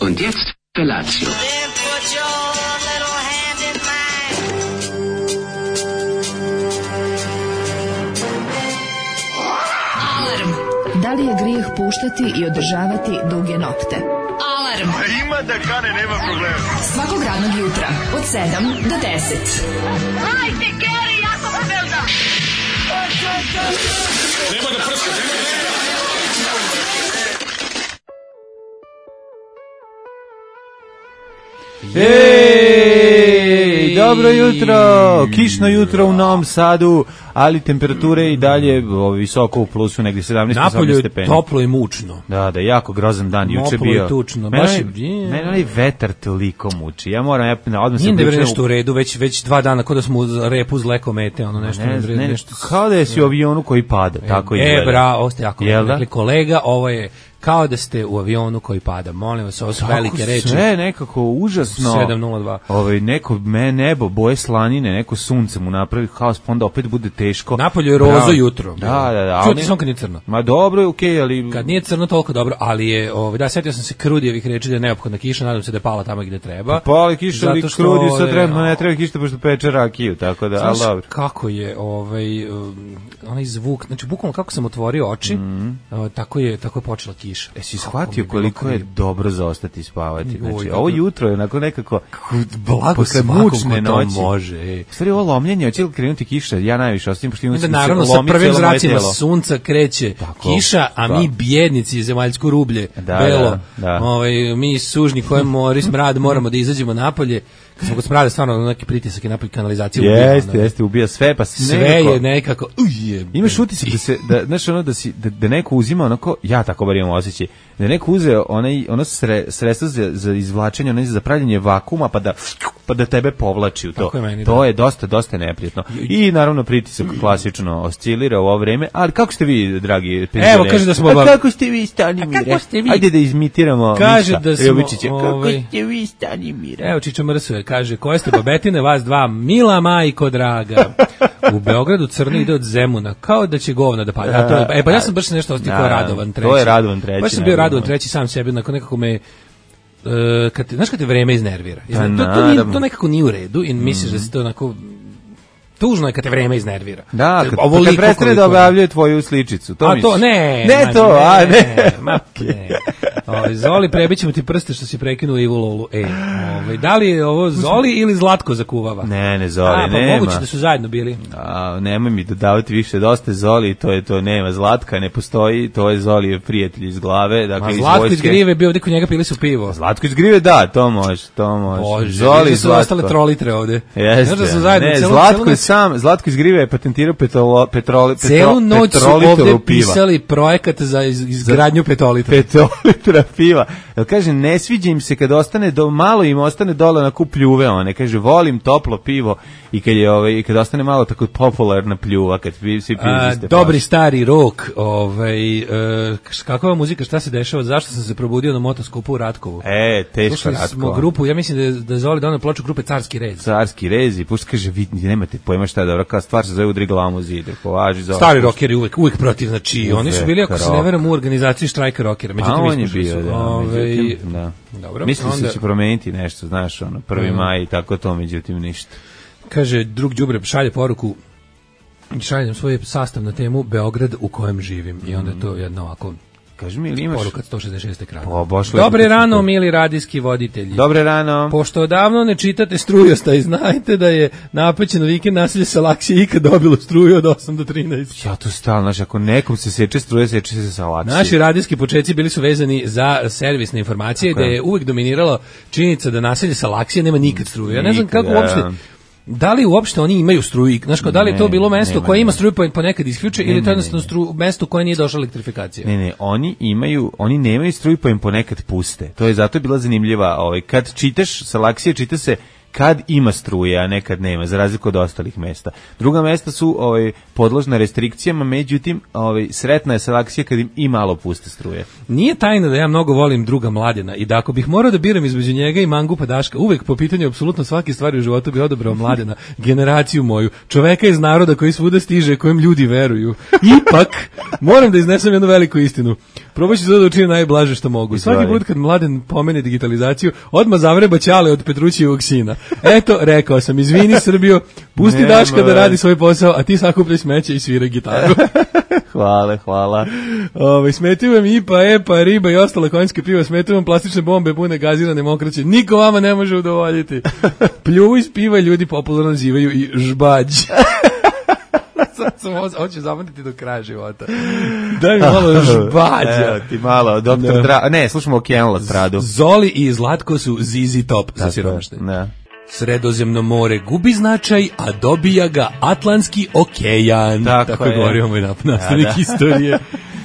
Und jetzt Felatio. Da li je grijeh puštati i održavati duge nokte? Alarm! Ima da kane, nema problema. Svakog radnog jutra, od 7 do 10. Hajde, Geri, jako se velda! Nema da prska, Ej, dobro jutro, kišno jutro u Novom Sadu, ali temperature i dalje visoko u plusu, negdje 17-18 stepeni. Napolju toplo i mučno. Da, jako grozan dan, juče bio. Napolju tučno. Mene onaj vetar toliko muči, ja moram odmah se... Nije da je nešto u redu, već 2 dana, kod da smo uz repu uz lekomete, ono nešto. Nešto kao da jesi u avionu koji pada, tako izgleda. Ovo ste jako rekli, kolega, ovo je kao da ste u avionu koji pada. Molim vas, ovo su velike reči. Sve nekako užasno. 7:02. Neko nebo, boje slanine, neko sunce mu napravi haos, pa onda opet bude teško. Napolju je rozo jutro. Da. Čuti sam kad nije crno. Ma dobro je, okej, ali... Kad nije crno toliko dobro, ali je, da, setio sam se Krudijevih reči da je neophodna kiša, nadam se da je pala tamo gde treba. Pali kiša, ali Krudiju sad trenutno ne treba kiša, pošto peče rakiju, tako da, ali dobro. Kako je, onaj zvuk, znači bukvalno kako sam otvorio oči, tako je počela kiša. Si shvatio koliko je dobro za ostati spavati? Znači, ovo jutro je onako nekako blago svakom ko to može. Stvari, ovo lomljenje, hoće li krenuti kiša? Ja najviše ostavim, pošto imam se naravno, sa prvim zracima sunca kreće kiša, a mi bjednici, zemaljsko rublje, belo, mi sužni koji mori smrad, moramo da izađemo napolje. Kad smo kod smrada, stvarno neki pritisak i napolje kanalizacije ubija. Jeste, ubija sve, pa sve je nekako... Imaš utisak da neko uzima onako, ja tako bar imam osjećaj, da neko uzeo ono sredstvo za izvlačenje, ono za pravljenje vakuma, pa da tebe povlači u to. To je dosta neprijatno. I naravno pritisak klasično oscilira u ovo vreme, ali kako ste vi, dragi penzioneri? Evo, kaže da smo... kako ste vi, Stanimire? Ajde da izimitiramo Miša Jovičića. Kako ste vi, Stanimire? Evo, Čiča Mrsove, kaže, koje ste babetine, vas dva, mila majko draga. U Beogradu crno ide od Zemuna, kao da će govna da pada. Pa ja sam baš nešto ostikao Radovan treći. To je Radovan treći. Baš sam bio Radovan treći sam sebi, nekako me... Znaš kad te vreme iznervira? To nekako nije u redu i misliš da se to onako... Tužno je kad te vreme iznervira. Da, kad prestane da objavljuje tvoju sličicu. To misliš? Ne. Zoli, prebićemo ti prste što si prekinuo Ivu Lolu. Da li je ovo Zoli ili Zlatko zakuvava? Ne, Zoli, nema. Pa moguće da su zajedno bili. Nemoj mi dodavati više, dosta je Zoli, to nema. Zlatka ne postoji, to je Zoli je prijatelj iz glave. Dakle, Zlatko iz Grive bio ovdje kod njega, pili su pivo. Zlatko iz Grive, da, to može. Bože, Zoli, su ostale trolitre ovde. Jeste, Zlatko iz Grive je patentirao celu noć su ovde pisali projekat za izgradnju petolitra piva. Kaže, ne sviđa im se kad ostane malo im ostane dole na pljuve one. Kaže, volim toplo pivo i kad ostane malo tako popularna pljuva kad svi piju iste. Dobri stari rock, kakva muzika, šta se dešava, zašto sam se probudio na motoskupu u Ratkovu? Teško Slušali Ratkova. Smo grupu, ja mislim da je Zoli donao ploču grupe Carski rez. Carski rez i pušta, kaže, vi nemate pojma šta je dobro, kao stvar se zove Udriglamo zide. Stari rockeri uvijek protiv, znači oni su bili, ako se ne veram, u organizaciji štrajka rockera, međutim ispušli su. Dobro. Mislim se će promeniti nešto, znaš, 1. maj i tako to, međutim ništa. Kaže, drug đubre šalje poruku, šaljem svoj sastav na temu Beograd u kojem živim i onda je to jedno ovako... Kaži mi, ili imaš... Poruka 166 ekrana. Dobre rano, mili radijski voditelji. Dobre rano. Pošto odavno ne čitate Strujosta i znajte da je napećeno vikend naselje Salaksije ikad dobilo struju od 8 do 13. Ja to stalno, znaš, ako nekom se seče struje, seče se Salaksije. Naši radijski početci bili su vezani za servisne informacije, gde je uvijek dominirala činjenica da naselje Salaksije nema nikad struje. Ja ne znam kako uopšte... Da li uopšte oni imaju struju? Znaš, da li je to bilo mesto koje ima struju pa nekad isključe ili to jednostavno mesto koje nije došla elektrifikacija? Ne, oni nemaju struju pa im ponekad puste. To je zato bila zanimljiva. Kad čitaš Salaksije, čita se kad ima struje, a nekad nema, za razliku od ostalih mesta. Druga mesta su podložna restrikcijama, međutim sretna je selekcija kad im i malo puste struje. Nije tajna da ja mnogo volim druga Mladena i da ako bih morao da biram između njega i Mangupa Daška, uvek po pitanju apsolutno svake stvari u životu bih odabrao Mladena, generaciju moju, čoveka iz naroda koji svuda stiže, kojem ljudi veruju. Ipak, moram da iznesem jednu veliku istinu. Probat ću da učinim najblaže što mogu. Svaki put kad Mladen pomene digitalizaciju, odmah zavreba ćale od Petrućijevog sina. Eto, rekao sam, izvini Srbijo, pusti Daška da radi svoj posao, a ti sakupljaj smeće i sviraj gitaru. Hvala. Smetaju vam IPA, EPA, riba i ostale konjske piva, smetaju vam plastične bombe pune gazirane mokraće. Niko vama ne može udovoljiti. Pljuvu iz piva ljudi popularno nazivaju i žbađ. Hoću zapamtiti do kraja života. Daj mi malo žbađa. Evo ti malo, doktor ne, slušamo Okeanul od Pradu. Zoli i Zlatko su ZZ Top za siromaštene. Da. Sredozemno more gubi značaj, a dobija ga Atlantski okean. Tako je govorio moj nastavnik istorije.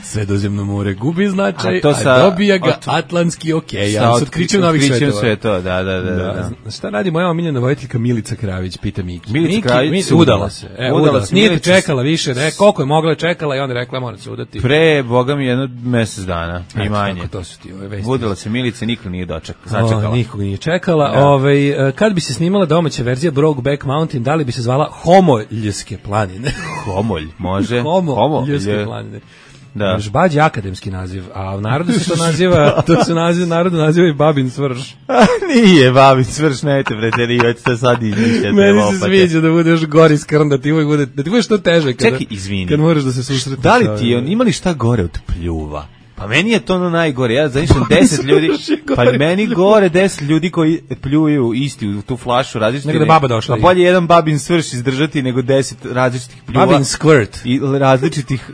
Sredozemno more gubi značaj, a dobija ga Atlantski okean. S otkrićem novih svetova. Da. Šta radi moja omiljena vojiteljka Milica Kravić, pita Miki. Milica Kravić udala se. Nije čekala više, koliko je mogla čekala i onda rekla mora se udati. Pre, boga mi, jedno mesec dana, i manje. To su ti ove vesti. Udala se Milica, niko nije začekala. Nikog nije čekala. Kad bi se snimala domaća verzija Brokeback Mountain, da li bi se zvala Homoljske planine? Homolj, može. Homoljske planine. Da. Žbađ je akademski naziv, a u narodu se to naziva, narodu naziva i Babin Svrš. Nije Babin Svrš, nejte preterivati, to sad izmišljate. Meni se sviđa da budeš gori skrn, da ti bude što teže kad moraš da se susretiš. Da li ti ima li šta gore od pljuva? Pa meni je to ono najgore, ja zamišljam 10 ljudi, pa meni gore 10 ljudi koji pljuju isti u tu flašu različiti. Nego da baba došla. Pa bolje jedan babin svrš izdržati nego 10 različitih pljuva. Babin squirt. I različitih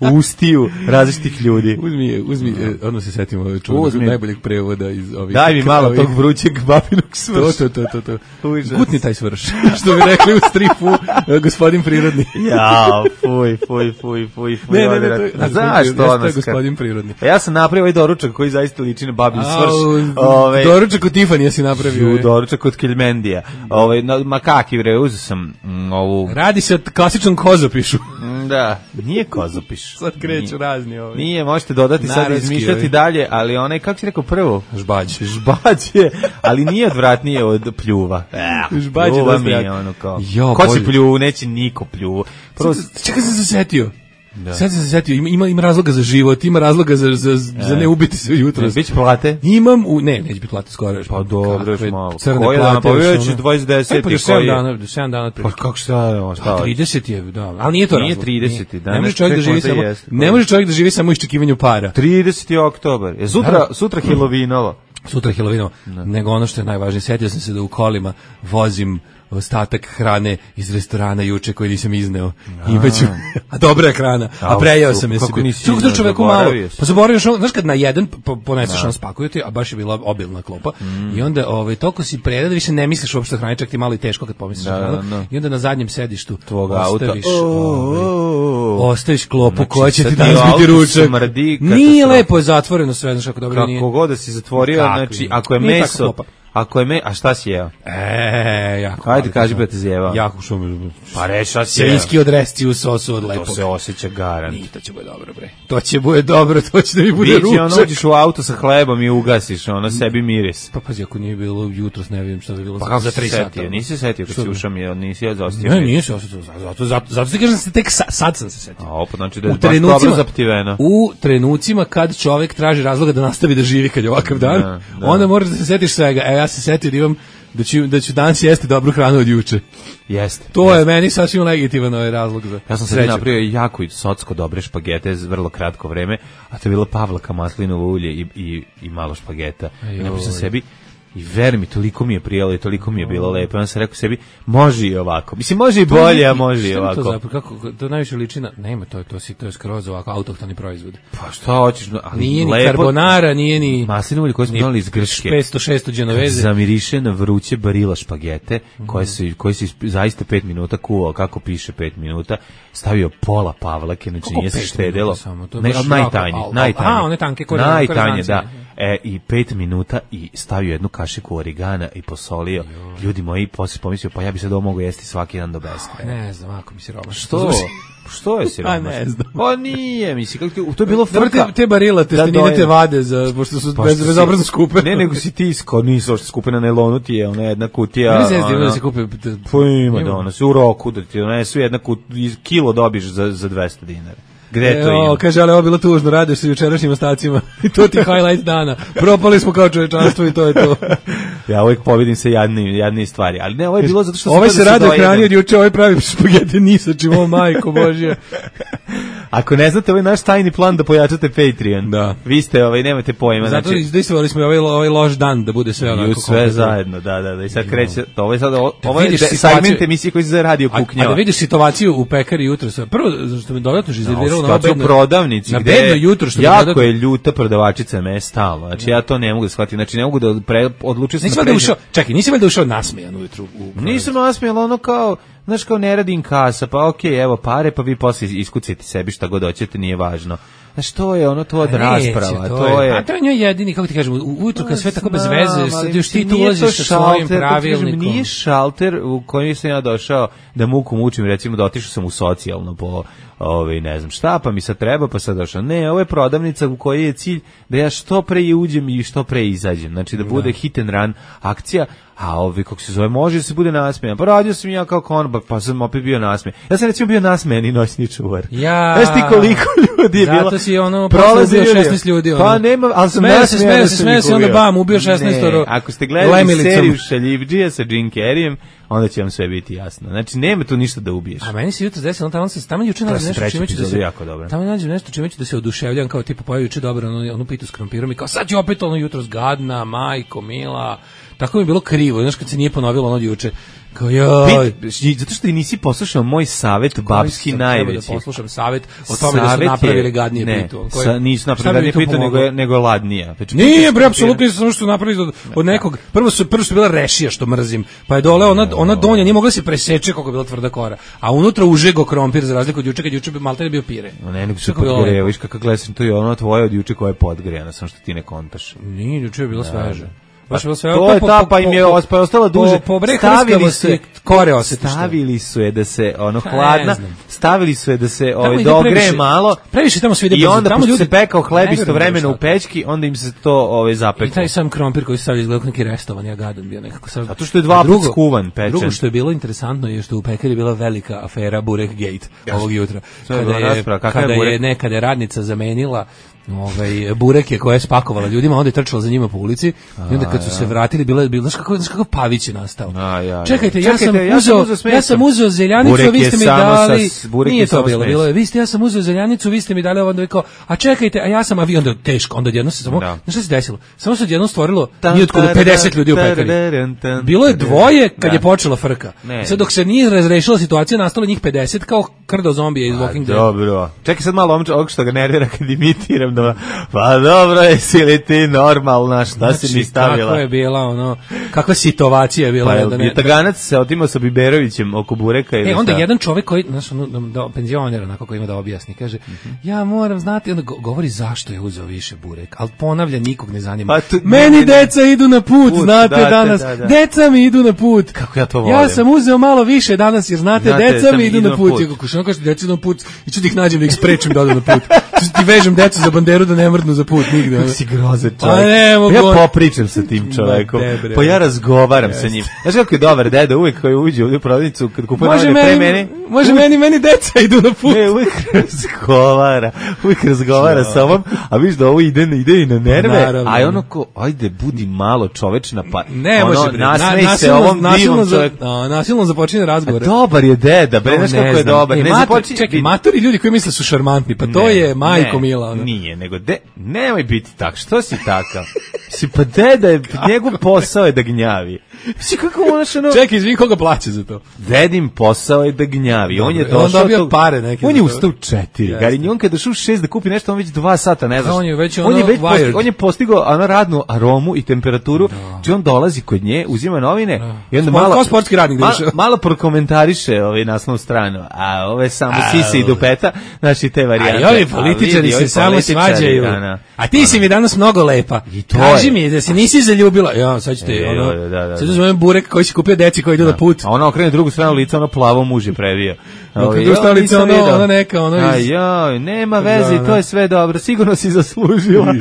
ustiju različitih ljudi. Uzmi, odmah se setimo čuvanog najboljeg prevoda iz ovih. Daj mi malo tog vrućeg babinog svrša. To. Gutni taj svrš. Što bi rekli u stripu gospodin prirodni. Ja, fuj. Ne. Zašto ona gospodin prirodni? Ja sam napravio ovaj doručak koji zaista liči na babin svrš. Doručak od Tifanija si napravio. Doručak od Kilmendija. Makaki, uzeo sam ovu... Radi se o klasičnom kozopišu. Da, nije kozopiš. Sad kreću razni ovi. Nije, možete dodati sad izmišljati dalje, ali onaj, kako si rekao prvo? Žbađ je, ali nije odvratnije od pljuva. Žbađ je dosta jak. Ko si pljuvu, neće niko pljuvu. Čekaj se zasetio. Sad se setio, ima razloga za život, ima razloga za ne ubiti se jutros. Biće plate? Imam, neće biti plate skoro. Pa dobro, još malo. Koji dan, pa već 2010. Pa 7 dana. Pa kako šta? 30 je, da, ali nije to razlog. Nije 30. Ne može čovjek da živi samo u iščekivanju para. 30. oktobar. Sutra Helovinovo. Sutra Helovinovo. Nego ono što je najvažnije, setio sam se da u kolima vozim ostatak hrane iz restorana juče koji nisam izneo. A dobra je hrana. A prejeo sam je. Kako nisi izneo, čoveku malo. Pa zaboravio što, znaš kad na jedan poneseš on spakuju ti, a baš je bila obilna klopa. I onda toliko si prejeo da više ne misliš uopšte o hrani, čak ti malo i teško kad pomisliš o hranu. I onda na zadnjem sedištu tvog auta ostaviš klopu koja će ti danas biti ručak. Nije lepo, je zatvoreno sve, znaš kako dobro nije. Kako god da si zatvorio, znači ako je meso, a šta si jeo? Jako. Ajde, kaži ba te zjevao. Jako što mi... Pa reći šta si jeo. Svinjski odresci u sosu od lepog. To se osjeća garant. To će bude dobro, bre. To će bude dobro, to će da mi bude ručak. Biće uđeš u auto sa hlebom i ugasiš, sebi miris. Pa pazi, ako nije bilo jutros, ne vidim šta bi bilo za 3 sata. Nisi se setio kad si ušao mi, nisi ja zaostio. Ne, nije se osjetio. Zato ti kažem se tek sad sam se setio. A opet, znači da je baš dobro zaptiveno. U trenucima kad čovek traži razloga da nastavi da živi kad je ovakav dan, onda moraš da se setiš svega. Ja se setio da imam da ću danas jesti dobru hranu od juče. Jeste. To je meni sasvim legitiman ovaj razlog za. Ja sam sebi napravio jako i socsko dobre špagete za vrlo kratko vreme, a to je bila pavlaka, maslinovo ulje i malo špageta. I napravio sam sebi i ver mi, toliko mi je prijelo i toliko mi je bilo lepo. Ja sam rekao sebi, može i ovako. Mislim, može i bolje, a može i ovako. To zapravo, to najviše liči na, nema, to je skroz ovako autohtoni proizvod. Pa šta hoćeš, ali nije ni carbonara, nije ni maslinovo ulje koje smo donali iz Grčke. 500-600 Genoveze. Zamiriše na vruće barila špagete, koje se zaista 5 minuta kuvao, kako piše 5 minuta, stavio pola pavlake, znači nije se štedelo. Najtanje, da. I 5 minuta i stavio jednu kašiku origana i posolio. Ljudi moji, posle pomislio, pa ja bi sad ovo mogu jesti svaki dan do beskraja. Ne znam, ako mi se roba. Što je siromašno? Ne znam. Pa nije, misli, to je bilo frka. Te barila, testenine, te vade, pošto su bezobrazno skupe. Ne, nego si ti nisu ošte skupe na nailonu, ti je ona jedna kutija. Ne znam da se kupe. Pa ima da ona se u roku da ti donesu jedna kilo dobiš za 200 dinara. Gde to ima? Kaže, ali ovo bilo tužno, radiš sa jučerašnjim ostacima. I to ti highlight dana. Propali smo kao čovečanstvo i to je to. Ja uvijek povidim se jadnije stvari. Ali ne, ovo je bilo zato što... Ovaj se radi hrani od juče, ovaj pravi špagete ni sa čim, ovo majko Božja. Ako ne znate, ovaj naš tajni plan da pojačate Patreon. Da. Vi ste, nemate pojma. Zato izdejstvovali smo ovaj loš dan da bude sve onako. Sve zajedno, da. I sad kreće, ovo je segment emisije koji se radi o kuknjava. A da vidiš situaciju u pekari jutro. Prvo, što me dodatno iznerviralo na prodavnici, na gde jutro, što jako je ljuta prodavačica me stalno. Znači ja to ne mogu da shvatim. Znači ne mogu da odlučim se na Čekaj, nisi valjda ušao nasmejan ujutru? Nisam nasmejan, ono kao, znaš, kao ne radim kasa, pa okej, evo pare, pa vi posle iskucite sebi šta god hoćete, nije važno. Znaš, to je ono, to od rasprava, to je... A to je njoj jedini, kako ti kažem, ujutru kad sve tako bez veze, sad još ti tu ulaziš sa svojim pravilnikom. Nije šalter u kojem sam ja došao da muku mučim, recimo da otišao sam u socijalno po... ne znam šta, pa mi sad treba, pa sad došao. Ne, ovo je prodavnica u kojoj je cilj da ja što pre uđem i što pre izađem. Znači da bude hit and run akcija, a kako se zove, može da se bude nasmejan. Pa radio sam ja kao konobar, pa sam opet bio nasmejan. Ja sam recimo bio nasmejan i noćni čuvar. Znaš ti koliko ljudi je bilo? Zato si prolazi ubio 16 ljudi. Pa nema, ali sam nasmejan. Smeja se, onda bam, ubio 16. Ako ste gledali seriju Šaljivdžija sa Jim Carreyem, onda će vam sve biti jasno. Znači, nema tu ništa da ubiješ. A meni se jutro desilo, tamo juče nađe nešto čime ću da se... Tamo nađe nešto čime ću da se oduševljam, kao tipa pojavi juče dobro, onu pitu s krompirom i kao sad ću opet ono jutro zgadna, majko, mila. Tako mi je bilo krivo, znaš kad se nije ponovilo ono juče. Kao joj. Zato što i nisi poslušao moj savet babski najveći. Treba da poslušam savet o tome da su napravili gadnije pitu. Nisu napravili gadnije pitu, nego ladnija. Nije, bre, apsolutno nisam samo što napravili od nekog. Prvo su bila rešija što mrzim, pa je dole ona donja, nije mogla se preseče kako je bila tvrda kora. A unutra užego krompir, za razliku od juče, kad juče maltene bio pire. Ne, nego se podgreo, viš kako gledam, to je ono tvoje od juče koje je podgrejano, samo što ti ne kontaš. Nije, juče je bilo sveže. To je ta, pa im je ostala duže. Stavili su je da se hladna, stavili su je da se dogreje malo. Previše tamo svi i onda pošto se pekao hleb istovremeno u pećki, onda im se to zapeklo. I taj sam krompir koji se stavio izgleda neki restovan, ja gadan bio nekako sad. Zato što je 2 puta skuvan, pečen. Drugo što je bilo interesantno je što u pekari je bila velika afera Burek Gate ovog jutra. Kada je radnica zamenila bureke koje je spakovala ljudima, onda je trčala za njima po ulici i onda kad su se vratili znaš kako Pavić je nastao. Čekajte, ja sam uzeo zeljanicu, a vi ste mi dali, nije to bilo, ja sam uzeo zeljanicu, vi ste mi dali, onda je kao, a čekajte, a ja sam, a vi onda teško, onda jedno se samo, znaš šta se desilo? Samo se odjednom stvorilo, nije otkuda 50 ljudi u pekari. Bilo je dvoje kad je počela frka. Sad dok se nije razrešila situacija, nastalo njih 50 kao krdo zombije iz Walking Dead. Dobro. Čekaj sad malo ovog što ga nervira kad imitiram. Pa dobro, jesi li ti normalna, šta si mi stavila? Kako je bila, kakva situacija je bila. Pa je Taganac se otimao sa Biberovićem oko bureka. Onda jedan čovjek koji, penzioner, onako koji ima da objasni, kaže, ja moram znati, onda govori zašto je uzeo više burek, ali ponavlja, nikog ne zanima. Meni deca idu na put, znate danas, deca mi idu na put. Kako ja to volim. Ja sam uzeo malo više danas, jer znate, deca mi idu na put. Kako kaže, deca idu na put, i ću da ih nađem da ih sprečim da odu na put. Ti vežem decu za banderu da ne mrdnu za put nigde. Kako si grozan čovjek. Ja popričam sa tim čovekom. Pa ja razgovaram sa njim. Znaš kako je dobar deda, uvijek koji uđe u prodavnicu kad kupuje novine pre mene. Može meni deca idu na put. Ne, uvijek razgovara sa ovom, a viš da ovo ide i na nerve, a je ono ko, ajde, budi malo čovečna, pa ne može, nasmej se ovom divom čoveku. Nasilno započine razgovor. Dobar je deda, bre, znaš kako je dobar. Čekaj, matori ljudi koji misle su šarmantni, pa to je majko mila. Nije, nego nemoj biti tak, što si takav? Pa deda je, njegov posao je da gnjavi. Mislim kako ono... Čekaj, izvin, koga plaća za to? Dedin posao je da gnjavi. On je Dobro, došao... on dobio pare neke. On je ustao u 4. Gari, on kada došao u 6 da kupi nešto, on već 2 sata, ne znaš. On je postigao ono radnu aromu i temperaturu, či on dolazi kod nje, uzima novine i onda malo... Kao sportski radnik malo prokomentariše naslovnu stranu, a ove samo sise i dupeta, znači te varijante. A ovi političari se samo svađaju. A ti si mi danas mnogo lepa. Kaži mi da se nisi zaljubila. Ja, sad ćete, sad uzmem burek koji si kupio deci koji idu na put. A ona okrene drugu stranu lica, ono plavo muž je previo. Drugu stranu lica, ono neka, nema veze, to je sve dobro, sigurno si zaslužila.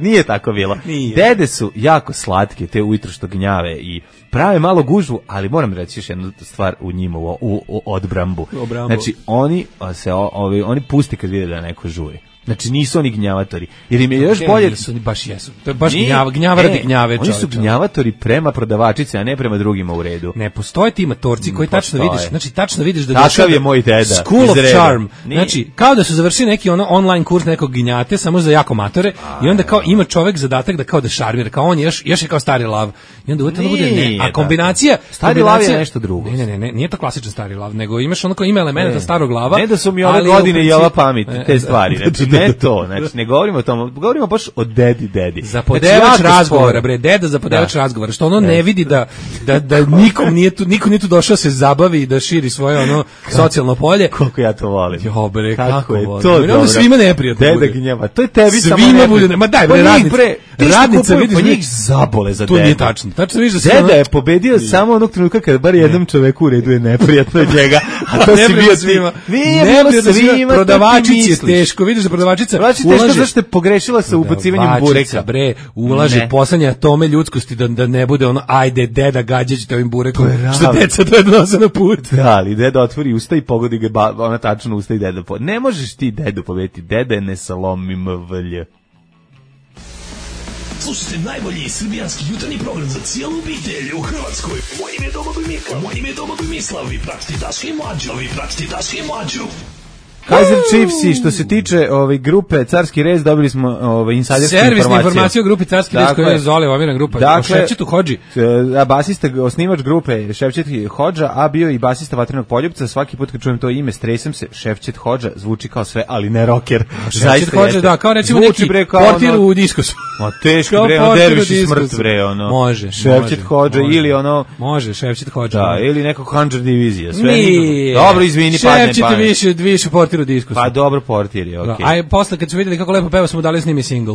Nije tako bilo. Dede su jako slatke, te ujutro što gnjave i prave malo gužvu, ali moram reći još jednu stvar u njima, u odbrambu. Znači, oni pusti kad vide da neko žuje. Znači nisu oni gnjavatori. Jer im je još bolje... Oni baš jesu. To je baš gnjava radi gnjave. Oni su gnjavatori prema prodavačici, a ne prema drugima u redu. Ne, postoje ti matorci koji tačno vidiš. Znači tačno vidiš da... Takav je moj deda. School of Charm. Znači, kao da su završili neki online kurs nekog gnjate, samo za jako matore, i onda kao ima čovek zadatak da kao da šarmira, kao on je još je kao stari lav. I onda uvijek bude ne. A kombinacija... Stari lav je nešto drugo. Ne, nije to klasičan stari lav, nego imaš ono kao ima elementa starog lava. Ne da su mi ove godine i ova pamet, te stvari. Ne to, znači ne govorimo o tom, govorimo baš o dedi. Zapodevač razgovora, bre, deda zapodevač razgovora, što ono ne vidi da niko nije tu došao se zabavi i da širi svoje ono socijalno polje. Koliko ja to volim. Jo bre, kako je volim. to dobro. Svima neprijatno bude. Deda gnjava, to je tebi samo svima bude. Ma daj bre, radnica vidiš po njih zabole za deda. To nije tačno. Tačno vidiš da deda je pobedio samo onog trenutka kada bar jednom čoveku u redu je neprijatno od njega. A to si bio svima. Svima. Prodavačici je teško, vidiš da prodavačica teško zašto je pogrešila sa ubacivanjem bureka. Bre, ulaže poslednje atome ljudskosti da ne bude ono ajde deda gađaćete ovim burekom što deca donose na put. Da, ali deda otvori usta i pogodi ga ona tačno usta i deda. Ne možeš ti dedu pobediti. Deda je nesalomim vlje. Slušajte najbolji srbijanski jutarnji program za cijelu obitelj u Hrvatskoj. Moje ime je Domagoj Mislav. Vi pratite Daška i Mlađu. Kaiser Chiefs, što se tiče grupe Carski rez, dobili smo insajdersku informaciju. Servisna informacija o grupi Carski rez koja je Zole Omirna grupa. Dakle, Ševčetu Hodži. Basista, osnivač grupe Ševčet Hodža, a bio i basista Vatrenog poljupca. Svaki put kad čujem to ime, stresem se. Ševčet Hodža zvuči kao sve, ali ne rocker. Ševčet Hodža, da, kao recimo neki portir u diskosu. Ma teško bre, on derviš smrt bre, ono. Može. Ševčet Hodža ili ono... Može, Ševčet Hodža. Da, ili neko Handžar divizija. Dobro, izvini, padne pamet. Ševčet više portir u diskosu. Pa dobro, portir je, okej. A posle kad su vidjeli kako lepo peva, smo dali s njimi singl.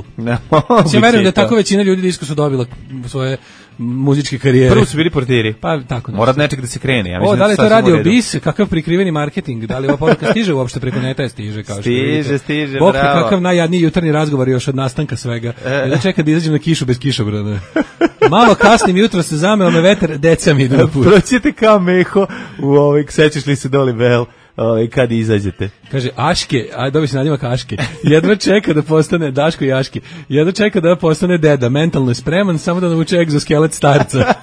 Ja verujem da tako većina ljudi diskosu dobila svoje muzičke karijere. Prvo su bili portiri. Pa tako. Mora nečeg da se krene. Ja mislim da li to radio BIS, kakav prikriveni marketing, da li ova poruka stiže uopšte preko neta, stiže kao što vidite. Stiže, Bog bravo. Kakav najjadniji jutarnji razgovor još od nastanka svega. Da čeka da izađem na kišu bez kišobrana. Malo kasnim jutro se zameo me vetar, deca mi idu na put. Proćete kao meho sećaš li se Doli Bell kad izađete. Kaže, Aške, dobi se nadimak Aške, jedva čeka da postane, Daško i Aške, jedva čeka da postane deda, mentalno je spreman, samo da nauči egzoskelet starca.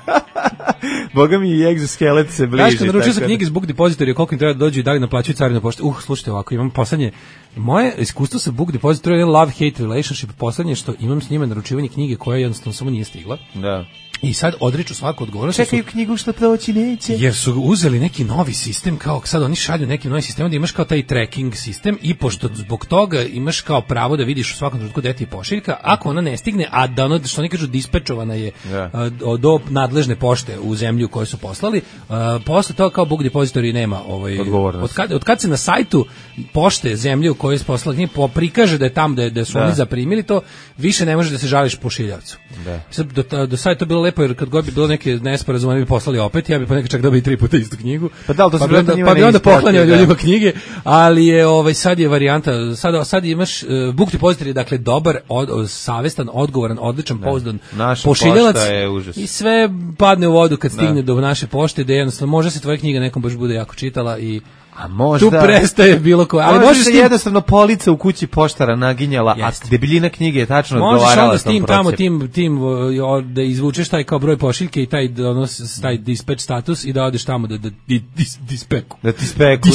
Boga mi i egzoskelet se bliži. Daško, naručio sam knjige s Book Depository, koliko im treba da dođu i da li naplaćuju carinu pošte. Slušajte ovako, imam poslednje, moje iskustvo sa Book Depository je love-hate relationship, poslednje što imam s njima naručivanje knjige koja jednostavno samo nije stigla. Da. I sad odriču svaku odgovornost. Čekaju knjigu što proći neće. Jer su uzeli neki novi sistem, kao sad oni šalju neki novi sistem, da imaš kao taj tracking sistem i pošto zbog toga imaš kao pravo da vidiš u svakom trenutku gde ti je pošiljka, ako ona ne stigne, a da ono, što oni kažu, dispečovana je do nadležne pošte u zemlju koju su poslali, posle toga kao Book Depository nema od kad se na sajtu pošte zemlje u kojoj je poslala knjiga prikaže da je tamo da su oni zaprimili to, više ne može da se žališ pošiljavcu. Do sad je to bilo lepo, jer kad god bi bilo neke nesporazume bi poslali opet, ja bi ponekad čak dobio 3 puta istu knjigu. Pa bi onda poklanjao ljudima knjige, ali je sad je varijanta, sad imaš Book Depository, dakle dobar, savestan, odgovoran, odličan, pouzdan pošiljalac i sve padne u vodu kad stigne do naše pošte, da jednostavno može se tvoja knjiga nekom baš bude jako čitala i tu prestaje bilo koje. Ali možeš jednostavno polica u kući poštara naginjala, a debeljina knjige je tačno odgovarala s tim tamo, tim da izvučeš taj kao broj pošiljke i taj dispatch status i da odeš tamo da dispeku. Da ti speku.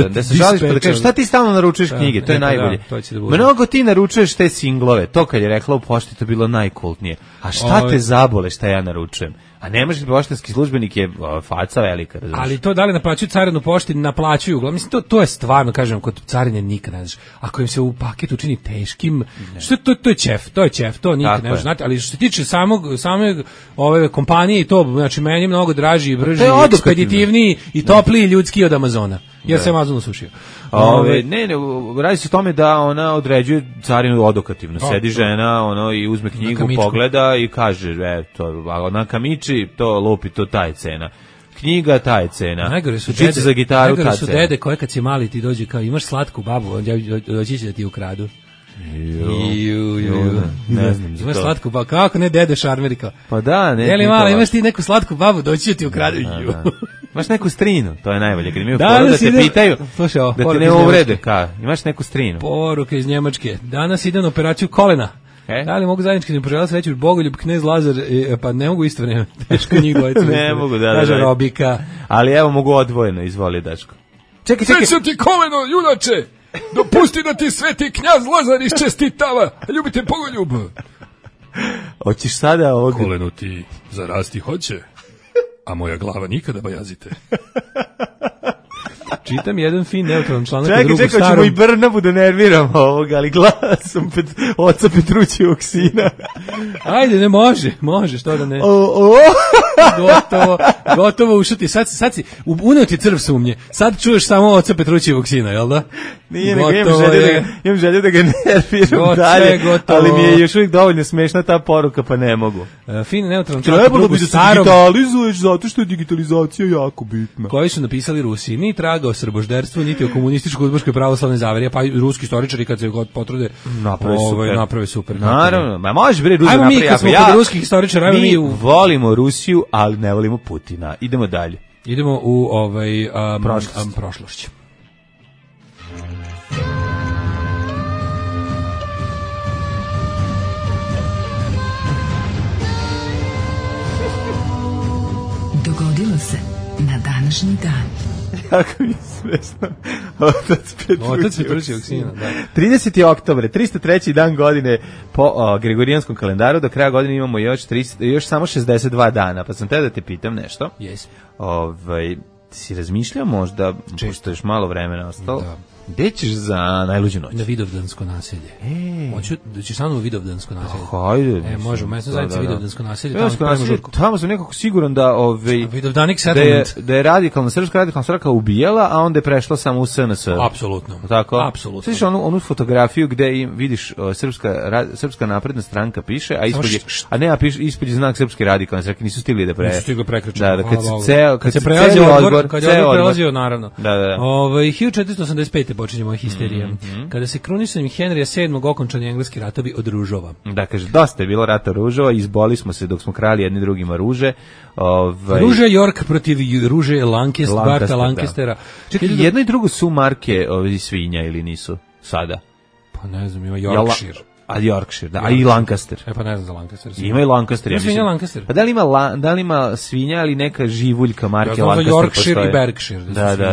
Da se žališ pa da kažeš šta ti stalno naručuješ knjige, to je najbolje. Mnogo ti naručuješ te singlove, to kad je rekla u pošti to bilo najkultnije. A šta te zabole šta ja naručujem? A nemaš poštanski službenik je faca velika, razumiješ? Ali to da li naplaćuju carinu pošti, naplaćuju. Mislim, to je stvarno, kažem, kod carine nikad ne znaš. Ako im se u paketu učini teškim, što to je ćef, to nikad ne znaš, znate, ali što se tiče same ove kompanije i to, znači meni je mnogo draži i brži, ekspeditivniji i topliji ljudski od Amazona, jer se Amazon usušio. Ne, radi se o tome da ona određuje carinu odokativno. Sedi žena, i uzme knjigu, pogleda i kaže, ona kamiči, to lupi, to ta je cena. Knjiga, ta je cena. Najgore su dede koje kad si mali ti dođe kao imaš slatku babu, doći će da ti ukradu. Ne znam za to. Imaš slatku babu, kako ne dede šarmeri kao. Pa da, ne. Jeli mala, imaš ti neku slatku babu, doći će ti ukradu. Imaš neku strinu, to je najbolje. Kad imaju poru da te pitaju, da ti ne uvrede. Imaš neku strinu. Poruka iz Njemačke. Danas idem na operaciju kolena. Da li mogu zajednički da poželjela sreću Bogoljub, Knez Lazar, pa ne mogu isto vreme. Teško njih dvojica. Ne mogu, da. Kaže Robika. Ali evo mogu odvojeno, izvoli Daško. Čekaj. Srećo ti koleno, junače! Dopusti da ti sveti Knjaz Lazar iščestitava. Ljubite Bogoljub. Hoćeš sada ovdje? Koleno ti zarasti hoće, a moja glava nikada bajazite. Čitam jedan fin neutralan članak u drugu starom. Čekaj, ćemo i Brnabu da nerviramo ovoga, ali glasom oca Petrućevog sina. Ajde, ne može, što da ne. Gotovo ušuti. Sad si, uneo ti crv sumnje. Sad čuješ samo oca Petrućevog sina, jel da? Nije, nego imam želju da ga nerviram dalje, ali mi je još uvijek dovoljno smešna ta poruka, pa ne mogu. Fin neutralan članak u drugu starom. Trebalo bi da se digitalizuješ, zato što je digitalizacija jako bitna. Koji su napisali Rusi, ni traga o srbožderstvu, niti o komunističko-udbaškoj pravoslavnoj zaveri, pa i ruski istoričari kad se god potrude naprave super. Naravno, ma može bre Rusi napravi. Ajmo mi kad smo kod ruskih istoričara, mi volimo Rusiju, ali ne volimo Putina. Idemo dalje. Idemo u prošlošć. Dogodilo se na današnji dan. Jako mi je smešno. Otac Petrućevog sina, da. 30. oktobre, 303. dan godine po Gregorijanskom kalendaru, do kraja godine imamo još samo 62 dana, pa sam te da te pitam nešto. Yes. Si razmišljao možda, pošto još malo vremena ostalo, gde ćeš za najluđu noć? Na Vidovdansko naselje. Hoću da ćeš samo u Vidovdansko naselje. Hajde. Može, u mesnoj zajednici Vidovdansko naselje. Tamo sam nekako siguran da Vidovdanik settlement. Da je srpska radikalna stranka ubijala, a onda je prešla samo u SNS. Apsolutno. Tako? Apsolutno. Sviš onu fotografiju gde vidiš srpska napredna stranka piše, a ispod je znak srpske radikalne stranke, nisu stigli da Nisu stigli prekrečiti. Da, kad se prelazio, naravno. Da. 1485. počinje moja histerija. Kada se krunisanjem Henrija VII. Okončani engleski ratovi od ružova. Da, kaže, dosta je bilo rata ružova, izboli smo se dok smo krali jedni drugima ruže. Ruže York protiv ruže Barta Lancastera. Čekaj, jedno i drugo su marke svinja ili nisu sada? Pa ne znam, ima Yorkshire. A Yorkshire, da, a i Lancaster. Pa ne znam za Lancaster. Ima i Lancaster, ja mislim. Svinja Lancaster. Pa da li ima svinja ali neka živuljka marke Lancaster postoje? Yorkshire i Berkshire.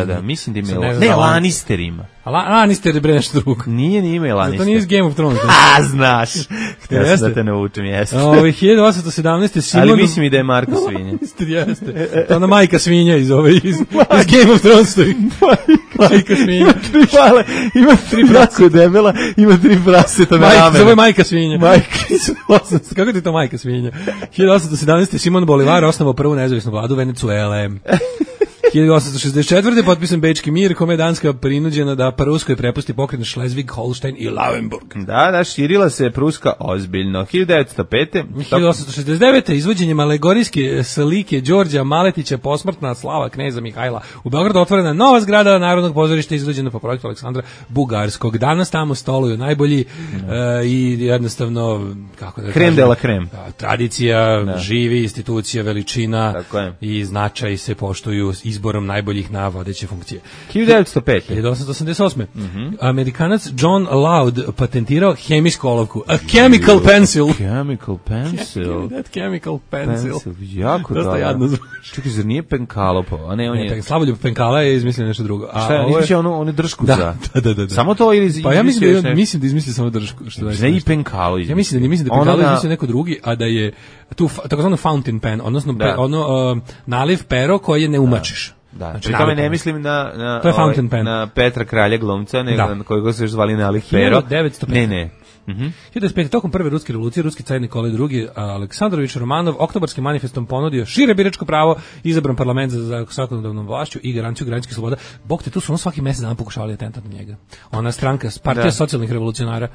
Da, mislim da ima. Ne, Lannister ima. A Lannister je bre nešto drugo. Nije ima Lannister. To nije iz Game of Thrones. A, znaš. Htio sam da te naučim, jeste. 1817. Simon... Ali mislim i da je Marko svinja. Jeste. To ona majka svinja iz Game of Thrones stoji. Majka svinja. Ima 3 prase debela, ima 3 praseta na ramenu. Zove majka svinja. Kako ti to majka svinja? 1817. Simon Bolivar osnovao prvu nezavisnu vladu Venecuele. 1864. potpisan Bečki mir, kome je Danska prinuđena da Pruskoj prepusti pokrajine Schleswig, Holstein i Lauenburg. Da, širila se Pruska ozbiljno. 1905. 1869. izvođenjem alegorijske slike Đorđa Maletića posmrtna slava kneza Mihajla u Beogradu otvorena nova zgrada Narodnog pozorišta izvođena po projektu Aleksandra Bugarskog. Danas tamo stoluju najbolji i jednostavno, kako da kažem, de la creme. Tradicija, živi, institucija, veličina i značaj se poštuju iz izborom najboljih na vodeće funkcije. 1905. 1888. Amerikanac John Loud patentirao hemijsku olovku. A chemical pencil. Chemical pencil. That chemical pencil. Jako dosta jadno zvuči. Čekaj, zar nije penkalo? A ne, on je... Slavoljub Penkala je izmislio nešto drugo. A šta, ovo izmislio onu držku da. Samo to ili... Pa ja mislim da izmislio samo držku. Ne i penkalo izmislio. Ja mislim da Penkalo izmislio neko drugi, a da je tu takozvano fountain pen, odnosno naliv pero koje ne umačiš. Da, znači, pri tome ne mislim na Petra Kralja glumca, nego kojeg se još zvali naliv pero. 1905. Ne. 1905. Tokom prve ruske revolucije, ruski car Nikolaj II. Aleksandrović Romanov oktobarskim manifestom ponudio šire biračko pravo, izabran parlament za zakonodavnom vlašću i garanciju građanskih sloboda. Bog te, tu su svaki mesec dana pokušavali atentat na njega. Ona stranka, partija socijalnih revolucionara.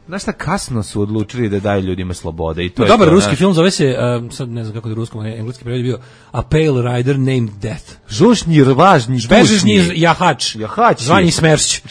Znaš šta, kasno su odlučili da daju ljudima slobode. I to dobar ruski film, zove se, sad ne znam kako da ruskom, engleski prevod je bio A Pale Rider Named Death. Žušnji, rvažni, žvežni jahač. Zvanji Smršć.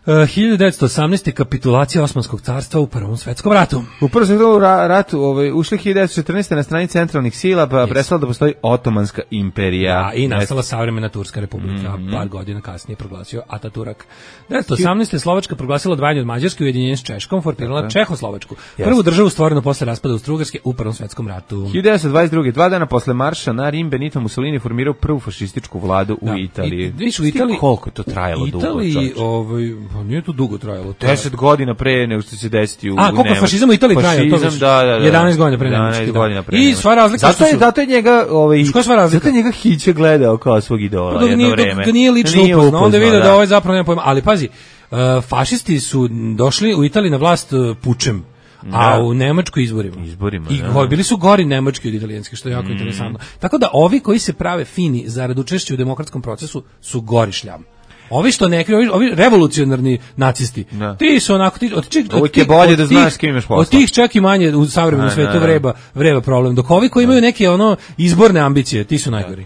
1918. kapitulacija Osmanskog carstva u Prvom svetskom ratu. U Prvom svetskom ratu ušli 1914. na strani centralnih sila, pa prestala da postoji Otomanska imperija. I nastala savremena Turska republika, par godina kasnije proglasio Ataturk. 1918. Slovačka proglasila odvajanje od Mađarske, ujedinjenje s Češkom, formirala Čehoslovačku. Prvu državu stvorenu posle raspada Austrougarske u Prvom svetskom ratu. 1922. 2 dana posle marša na Rim, Benito Mussolini formirao prvu fašističku vladu u Italiji. U Italiji koliko je to trajalo dugo? Nije to dugo trajalo. 10 godina pre nego što se desiti u Nemačkoj. Koliko fašizam u Italiji trajao? Fašizam, da. 11 godina pre Nemačke. I sva razlika zato je njega zato je njega Hiće gledao kao svog idola jedno vreme. Ga nije lično upoznao, onda je vidio da ovaj zapravo nema pojma. Ali pazi, fašisti su došli u Italiji na vlast pučem. A u Nemačkoj izborima. I bili su gori nemački od italijanski, što je jako interesantno. Tako da ovi koji se prave fini zarad učešća u demokratskom procesu su gori šljam. Ovi što neki, ovi revolucionarni nacisti, ti su onako, uvijek je bolje da znaš s kim imaš posla. Od tih čak i manje u savremenom svetu vreba problem. Dok ovi koji imaju neke izborne ambicije, ti su najgori.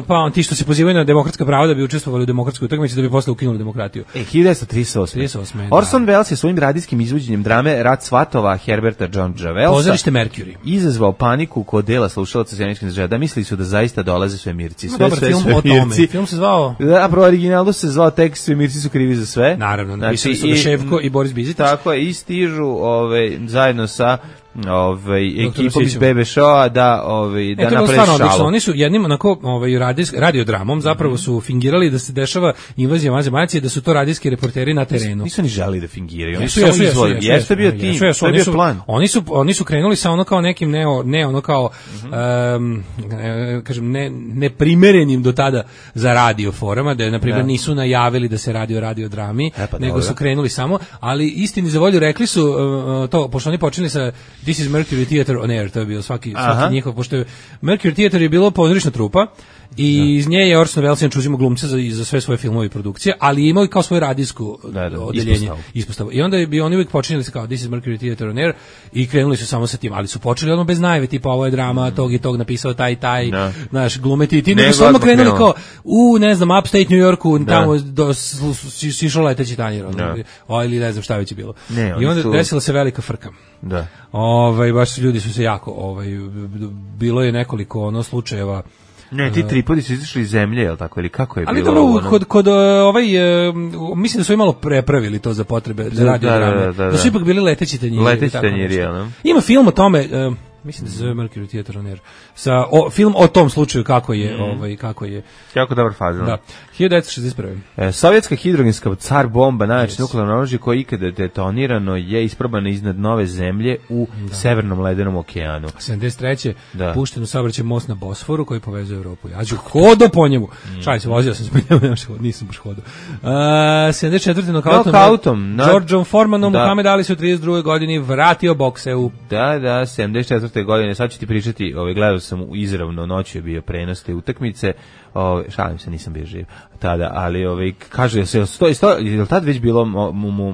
Pa ti što se pozivaju na demokratska prava da bi učestvovali u demokratskoj utakmici da bi posle ukinuli demokratiju. 1938. Orson Welles je svojim radijskim izvođenjem drame Rat svatova Herberta John Wellesa Pozorište Mercury izazvao paniku kod dela slušalaca Sjeničkih država, da mislili su da zaista dolaze svemirci. Dobar film o tome. Film se zvao... Da, pro originalu se zvao tekst Svemirci su krivi za sve. Naravno, napisali su Ševko i Boris Bizetić. Tako je, i stižu zajedno sa ekipom iz BB Show-a da naprave šalu. Oni su jednim onako radiodramom zapravo su fingirali da se dešava invazija vanzemaljci, da su to radijski reporteri na terenu. Nisu ni želeli da fingiraju. Oni su izvoli. Jeste bio tim, to je bio plan. Oni su krenuli sa ono kao nekim neprimerenim do tada za radio forama, da je na primjer nisu najavili da se radi o radiodrami, nego su krenuli samo, ali istini za volju rekli su to, pošto oni počeli sa This is Mercury Theater on Air, to je bio svaki njihov, pošto je Mercury Theater je bilo pozorišna trupa i iz nje je Orson Welles uzimao glumce za sve svoje filmove i produkcije, ali imao i kao svoje radijsko odeljenje, ispostavu. I onda bi oni uvijek počinjeli se kao This is Mercury Theater on Air i krenuli su samo sa tim, ali su počeli odmah bez najave, tipa ovo je drama, tog i tog napisao taj, naš glumeti, ti nego su odmah krenuli kao ne znam, Upstate New Yorku, tamo sišao leteći tanjir, ili ne znam šta već je bilo. I onda desila se velika frka. Da. Baš ljudi su se jako, bilo je nekoliko slučajeva. Ne, ti tripodi su izašli iz zemlje, je li tako, ili kako je ali bilo? Ali dobro, kod mislim da su imalo prepravili to za potrebe, za radiodrame. Da su ipak bili leteći tanjiri. Leteći tanjiri, jel? Ima film o tome, mislim da se zove Mercury Theater on Air, film o tom slučaju kako je, Jako dobar fazon. Da. 1961. Sovjetska hidrogenska car bomba, najjače nuklearno oružje koje ikada detonirano je isprobano iznad nove zemlje u Severnom ledenom okeanu. 73. pušten u saobraćaj most na Bosforu koji povezuje Evropu i Aziju. Hodo po njemu. Šalim se, vozio sam se, nisam baš hodo. 74. nokautom Georgeom Formanom Muhammed Ali se u 32. godini vratio bokseu. Da, 74. godine, sad ću ti pričati, gledao sam izravno, noću je bio prenos te utakmice, šalim se, nisam bio živ tada, ali kaže, je li tad već bilo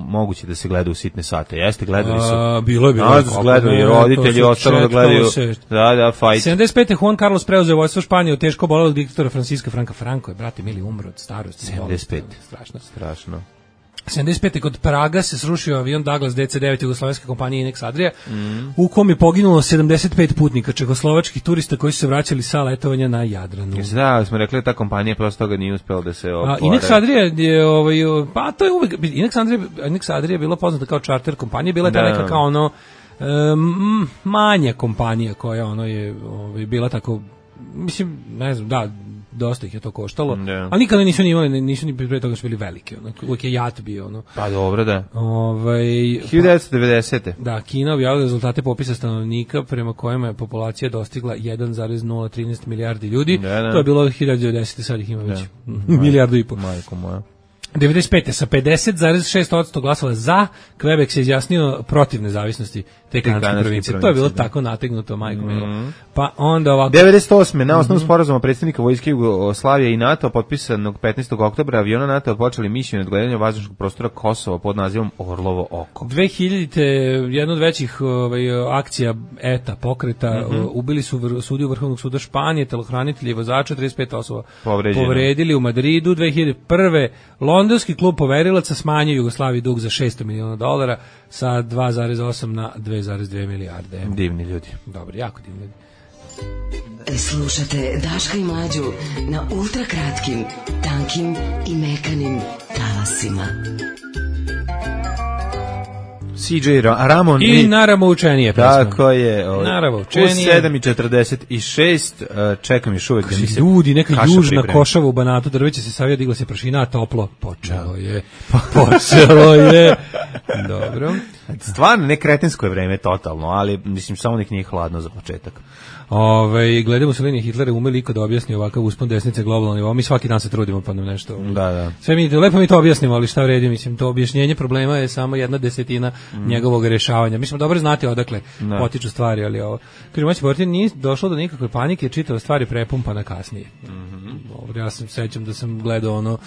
moguće da se gleda u sitne sate? Jeste, gledali su? Bilo je. Gledali roditelji, ostalo da gledaju. Da, fight. 75. Juan Carlos preuzeo vojstvo Španije, teško bolelo diktatora Francisca Franco je, brate, mili, umro od starosti. 75. Strašno. 75. kod Praga se srušio avion Douglas DC-9 jugoslovenske kompanije Inex Adria, u kom je poginulo 75 putnika čehoslovačkih turista koji su se vraćali sa letovanja na Jadranu. Da, smo rekli da ta kompanija prosto toga nije uspela da se opore. Inex Adria je, pa to je uvek, Inex Adria je bila poznata kao charter kompanija, bila je ta neka kao ono, manja kompanija koja ono je bila tako, mislim, ne znam, da, dosta ih je to koštalo, ali nikada nisu ni pre toga su bili veliki, ono, uvijek je jat bio, ono. Pa dobro, da. 1990. Da, Kina objavila rezultate popisa stanovnika prema kojima je populacija dostigla 1,013 milijardi ljudi, to je bilo 1990. sad ih ima već milijardu i pol. Majko moja. 95. sa 50,6% glasova za, Quebec se izjasnio protiv nezavisnosti te kanadske provincije. To je bilo tako nategnuto, majko milo. Pa onda ovako... 98. na osnovu sporazuma predsjednika vojske Jugoslavije i NATO potpisanog 15. oktobra aviona NATO počeli misiju nadgledanja vazdušnog prostora Kosova pod nazivom Orlovo oko. 2000. jedna od većih akcija ETA pokreta, ubili su sudiju Vrhovnog suda Španije, telohranitelji i vozača, 35 osoba povredili u Madridu. 2001. Londonski klub poverilaca smanjio Jugoslaviji dug za $600 miliona sa 2,8 na 2,2 milijarde. Divni ljudi. Dobro, jako divni ljudi. Slušate Daška i Mlađu na ultra kratkim, tankim i mekanim talasima. CJ Ramon i Naramo učenije pesma. Tako je. Naramo učenije. U 7:46 čekam još uvek da mi se ljudi, neka južna Košava u Banatu, drveće se savija, digla se prašina, a toplo počelo je. Dobro. Stvarno, ne kretensko je vreme totalno, ali mislim samo nek nije hladno za početak. Gledamo Mussolini i Hitlera umeli ikada objasni ovakav uspon desnice globalno nivo. Mi svaki dan se trudimo pa nam nešto. Da. Sve lepo mi to objasnimo, ali šta vredi, mislim, to objašnjenje problema je samo 1/10 njegovog rješavanja. Mi smo dobro znati odakle potiču stvari, ali ovo. Kaže, moći Bortin, nije došlo do nikakve panike, čitava stvar je prepumpana kasnije. Dobro, ja se sećam da sam gledao ono,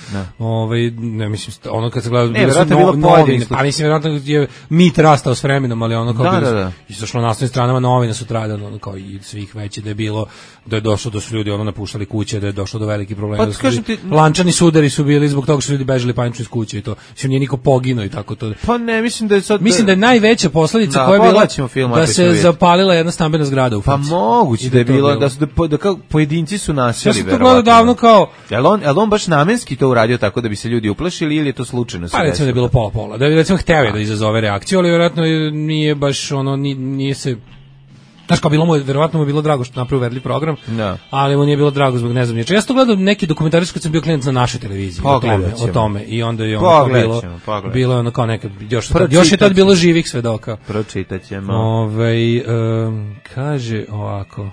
ne mislim, ono kad sam gledao, novine, pa mislim, vjerojatno je mit rastao s vremenom, ali ono kao izašlo na naslovnim stranama novina sutradan, ono kao i svih veći, da je bilo, da je došlo da su ljudi ono napuštali kuće, da je došlo do velikih problema, da su lančani sudari su bili zbog toga što ljudi bežali panično iz kuće i to, mislim, nije niko poginuo i tako to. Pa ne, mislim da je sad... Mislim da je najveća posljedica koja je bila da se zapalila jedna stambena zgrada u Franci. Pa moguće da je bilo, da kao pojedinci su nasjeli, verovatno. Ja sam to gledao davno kao... Jel on baš namenski to uradio tako da bi se ljudi uplašili ili je to slučajno se desilo? Pa recimo da je bilo pola-pola, da je recimo hteo da izazove reakciju, ali vjerojatno nije baš ono, nije se... Znaš, kao verovatno mu je bilo drago što napravio uverljiv program, ali mu nije bilo drago zbog ne znam ničega. Ja sam to gledao neki dokumentarac kad sam bio klijent na našoj televiziji o tome i onda je ono bilo je ono kao neka, još je tad bilo živih svedoka. Pročitat ćemo. Kaže ovako,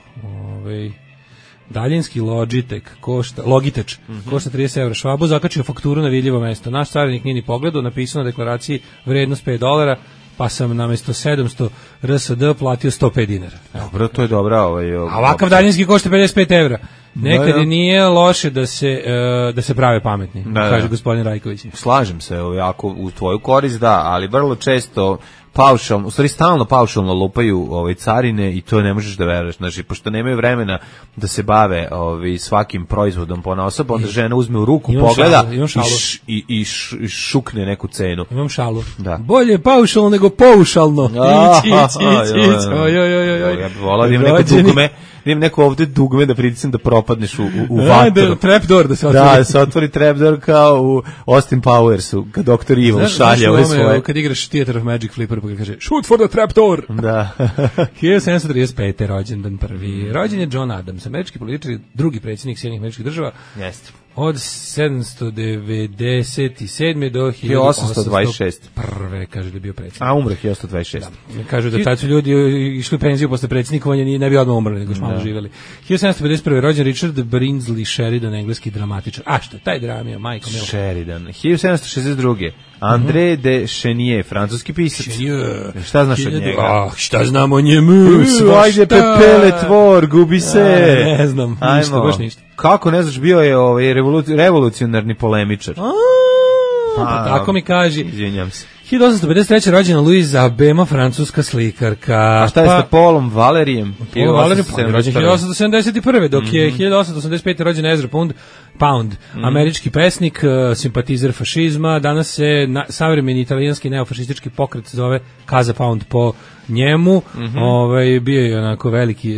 daljinski Logitech košta 30 evra. Švabo zakačio fakturu na vidljivo mesto. Naš carinik nije ni pogledao, napisao na deklaraciji vrednost $5, pa sam namjesto 700 RSD platio 105 dinara. Dobro, to je dobra. A ovakav daljinski košta 55 evra. Nekad nije loše da se prave pametni, kaže gospodin Rajković. Slažem se, jako u tvoju korist, da, ali vrlo često paušalno, u stvari stalno paušalno lupaju carine i to ne možeš da veruješ. Znači, pošto nemaju vremena da se bave svakim proizvodom ponaosob, onda žena uzme u ruku, pogleda i šukne neku cenu. Imam šalu. Da. Bolje paušalno nego paušalno. Ja bih volao da imam neko dugme, da imam neko ovde dugme da pritisnem da propadneš u vatru. Trapdoor da se otvori. Da se otvori trapdoor kao u Austin Powersu, kad Dr. Evil šalje ove svoje. Kad igraš Theater of Magic Flipper, pa kaže shoot for the trapdoor. Da. 1735. rođendan prvi. Rođen je John Adams, američki političar, drugi predsjednik Sjedinjenih Američkih Država. Jeste. Od 797. do 1826. Prve, kaže da je bio predsjednik. A umre 1826. Da. Kažu da tad su ljudi išli u penziju posle predsjednikovanja, ne bi odmah umrli, nego još malo živjeli. 1751. rođen Richard Brinsley Sheridan, engleski dramatičar. A što, taj dramio, majko milo. Sheridan. 1762. André de Chenier, francuski pisac. Šta znaš od njega? Šta znam o njemu? Ajde, pepele tvor, gubi se. Ne znam, ništa, baš ništa. Kako ne znaš, bio je revolucionarni polemičar. Pa tako mi kaži. Izvinjam se. 1853. rođena Louisa Bema, francuska slikarka. A šta je sa Paulom Valerijem? Paul Valéry rođen 1871. Dok je 1885. rođen Ezra Pound, američki pesnik, simpatizer fašizma. Danas se savremeni italijanski neofašistički pokret zove Casa Pound po njemu. Bio je onako veliki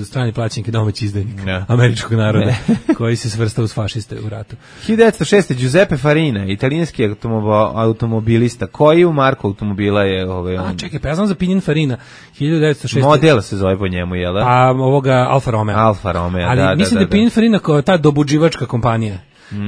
strani plaćenik i domaći izdajnik američkog naroda koji se svrstao uz fašiste u ratu. 1906. Giuseppe Farina, italijanski automobilista. Koji u marku automobila je čekaj, pa ja znam za Pininfarina. 1906. Model se zove po njemu, jel da? A ovoga Alfa Romeo. Alfa Romeo, ali mislim da je Pininfarina kao ta dobuđivačka kompanija.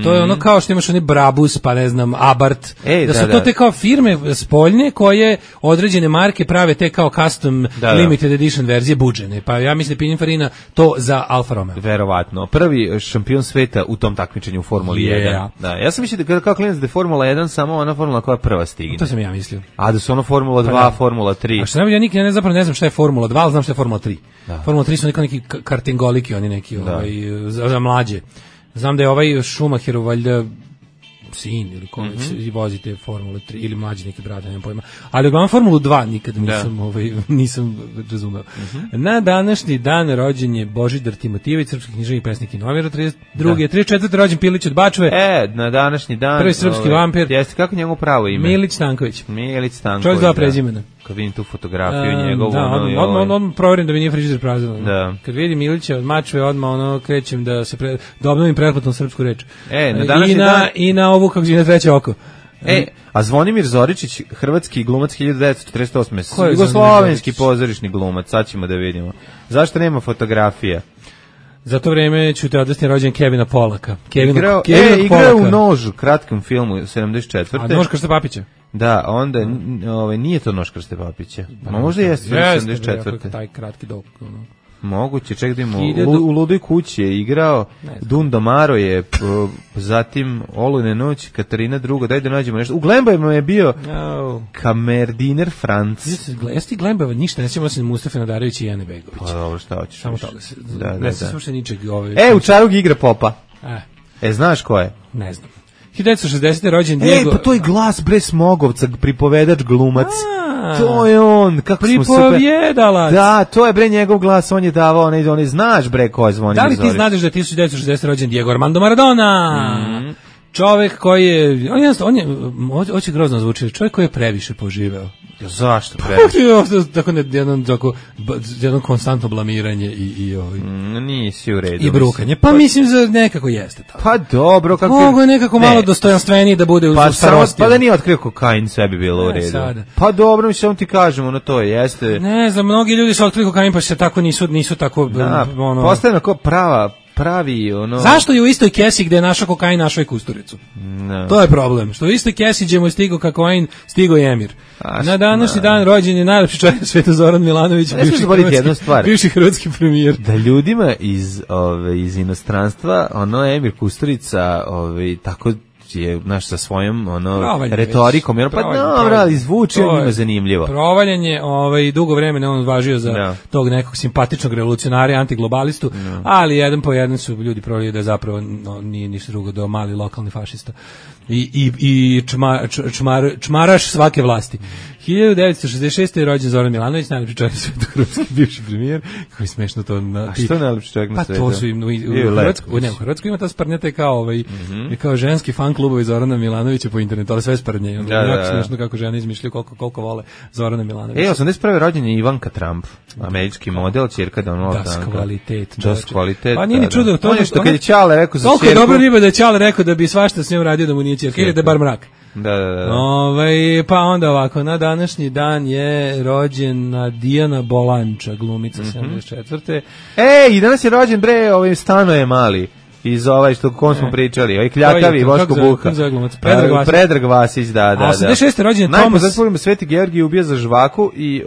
To je ono kao što imaš oni Brabus, pa ne znam, Abarth, da su to te kao firme spoljne koje određene marke prave te kao custom limited edition verzije buđene. Pa ja mislim da Pininfarina to za Alfa Romeo. Verovatno. Prvi šampion sveta u tom takmičenju u Formuli 1. Da, ja sam mislio da kao klinac da je Formula 1 samo ona formula koja prva stigne. To sam ja mislio. A da su ono Formula 2, Formula 3. A što ja nikad ne znam šta je Formula 2, ali znam šta je Formula 3. Formula 3 su neki kartingoliki, oni neki za mlađe. Znam da je ovaj Schumacherov valjda sin ili i vozite Formulu 3 ili mlađi neki brat, nemam pojma. Ali uglavnom Formulu 2 nikad nisam razumeo. Na današnji dan rođen je Božidar Timotijević, srpski književnik, pesnik i novinar, 32. 34. rođen Pilić od Bačve. Na današnji dan prvi srpski vampir. Jeste, kako njemu pravo ime? Milić Stanković. Čovjek dva prezimena. Kad vidim tu fotografiju njegovu. On proverim da mi nije frižider prazan. Da. Kad vidim Milića od Mačve, odmah krećem da obnovim pretplatnu srpsku reč. Na današnji dan i na ovu kako na treće oko. A Zvonimir Zoričić, hrvatski glumac 1948. Jugoslovenski pozorišni glumac, sad ćemo da vidimo. Zašto nema fotografija? Za to vreme ću te odvesti rođen Kevina Polaka. Igrao u Nožu, kratkom filmu 74. A Nož Krste Papića? Da, onda nije to Nož Krste Papića. Možda jeste 74. Taj kratki dok. Moguće, ček da imamo. U Ludoj kući je igrao, Dundo Maro je, zatim Olujne noć, Katarina II, daj da nađemo nešto. U Glembajima je bio kamerdiner Franc. Jesi ti Glembajeva ništa, ne sjećamo se Mustafa Nadarević i Jane Begović. Pa dobro, šta hoćeš? Samo toga se, ne se sluša ničeg. U Čarug igra Popa. Znaš ko je? Ne znam. 1960. rođen Diego. Pa to je Glas bre Smogovca, pripovedač glumac. To je on, kako smo super. Pripovjedalac. Da, to je bre njegov glas, on je davao, onaj znaš bre ko je Zvonimir Zorić. Da li ti znaš da je 1960. rođen Diego Armando Maradona? Čovjek koji je, on je hoće grozno zvuči, čovjek koji je previše poživeo. Zašto previše? Tako jedno konstantno blamiranje i nisi u redu. I brukanje. Pa mislim za nekako jeste tako. Pa dobro, kako mogu je nekako malo dostojanstveniji da bude u starosti. Pa da nije otkrio kokain, sve bi bilo u redu. Sada. Pa dobro, mi samo ti kažemo, to jeste. Ne znam, mnogi ljudi su otkrili kokain pa se tako nisu tako postavljeno kao pravi Zašto je u istoj kesi gde je našao kokain, našao i Kusturicu? No. To je problem. Što u istoj kesi gdje mu je stigao kokain, stigao je Emir. Na današnji dan rođen je najlepši čovjek na svijetu Zoran Milanović, bivši hrvatski premijer. Da ljudima iz inostranstva, Emir Kusturica, tako je sa svojom retorikom, pa dobro, ali zvuči on njima zanimljivo. Provaljen je, dugo vremena on važio za tog nekog simpatičnog revolucionara, antiglobalistu, ali jedan po jedan su ljudi provalili da zapravo nije ništa drugo do mali lokalni fašista i čmaraš svake vlasti. 1966. je rođen Zoran Milanović, najlepši čovjek na svijetu, hrvatski bivši premijer. Kako je smešno to. A što je najlepši čovjek na svijetu? Pa to su u Hrvatskoj ima ta sprnjate kao ženski fan klubovi Zorana Milanovića po internetu, ali sve sprnje. Jako smešno kako žene izmišljaju koliko vole Zorana Milanovića. 81. rođen je Ivanka Trump, američki model, ćerka Donalda. Das kvalitet. Pa nije ni čudo. To je što kad je Ćale rekao za ćerku. Toliko je dobro riba da je Ćale rekao da bi svašta s njom radio da mu nije ćerka, ili da je bar mrak. Da. Pa onda ovako, na današnji dan je rođena Dijana Bolanča, glumica 74. I danas je rođen Stanoje Mali. Iz što kom smo pričali, Kljakavi, Voško Buha. Predrag Vasić, da. A 86. rođen je Tomas. Najpoznatiji Sveti Georgij ubija za žvaku i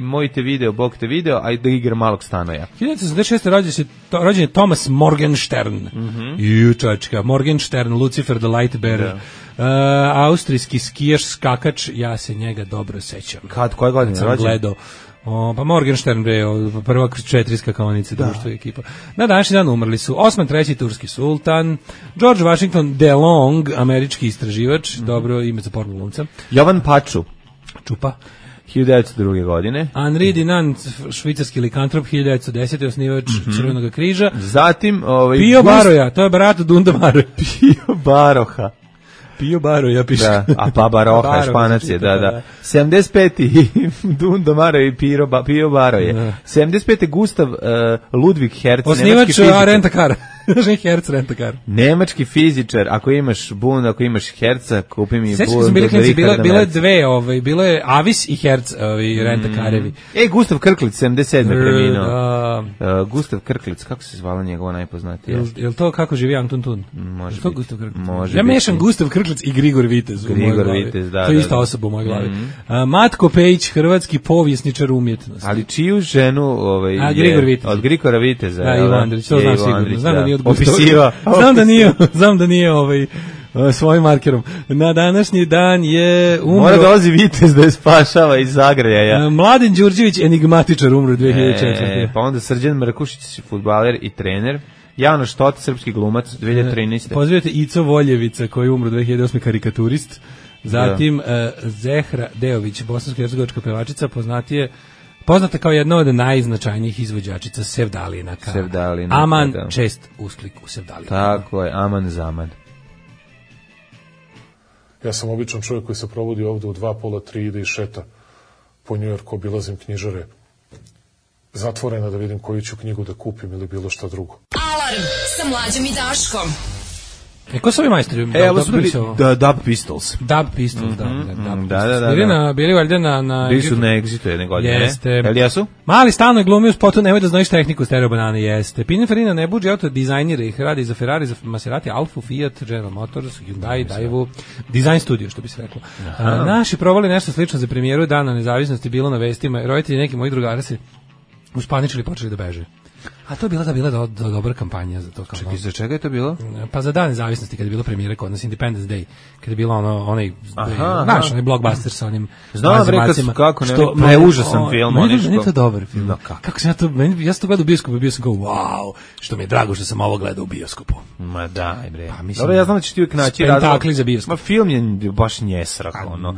moj te video, Bog te video, a da igra malog Stanoja. 1986. rođen je Thomas Morgenstern. Jučačka, Morgenstern, Lucifer the Light Bearer. Austrijski skijaš, skakač, ja se njega dobro sećam. Koje godine je rođen? Gledao Pa Morgenstern, prva četiri skakaonice, društvo i ekipa. Na današnji dan umrli su Osman III, turski sultan, George Washington DeLong, američki istraživač, dobro ime za porno glumca. Jovan Paču. Čupa. 1902. godine. Henri Dunant, švicarski likantrop, 1910. osnivač Crvenog križa. Zatim... Pio Baroja, to je brat Dunda Baroja. Pio Baroha. Pio Baroja piše. Da, a pa Baroha, Španac je, da. 75. Dundo Maro i Pio Baroje. 75. Gustav Ludwig Hertz, osnivač Rentakara. Hertz Rentakar. Nemački fizičar, ako imaš Bund, ako imaš Herca, kupi mi Bund. Sećam se bile dve, bilo je Avis i Hertz, Rentakarevi. Gustav Krklic, 77. preminuo. Gustav Krklic, kako se zvala njegova najpoznatija? Jel to kako živi Antun Tun? Može to Gustav Krklic? Može ja mešam Grigor Krklic i Grigor Vitez u mojoj glavi. Vitez, da. To je ista osoba u mojoj glavi. Matko Pejić, hrvatski povjesničar umjetnosti. Ali čiju ženu Grigor Vitez. Od Grigora Viteza. Da, Ivo Andrić, to znam sigurno. Znam da nije opisiva. Znam da nije svojim markerom. Na današnji dan je umro... Mora dolazi Vitez da je spašava iz zagrajaja. Mladen Đurđević, enigmatičar, umro 2004. Pa onda Srđan Mrkušić, fudbaler i trener. Janoš Tot, srpski glumac, 2013. Pozivate Ico Voljevica, koji je umro 2008. karikaturist. Zatim Zehra Deović, bosansko-hercegovačka pevačica, poznata kao jedna od najznačajnijih izvođačica Sevdalinaka. Aman, čest usklik u Sevdalinaka. Tako je, Aman Zaman. Ja sam običan čovjek koji se provodi ovde u 2:30, ide i šeta po Njujorku, obilazim knjižare zatvorena da vidim koju ću knjigu da kupim ili bilo šta drugo. Alarm sa Mlađom i Daškom. Ko su ovi majstori? Ovo su bili Dub Pistols. Dub Pistols, da. Bili valjda na... Bili su na Exitu jedne godine, jeste. Jel jesu? Mali stalno je glumio u spotu, nemoj da znaš tehniku stereo banane, jeste. Pininfarina ne buđe auto dizajnira ih, radi za Ferrari, za Maserati, Alfa, Fiat, General Motors, Hyundai, Daewoo, Design Studio, što bi se reklo. Naši provali nešto slično za premijeru Dana nezavisnosti, bilo na vestima, roditelji neki moji drugara se uspaničili i počeli da beže. A to je bila dobra kampanja za to. Čekaj, za čega je to bilo? Pa za Dan nezavisnosti, kada je bila premijera kod nas, Independence Day, kada je bilo onaj blockbuster sa onim mazimacima. Kako ne, užasan film. Meni je to dobar film. Kako sam ja sam to gledao u bioskopu, bio sam kao, wow, što mi je drago što sam ovo gledao u bioskopu. Ma daj, bre. Dobro, ja znam da će ti uvijek naći razlog. Za bioskop. Ma film je baš njesrak, ono.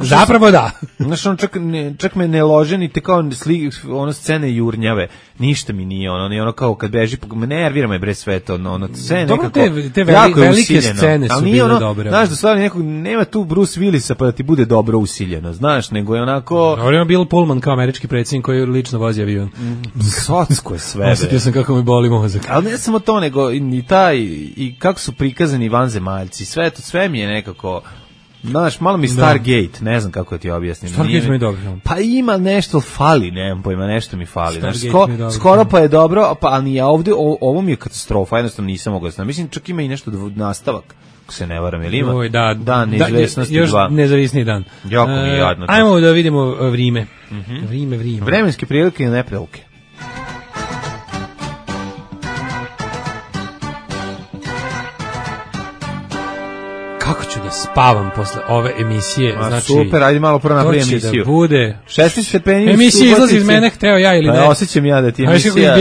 Zapravo da. Znaš, on čak me ne lože, ni te kao scene jurnjave. Ništa mi nije ono kao kad beži, nervira me bre sve to, sve nekako. Te velike scene su bile dobre. Znaš, da stvarno nekog, nema tu Bruce Willisa pa da ti bude dobro usiljeno, znaš, nego je onako... Dobro, ima Bill Pullman kao američki predsjednik koji lično vozi avion. Socko je sve. Osjetio sam kako mi boli mozak. Ali ne samo to, nego i kako su prikazani vanzemaljci, sve mi je nekako... Znaš, malo mi Stargate, ne znam kako ti objasnim. Stargate mi je dobro film. Pa ima nešto fali, nemam pojma, nešto mi fali. Znaš, skoro pa je dobro, ali ja ovdje, ovo mi je katastrofa, jednostavno nisam mogao znam. Mislim, čak ima i nešto nastavak, ako se ne varam, ili ima? Dan neizvesnosti 2. Još nezavisniji dan. Jako mi je jadno. Ajmo da vidimo vrime. Vrime. Vremenske prilike i neprilike. Kako ću da spavam posle ove emisije? Znači, super, ajde malo prvo napravi emisiju. To će da bude 16 stepeni. Emisija izlazi iz mene, hteo ja ili ne. Osjećam ja da ti emisija.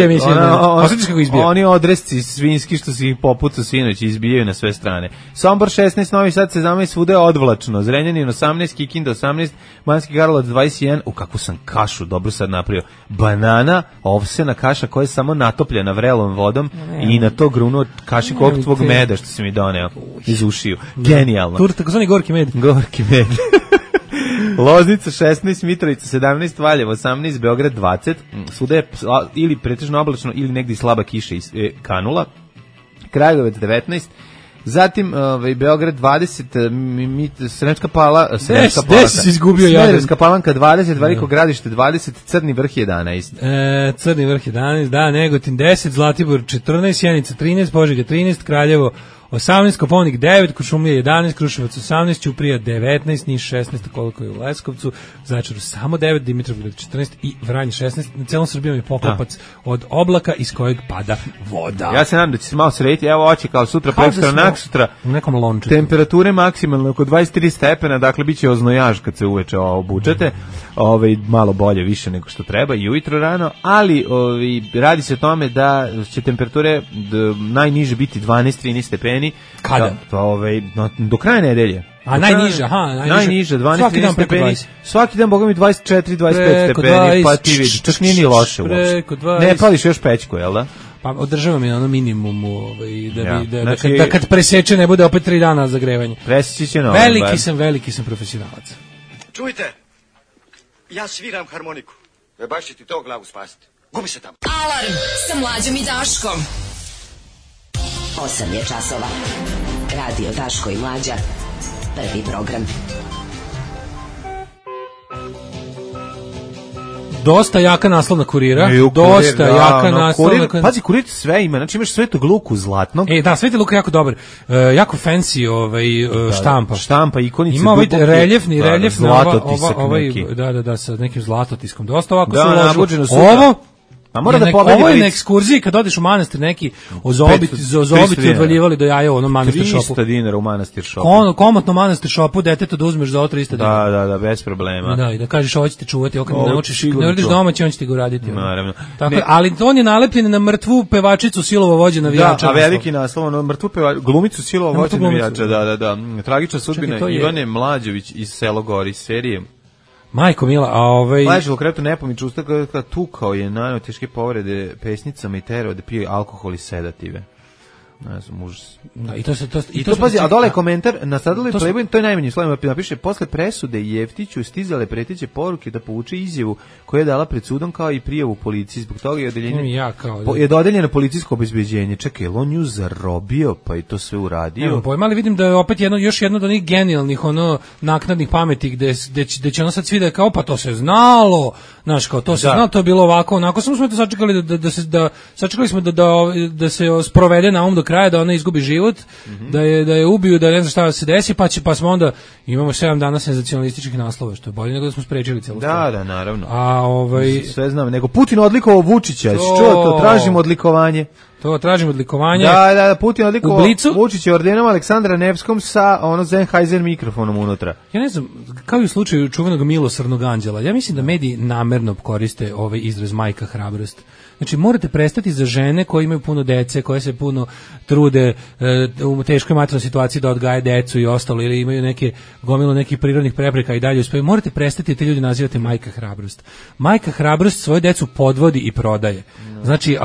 Osjećaš kako izbija? Oni odresci svinski što si ih popucao sinoć izbijaju na sve strane. Sombor 16, Novi Sad 17, svuda je odvlačno. Zrenjanin 18, Kikinda 18, Banski Karlovac 21. U kakvu sam kašu dobro sad napravio. Banana, ovsena kaša koja je samo natopljena vrelom vodom i na to grunuo kašiku ovog tvog meda što si mi doneo iz ušiju. Genijalno. Takozvani gorki med. Gorki med. Loznica 16, Mitrovica 17, Valjevo 18, Beograd 20. Svuda je ili pretežno oblačno ili negdje slaba kiša kanula. Kragujevac 19. Zatim Beograd 20, Sremska Palanka. Smederevska Palanka 20, Veliko Gradište 20, Crni Vrh 11. Crni Vrh 11, da, Negotin 10, Zlatibor 14, Sjenica 13, Požega 13, Kraljevo 18, Koponik 9, Kuršumlija 11, Kruševac 18, Ćuprija 19, Niš 16, koliko je u Leskovcu, Zaječaru samo 9, Dimitrovgrad 14 i Vranje 16. Na celom Srbijom je poklopac od oblaka iz kojeg pada voda. Ja se nadam da će se malo srediti, evo oči kao sutra, prekstra, naksutra, u nekom lončetu. Temperature maksimalno oko 23 stepena, dakle bit će oznojaž kad se uveče obučete, malo bolje, više nego što treba i ujutro rano, ali radi se o tome da će temperature najniže biti 12-13 stepeni. Kada? Do kraja nedelje. A najniže, najniže 12-13 stepeni. Svaki dan, boga mi, 24-25 stepeni, pa ti vidi, čak nije ni loše uopšte. Ne pališ još pećku, jel da? Pa održavam je na onom minimumu, da kad preseče ne bude opet 3 dana zagrevanje. Preseći će novo. Veliki sam profesionalac. Čujte, ja sviram harmoniku. Baš će ti to glavu spasiti. Gubi se tamo. Alarm sa Mlađom i Daškom. 8 je časova. Radio Daško i Mlađa. Prvi program. Dosta jaka naslovna Kurira. Dosta jaka naslovna. Pazi, Kurir sve ima, znači imaš Svetog Luku zlatnog. Da, Sveti Luka je jako dobar. Jako fancy štampa. Štampa, ikonice. Ima reljefni zlatotisak neki. Da, sa nekim zlatotiskom. Dosta ovako se uložilo. Ovo A mora da pobedi. Ovo je na ekskurziji kad odeš u manastir neki ozobiti odvaljivali do jaja u onom manastir šopu. 300 dinara u manastir šopu. Komotno manastir šopu, detetu da uzmeš za 300 dinara. Da, bez problema. Da, i da kažeš ovo će te čuvati, ako ne naučiš, ne uradiš domaći, on će ti ga uraditi. Naravno. Tako, ali on je nalepljen na mrtvu pevačicu Silova vođa navijača. Da, a veliki naslov, na mrtvu glumicu Silova vođa navijača, da. Tragična sudbina Ivane Mlađević iz Selogori serije. Majko mila, Ležalo kretu nepomiču usta kada tukao je naneo teške povrede pesnicama i terao da pije alkohol i sedative. Ne znam, užas. Da, I to pazi, a dole je komentar, nastradali Playboy, to je najmanji slovima, napiše, posle presude Jeftiću stizale preteće poruke da povuče izjavu koju je dala pred sudom kao i prijavu policiji, zbog toga je dodeljeno policijsko obezbeđenje. Čekaj, je on nju zarobio, pa i to sve uradio? Evo, pojma, ali vidim da je opet još jedno od onih genijalnih, naknadnih pameti, gde će ono sad svi da je kao, pa to se znalo, znaš, kao to se znalo, to je bilo ovako, onako, samo smo to sačekali sačekali smo da se sprovede na do kraja, da ona izgubi život, da je ubiju, da ne znam šta se desi, pa smo onda imamo 7 dana senzacionalističkih naslova, što je bolje nego da smo sprečili celu stvar. Da, naravno. Sve znam, nego Putin odlikovao Vučića, to tražimo odlikovanje. To tražimo odlikovanje. Da, Putin odlikovao Vučića ordenom Aleksandra Nevskom sa Sennheiser mikrofonom unutra. Ja ne znam, kao i u slučaju čuvenog milosrdnog anđela, ja mislim da mediji namerno koriste ovaj izraz majka hrabrost. Znači, morate prestati za žene koje imaju puno dece, koje se puno trude u teškoj materijalnoj situaciji da odgaje decu i ostalo, ili imaju gomilu nekih prirodnih prepreka i dalje uspiju. Morate prestati te ljudi nazivate majka hrabrost. Majka hrabrost svoju decu podvodi i prodaje. Znači,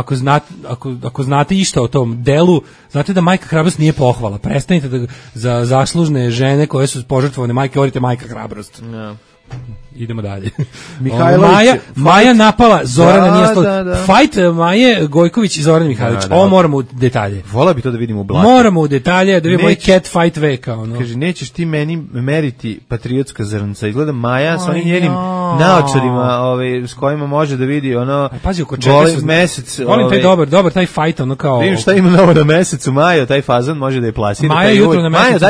ako znate išta o tom delu, znate da majka hrabrost nije pohvala. Prestanite da za zaslužne žene koje su požrtvovane majke govorite majka hrabrost. Idemo dalje. Maja napala Zorana Nijestol. Fight Maje Gojković i Zoran Mihajlović. Ovo moramo u detalje. Vola bi to da vidimo u blatu. Moramo u detalje, da vidimo moj cat fight veka. Kaže, nećeš ti meni meriti patriotska zrnca. Izgleda Maja s onim njenim naočarima s kojima može da vidi goli mesec. Volim taj dobar taj fight, kao... Vidim šta ima novo na mesecu, Maja, taj fazan može da je plasira. Maja jutro na mesecu.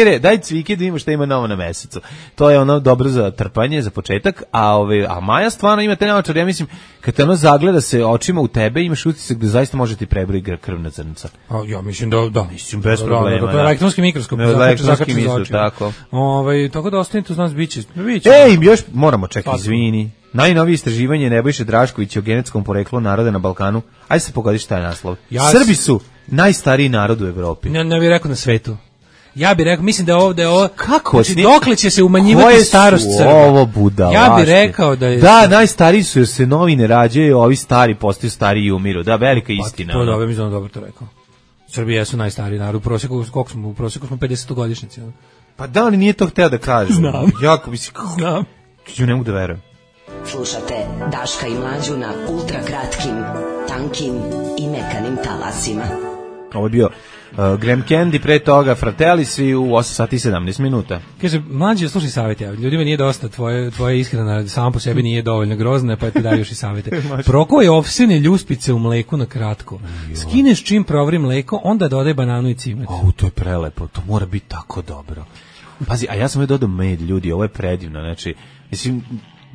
Maja, daj cvike da vidimo šta ima novo na mesecu. To je dobro za trpanje, za početak, a Maja stvarno ima te naočare, ja mislim, kad te zagleda se očima u tebe, imaš utisak da zaista može ti prebroji krvna zrnca. Ja mislim da. Mislim, bez problema. To je elektronski mikroskop. Elektronski mikroskop, tako. Tako da ostanite uz nas, biće. Još moramo čekati, izvini. Najnovije istraživanje Nebojše Draškovića o genetskom poreklu naroda na Balkanu. Ajde se pogodi šta je naslov. Srbi su najstariji narod u Evropi. Ne bih rekao na svetu. Ja bih rekao, mislim da ovo kako, znači dokle će se umanjivati starost Srba. Ovo budalašte. Ja bih rekao da je... Da, najstariji su jer se novi ne rađaju, ovi stari postaju stariji i umiru. Da, velika istina. To dobro, mislim da dobro to rekao. Srbija su najstariji narod, u prosjeku smo 50-godišnjici. Pa da, ali nije to hteo da kažem. Znam. Jako bi si... Znam. Ja ne mogu da verujem. Slušate Daška i Mlađu na ultra kratkim, tankim i mekanim talasima. Ovo je bio Graham Candy, pre toga Fratellisi u 8 sati i 17 minuta. Kaže, mlađe, slušaj savjete, ljudima nije dosta, tvoje ishrana sama po sebi nije dovoljno grozna, pa ti daju još i savjete. Prokoje ovsene ljuspice u mleku na kratko. Skineš čim provri mleko, onda dodaj bananu i cimet. To je prelepo, to mora biti tako dobro. Pazi, a ja sam dodao med, ljudi, ovo je predivno, znači, mislim,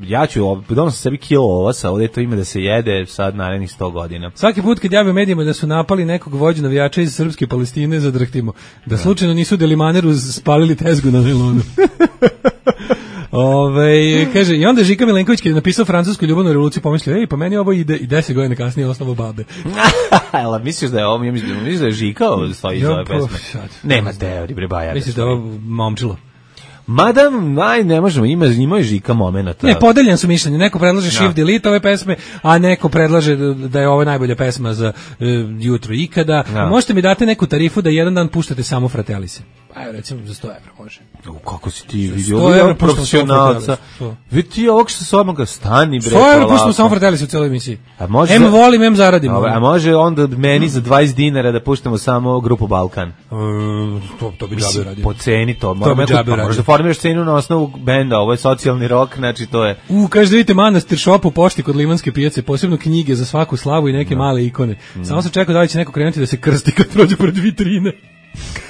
ja ću, dodam sam sebi kilo ovosa, ovdje to ima da se jede sad narednih 100 godina. Svaki put kad javim medijima da su napali nekog vođu navijača iz Srpske Palestine, zadrhtimo. Da slučajno nisu Delimaneru spalili tezgu na Milonu. Kaže, i onda Žika Milenković kad je napisao francusku ljubavnu revoluciju pomislio, pa meni ovo ide i 10 godina kasnije osnovu babe. Jel, misliš da je ovo, misliš da je Žika stoji iz ove pesme? Nema teorije, bre, bajar. Misliš da je ovo momčilo? Mada, ne možemo, ima Žika momenata. Ne, podeljen su mišljenje. Neko predlaže Shift Delete ove pesme, a neko predlaže da je ovo najbolja pesma za jutro ikada. Možete mi dati neku tarifu da jedan dan puštate samo Fratellise? Pa evo, recimo za 100 evra može. Kako si ti vidio? Ovo je profesionalca. Vidi ti ovog što se odmah stani, bre. 100 evra puštamo samo Fratellise u celoj emisiji. M volim, M zaradim. A može onda meni za 20 dinara da puštamo samo grupu Balkan? To bi džabe radio. Po ceni to. Možda formiraš cenu na osnovu benda, ovo je socijalni rock, znači to je... Kaže da vidite Manastir Shop u pošti kod Limanske pijace, posebno knjige za svaku slavu i neke male ikone. Samo se čeka da li će neko krenuti da se krsti kad prođe pored vitrine.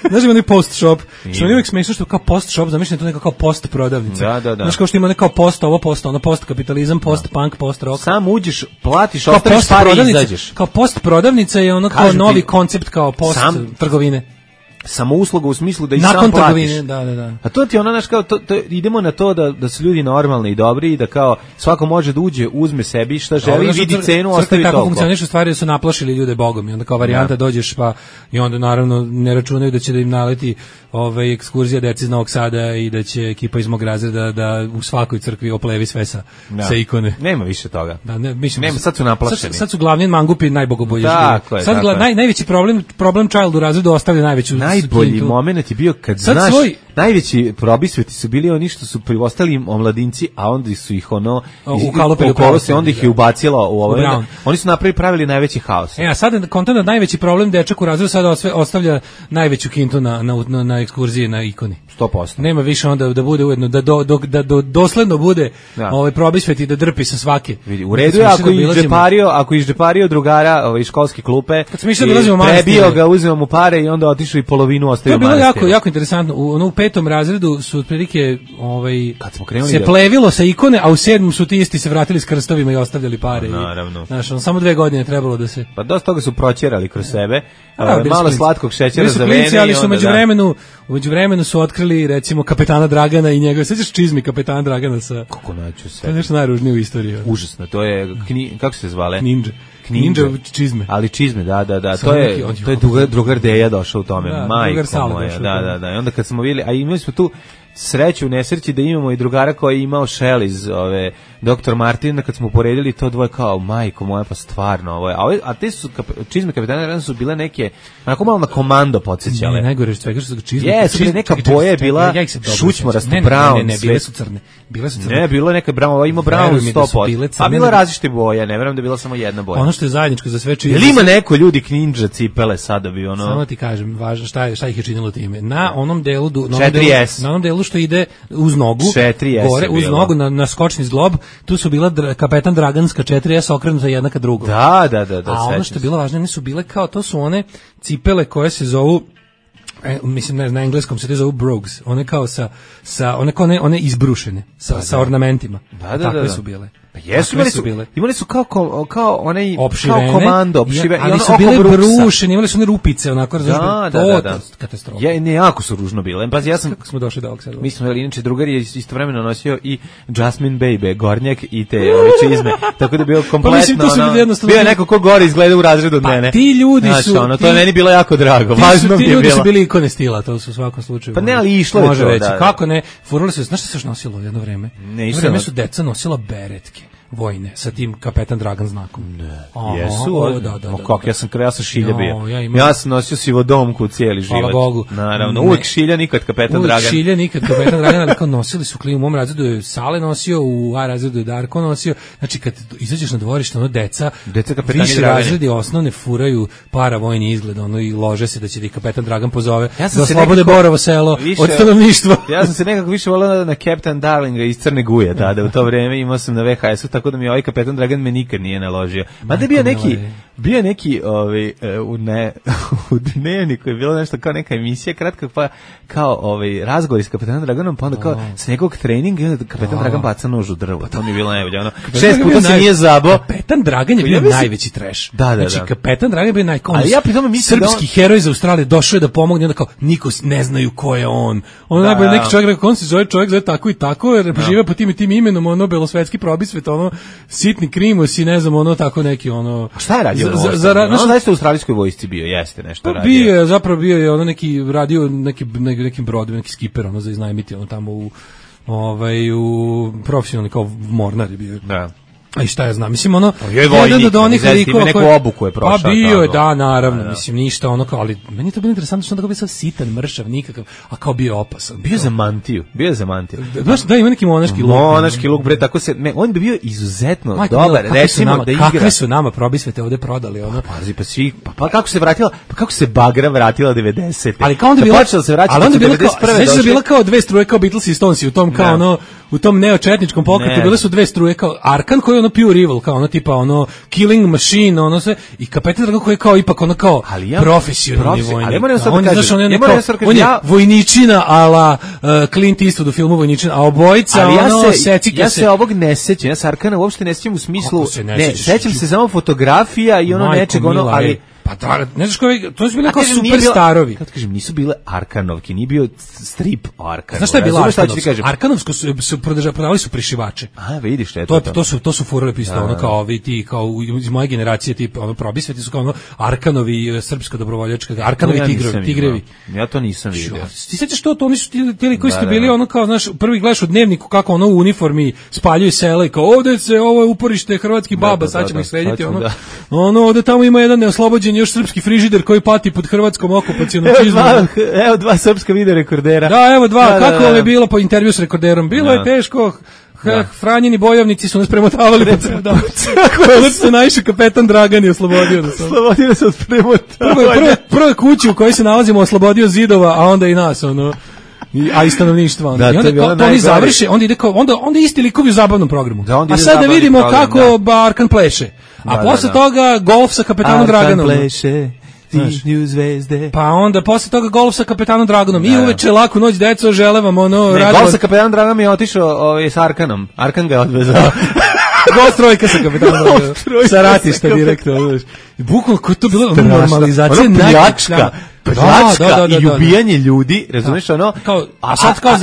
Znaš ima onaj post shop, što mi uvijek smiješno što kao post shop, zamišljam to neka kao post prodavnica. Da. Znaš kao što ima nekao post, ovo post, ono post kapitalizam, post punk, post rock. Sam uđeš, platiš, ostaviš pare i izađeš. Kao post prodavnica je ono kao novi koncept, kao post trgovine. Samo usluga u smislu da i nakon sam platiš. Trgovine, da. A to ti ono, znaš, kao, idemo na to da su ljudi normalni i dobri i da kao svako može da uđe, uzme sebi šta želi, vidi cenu, ostavi toliko. Tako funkcionišu stvari da su naplašili ljude Bogom i onda kao varijanta dođeš pa i onda naravno ne računaju da će da im naleti ekskurzija deci iz Novog Sada i da će ekipa iz mog razreda da u svakoj crkvi oplevi sve sa ikone. Nema više toga. Nema, sad su naplašeni. Sad su glavni mangupi najbogobolji. Tako je. Sad najveći problem child u razredu ostavlja najveću. Najbolji moment je bio kad znaš, najveći probisveti su bili oni što su ostali omladinci, a onda su ih onda ih je ubacilo u ovo. Oni su pravili najveći haos. A sad kontent najveći problem dečak u razredu sada ostavlja najveću kintu na ekskurziji na ikoni. 100%. Nema više onda da bude ujedno, da dosledno bude probisvet i da drpi sa svake. Vidi, u redu je ako izdžepario drugara iz školske klupe, prebio ga, uzeo mu pare i onda otišao i polovinu ostavio manastir. To je bilo jako interesantno. U 5. razredu su otprilike se plevilo sa ikone, a u 7. su ti isti se vratili s krstovima i ostavljali pare. Naravno. Znaš, samo 2 godine trebalo da se... Pa dosta toga su proćerali kroz sebe, malo slatkog šećera za vene. Ali su u međuvremenu su otkrili recimo kapetana Dragana i njegove, sećaš čizmi kapetana Dragana sa... Kako naću se? To je nešto najružnije u istoriji. Užasno, to je, kako se zvale? Ninja čizme. Ali čizme, da. To je drugar Deja došao u tome. Majko moja, da. I onda kad smo vidjeli, a imali smo tu sreću u nesreći da imamo i drugara koji je imao šel iz Dr. Martina, kad smo poredili to dvoje kao, majko moja, pa stvarno ovo je. A te su čizme kapetana Dragana su bile neke, onako malo na komando podsjećale. Najgore što svega što su čizme. Neka boja je bila šućmorasto, brown. Ne, bile su crne. Ne, bilo je neka brown, ima brown 100%. A bila različite boje, ne verujem da je bila samo jedna boja. Ono što je zajedničko za sve čizme. Jel ima neko ljudi ninja cipele sada bi ono... Samo ti kažem, važno šta ih je činilo time. Na onom delu, na onom delu što ide uz nogu, gore, uz nogu na skočni zglob, tu su bila kapetan Draganska 4S okrenuta jedna ka drugom. Da. A ono što je bilo važno, one su bile kao, to su one cipele koje se zovu, mislim na engleskom se to zovu brogues, one kao one izbrušene, sa ornamentima. Takve su bile. Jesu, imali su kao onaj opšivene, kao komando, opšivene, ali su bile brušene, imali su one rupice, onako da. Katastrofa. Jako su ružno bile. Pa kako smo došli do ovog sada. Mi smo inače drugar je istovremeno nosio i Jasmine Baby, gornjak i te čizme, tako da bio kompletno. Bio je neko ko gore izgleda u razredu od mene. Ti ljudi su, to je meni bilo jako drago. Važno mi je bilo. Ti ljudi su bili ikone stila, to su u svakom slučaju. Pa ne, ali išlo je to. Kako ne? Furali su, znaš šta se još nosilo jedno vreme? Jedno vreme su deca nosila beretke. vojne sa tim kapetan Dragan znakom. Jesu? Da. Kako, ja sam šilja bio. Ja Ja sam nosio sivodomku cijeli život. Hvala Bogu. Naravno, uvijek šilja, nikad kapetan Dragan. Uvijek šilja, nikad kapetan Dragan, ali kao nosili su klimu. U mom razredu je Sale nosio, u A razredu je Darko nosio. Znači, kad izađeš na dvorište, ono deca kapetani više Dragani. razredi osnovne furaju paravojni izgled, ono, i lože se da će da ih kapetan Dragan pozove, Ja sam da se oslobode nekako Borovo selo više- od stanovništva. Ja sam se nekako više volao na Captain Darlinga iz Crne Guje tada, u to vreme imao sam na VHS-u, tako da mi ovaj kapetan Dragan me nikad nije naložio. Mada je bio neki u Dnevniku je bilo nešto kao neka emisija kratka, pa kao razgovor s kapetanom Draganom, pa onda kao s nekog treninga i onda kapetan Dragan baca nož u drvo. To mi je bilo najbolje. 6 puta se nije zabao. Kapetan Dragan je bio najveći trash. Da. Znači, kapetan Dragan je bio Ali ja pri tome mislim srpski heroj iz Australije, došao je da pomogne, onda kao niko ne znaju ko je on. Ono najbolje neki čovjek rekao, on se zove tako i tako, jer žive po tim i tim imenom, ono belosvetski probisvet, ono sitni krimos i ne znam, ono tako neki, ono. A šta je radio? On zaista u australijskoj vojsci bio, jeste nešto radio. Bio je ono neki radio nekim brodovima, neki skiper, ono za iznajmiti, ono tamo u profesionalni kao mornar je bio. Da. A i šta ja znam, mislim ono je vojnik, ima neku obuku je prošao. Pa bio je, da, naravno, mislim ništa ono kao, ali meni je to bilo interesantno što on tako bio sad sitan, mršav, nikakav, a kao bio opasan. Bio za mantiju. Znaš, da ima neki monaški luk. Monaški luk, bre, tako se, on bi bio izuzetno dobar, recimo da igra. Kakve su nama probisvete ovde prodali, ono. Pazi, pa svi, pa kako se Bagra vratila 90. Ali kao onda bila, počela se vraćati, ali onda bila 91. Znači bila kao dve struje kao Beatles i Stonesi u tom kao ono, u tom neočetničkom pokretu bile su dve struje kao Arkan koji je ono pure evil, kao ono tipa ono killing machine, ono sve, i kapetan Dragan koji je kao ipak ono kao profesionalni vojnik. Ali moram sad da kažem, on je vojničina ala Clint Eastwood u filmu Vojničina, a obojica ono secike. Ja se ovog ne sećam, ja se Arkana uopšte ne sećam u smislu, ne, sećam se samo fotografija i ono nečeg, ono, ali pa da, ne znaš koji, to su bili kao superstarovi. Kako kažem, nisu bile Arkanovke, nije bio strip o Arkanu. Znaš šta je bila Arkanovska? Arkanovsko su prodavali su prišivače. A, vidiš šta je to su furale pistole, ono kao ovi ti, kao iz moje generacije, tipa, ono probisveti su kao ono Arkanovi, srpska dobrovoljačka, Arkanovi tigrevi. Ja to nisam vidio. Ti sećaš to oni su ti koji ste bili ono kao, znaš, prvi gledaš u Dnevniku kako ono u uniformi spaljuju sela i kao ovde se, ovo je uporište hrvatskih baba, sad ćemo ih srediti, ono, ovde tamo ima jedan neoslobođen još srpski frižider koji pati pod hrvatskom okupacionom čizmom. Evo dva srpska video rekordera. Da, evo dva. Kako vam je bilo po intervju s rekorderom? Bilo je teško. Franjeni bojovnici su nas premotavali po ceo dan. Kako se najviše kapetan Dragan je oslobodio nas. Oslobodio se od premotavanja. Prva kuća u kojoj se nalazimo oslobodio zidova, a onda i nas, ono. A i stanovništva. Da, I onda to oni završe, onda ide kao, onda isti likovi u zabavnom programu. A sad da vidimo kako Arkan pleše. A posle toga golf sa kapetanom Draganom. Arkan pleše. Tišnju zvezde. Pa onda posle toga golf sa kapetanom Draganom. I uveče laku noć, deco, žele vam ono... Golf sa kapetanom Draganom je otišao s Arkanom. Arkan ga je odvezao. Golf trojka sa kapetanom Draganom. Sa ratišta direktno. Bukvalno ko je to bilo normalizacija. Ono pljačka i ubijanje ljudi, razumiješ ono? A sad kao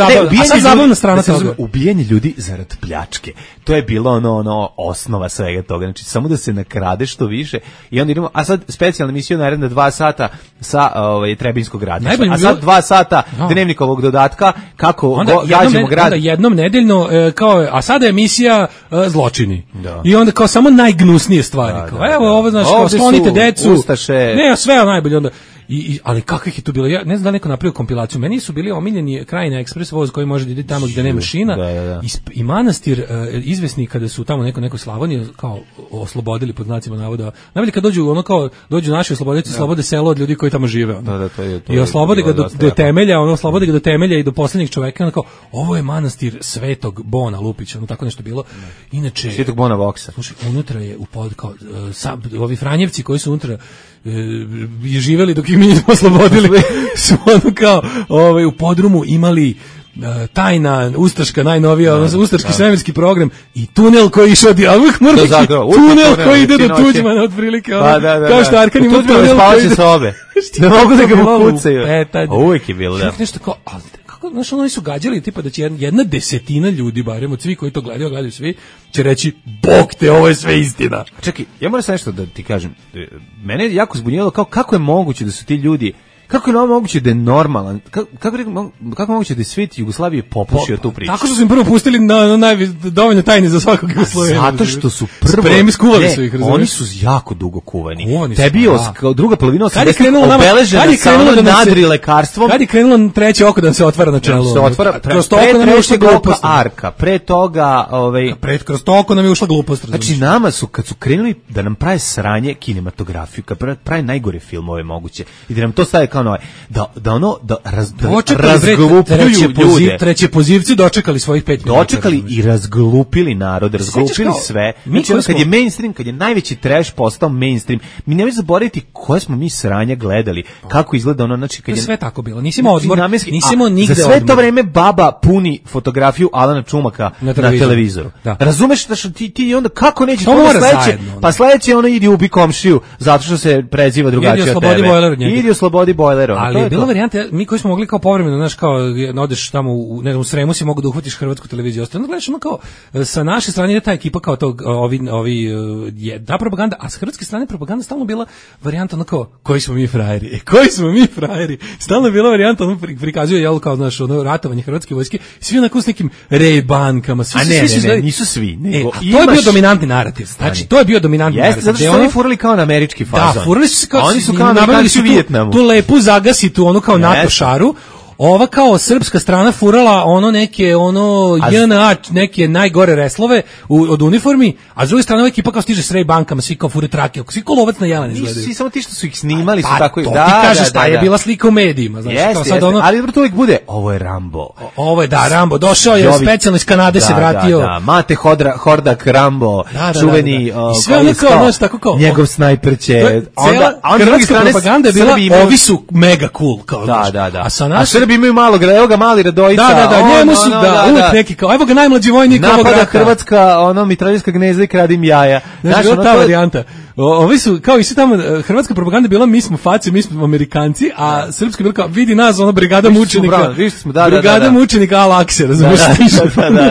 zabavna strana toga. Ubijanje ljudi zarad pljačke. To je bilo ono osnova svega toga. Znači, samo da se nakrade što više i onda idemo, a sad specijalna emisija naredna 2 sata sa Trebinskog ratišta. A sad 2 sata Dnevnikovog dodatka kako gađamo grad. Onda jednom nedeljno, kao, a sada je emisija zločini. I onda kao samo najgnusnije stvari. Evo ovo, znači, kao sklonite decu. Ustaše. Ne, sve najbolje onda. Ali kakvih je tu bilo? Ja ne znam da neko napravio kompilaciju. Meni su bili omiljeni Krajina ekspres voz koji može da ide tamo gde nema šina. I manastir izvesni kada su tamo neko Slavonije kao oslobodili pod znacima navoda. Najbolje kad dođu naši oslobodioci, slobode selo od ljudi koji tamo žive. I oslobode ga do temelja, oslobode ga do temelja i do poslednjeg čoveka. Kao, ovo je manastir Svetog Bona Lupića, tako nešto bilo. Inače Svetog Bona Voksa. Slušaj, unutra je ovi Franjevci koji su unutra je živeli dok ih mi nismo oslobodili, su ono kao u podrumu imali tajna ustaška najnovija, ustaški svemirski program i tunel koji išao tunel koji ide do Tuđmana otprilike, kao što Arkan ima tunel koji ide sobe. Ne mogu da ga pokucaju. Uvijek je bilo, da. Nešto kao, znaš, oni su gađali tipa da će 1/10 ljudi, barem od svi koji to gledaju svi, će reći, bog te, ovo je sve istina. Čekaj, ja moram sad nešto da ti kažem. Mene je jako zbunjelo kako je moguće da su ti ljudi, Kako je moguće da je normalan? Kako moguće da je svet Jugoslavije popušio tu priču? Tako što su im prvo pustili na dovoljno tajne za svakog Jugoslavijana. Zato što su prvo skuvali su ih, razumiješ? Oni su jako dugo kuvani. Tebi je kao druga polovina 80-ih obeležena sa nadri lekarstvom. Kad je krenulo treće oko da se otvara na čelu? Se otvara kroz to oko nam je ušla glupost. Arka, pre toga, kroz to oko nam je ušla glupost. Znači nama su kad su krenuli da nam prave sranje kinematografiju, kad prave najgore filmove moguće i da nam to stave kao nove, da razglupljuju ljude. Treće pozivci dočekali svojih 5 minuta. Dočekali i razglupili narod, razglupili sve. Znači kad je mainstream, kad je najveći trash postao mainstream, mi nemoj zaboraviti koje smo mi sranja gledali, kako izgleda ono, znači kad je sve tako bilo. Nisi imao odmor, nisi imao nigde za sve to vreme baba puni fotografiju Alana Čumaka na televizoru. Razumeš da ti onda kako neće to sledeće? Pa sledeće ono idi ubi komšiju zato što se preziva drugačije od tebe. Idi oslobodi bojler. Ali je bila varijanta, mi koji smo mogli kao povremeno, znaš, kao odeš tamo u Sremu si mogu da uhvatiš hrvatsku televiziju. Ostalo gledaš ono kao sa naše strane je ta ekipa kao tog ta propaganda, a sa hrvatske strane propaganda stalno bila varijanta ono kao koji smo mi frajeri. Stalno je bila varijanta ono prikazuje jel kao znaš ono ratovanje hrvatske vojske, svi onako s nekim Ray-bankama, ne, nisu svi, nego to je bio dominantni narativ. Znači to je bio dominantni narativ. Zato što oni furali kao na američki fazon. Da, furali su kao oni su kao američki u Vijetnamu. Tu lepu zagasitu ono kao NATO šaru. Ova kao srpska strana furala ono neke JNA, neke najgore reslove od uniformi, a s druge strane ova ekipa kao stiže s Ray-bankama, svi kao fure trake, svi kao lovac na jelen izgledaju. Nisu samo ti što su ih snimali, su tako i da. Ti kažeš šta je bila slika u medijima, znači kao sad ono. Ali to uvijek bude, ovo je Rambo. Ovo je Rambo, došao je specijalno iz Kanade se vratio. Da, Mate Hordak Rambo, čuveni sve ono kao, znaš, tako kao njegov snajper će onda hrvatska propaganda je bila, ovi su mega cool kao. Da. A Srbi imaju malo, evo ga mali Radojica. Njemu su uvijek neki kao, evo ga najmlađi vojnik ovog rata. Napada Hrvatska, mitraljska gnezda i kradim jaja. Znaš, ta varijanta. Ovi su, kao i svi tamo, hrvatska propaganda bila, mi smo faci, mi smo Amerikanci, a srpska bila kao, vidi nas, brigada mučenika. Brigada mučenika Al-Akse, razumiješ?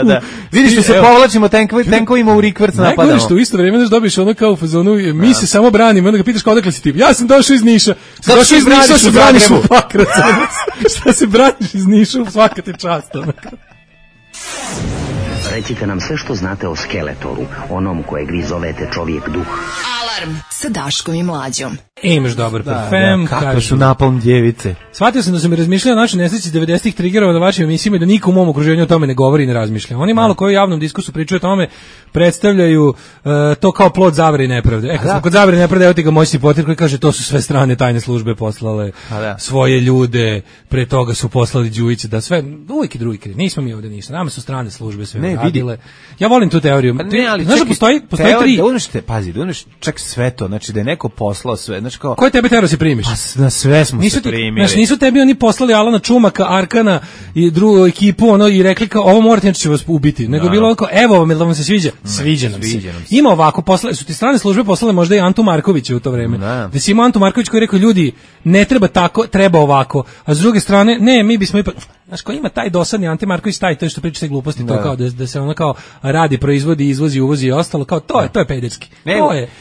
Da. Vidiš što se povlačimo tenkovima u rikvrc napadamo. Najgore što u isto vrijeme dobiš ono kao u fazonu, mi se samo branimo, onda ga pitaš kao odakle si ti. Ja sam došao iz Niša. Došao iz Niša, se braniš u Pakrac. Šta se braniš iz Niša, svaka ti čast. Recite nam sve što znate o Skeletoru, onom kojeg vi zovete čovjek duh. Alarm sa Daškom i Mlađom. Imaš dobar parfem. Kako su napalm djevice. Shvatio sam da sam mi razmišljao o našoj nesreći 90-ih triggerova na vašim emisijama da niko u mom okruženju o tome ne govori i ne razmišlja. Oni malo koji u javnom diskursu pričaju o tome predstavljaju to kao plod zavere i nepravde. Kad smo kod zavere i nepravde, evo ti ga moćni potir koji kaže to su sve strane tajne službe poslale svoje ljude, pre toga su poslali Đujiće, da sve, uvijek i drugi kriv. Nismo mi ovdje ništa, nama su strane službe sve radile. Ja volim tu teoriju. Znaš da postoji tri... Da uzmeš čak sve to, znači da je neko poslao sve, znači kao... Koje tebe tero se primiš? Na sve smo se primili. Znači nisu tebi oni poslali Alana Čumaka, Arkana i drugu ekipu i rekli kao ovo morate, znači će vas ubiti. Nego bilo kao evo vam, da vam se sviđa. Sviđa nam se. Ima ovako, poslali su ti strane službe poslale možda i Antu Markovića u to vreme. Da si imao Antu Marković koji je rekao ljudi ne treba tako, treba ovako. A s druge strane, ne, mi bismo ipak... Znaš, ko ima taj dosadni Ante Marković, to što priča se gluposti, to kao da se ono kao radi, proizvodi, izvozi, uvozi i ostalo, kao to je pederski.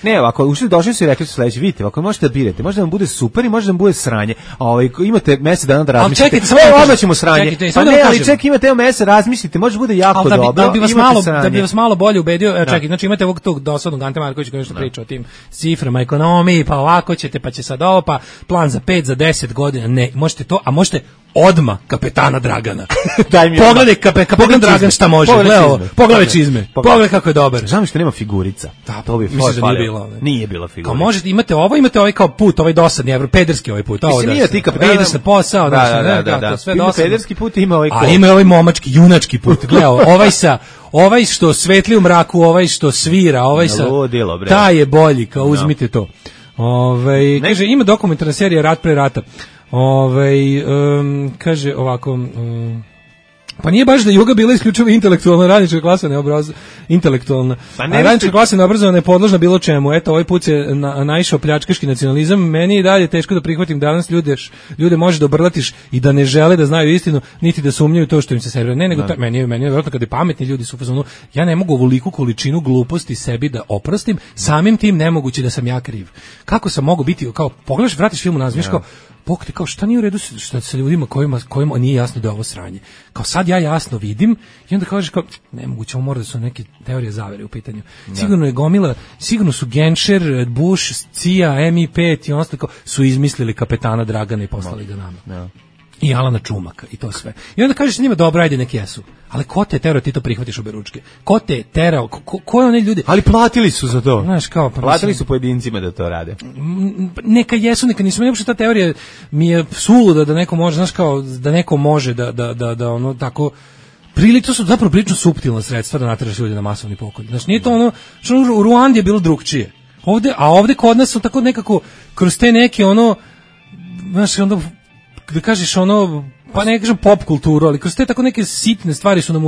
Ne, ovako, došli su i rekli su sledeće, vidite, ovako možete da birate, može da vam bude super i može da vam bude sranje, a imate mesec dana da razmislite, odmah ćemo sranje, pa ne, ali čekaj, imate mesec, razmislite, može da bude jako dobro, da bi vas malo bolje ubedio, čekaj, znači imate ovog tog dosadnog Ante Markovića koji nešto priča o tim ciframa, ekonomiji, pa ovako ćete, pa će sad ovo, pa plan za 5, za 10 godina, ne, možete to, a možete odmah kapetana Dragana. Pogledaj kapetan Dragan šta može. Pogledaj čizme. Pogledaj kako je dobar. Žao mi što nema figurica. Da, to bi nije bila figurica. Kao možete imate ovaj kao put, ovaj dosadni, pederski ovaj put. Ovo da. Ti kapetan ide se posao, da. Sve dosadno. Pederski put ima ovaj. A ima ovaj momački, junački put. Gledaj, ovaj što svetli u mraku, ovaj što svira, ovaj sa taj je bolji, kao uzmite to. Kaže ima dokumentarna serija Rat pre rata. Kaže ovako, pa nije baš da je Juga bila isključivo intelektualna, radnička klasa intelektualna, a radnička klasa neobrazovana je podložna bilo čemu. Eto, ovaj put se naišao pljačkaški nacionalizam. Meni je dalje teško da prihvatim danas ljude može da obrlatiš i da ne žele da znaju istinu, niti da sumnjaju to što im se servira. Ne, nego meni je vjerojatno kada pametni ljudi su u fazonu, ja ne mogu ovoliku količinu gluposti sebi da oprostim, samim tim nemoguće da sam ja kriv. Kako sam mogu biti, kao pogledaš, vratiš film u nazmiš, pokte, kao šta nije u redu što sa ljudima kojima nije jasno da je ovo sranje. Kao sad ja jasno vidim i onda kažeš kao, nemoguće, ovo mora da su neke teorije zavere u pitanju. Sigurno je gomila, sigurno su Genscher, Bush, CIA, MI5 i ostalo su izmislili kapetana Dragana i poslali ga nama. I Alana Čumaka i to sve. I onda kažeš njima dobro, ajde neki jesu. Ali ko te terao, ti to prihvatiš obe ručke? Ko te terao? Ko je one ljudi? Ali platili su za to. Znaš, kao, pa platili su pojedincima da to rade. Neka jesu, neka nisu. Uopšte ta teorija mi je suluda da neko može, znaš, kao da neko može da ono tako to su zapravo prilično suptilna sredstva da nateraš ljudi na masovni pokolj. Znaš, nije to ono, što u Ruandi je bilo drugčije. Ovde kod nas su tako nekako kroz te neke ono, znaš, onda da kažeš ono, pa ne kažem pop kulturu, ali kroz te tako neke sitne stvari su nam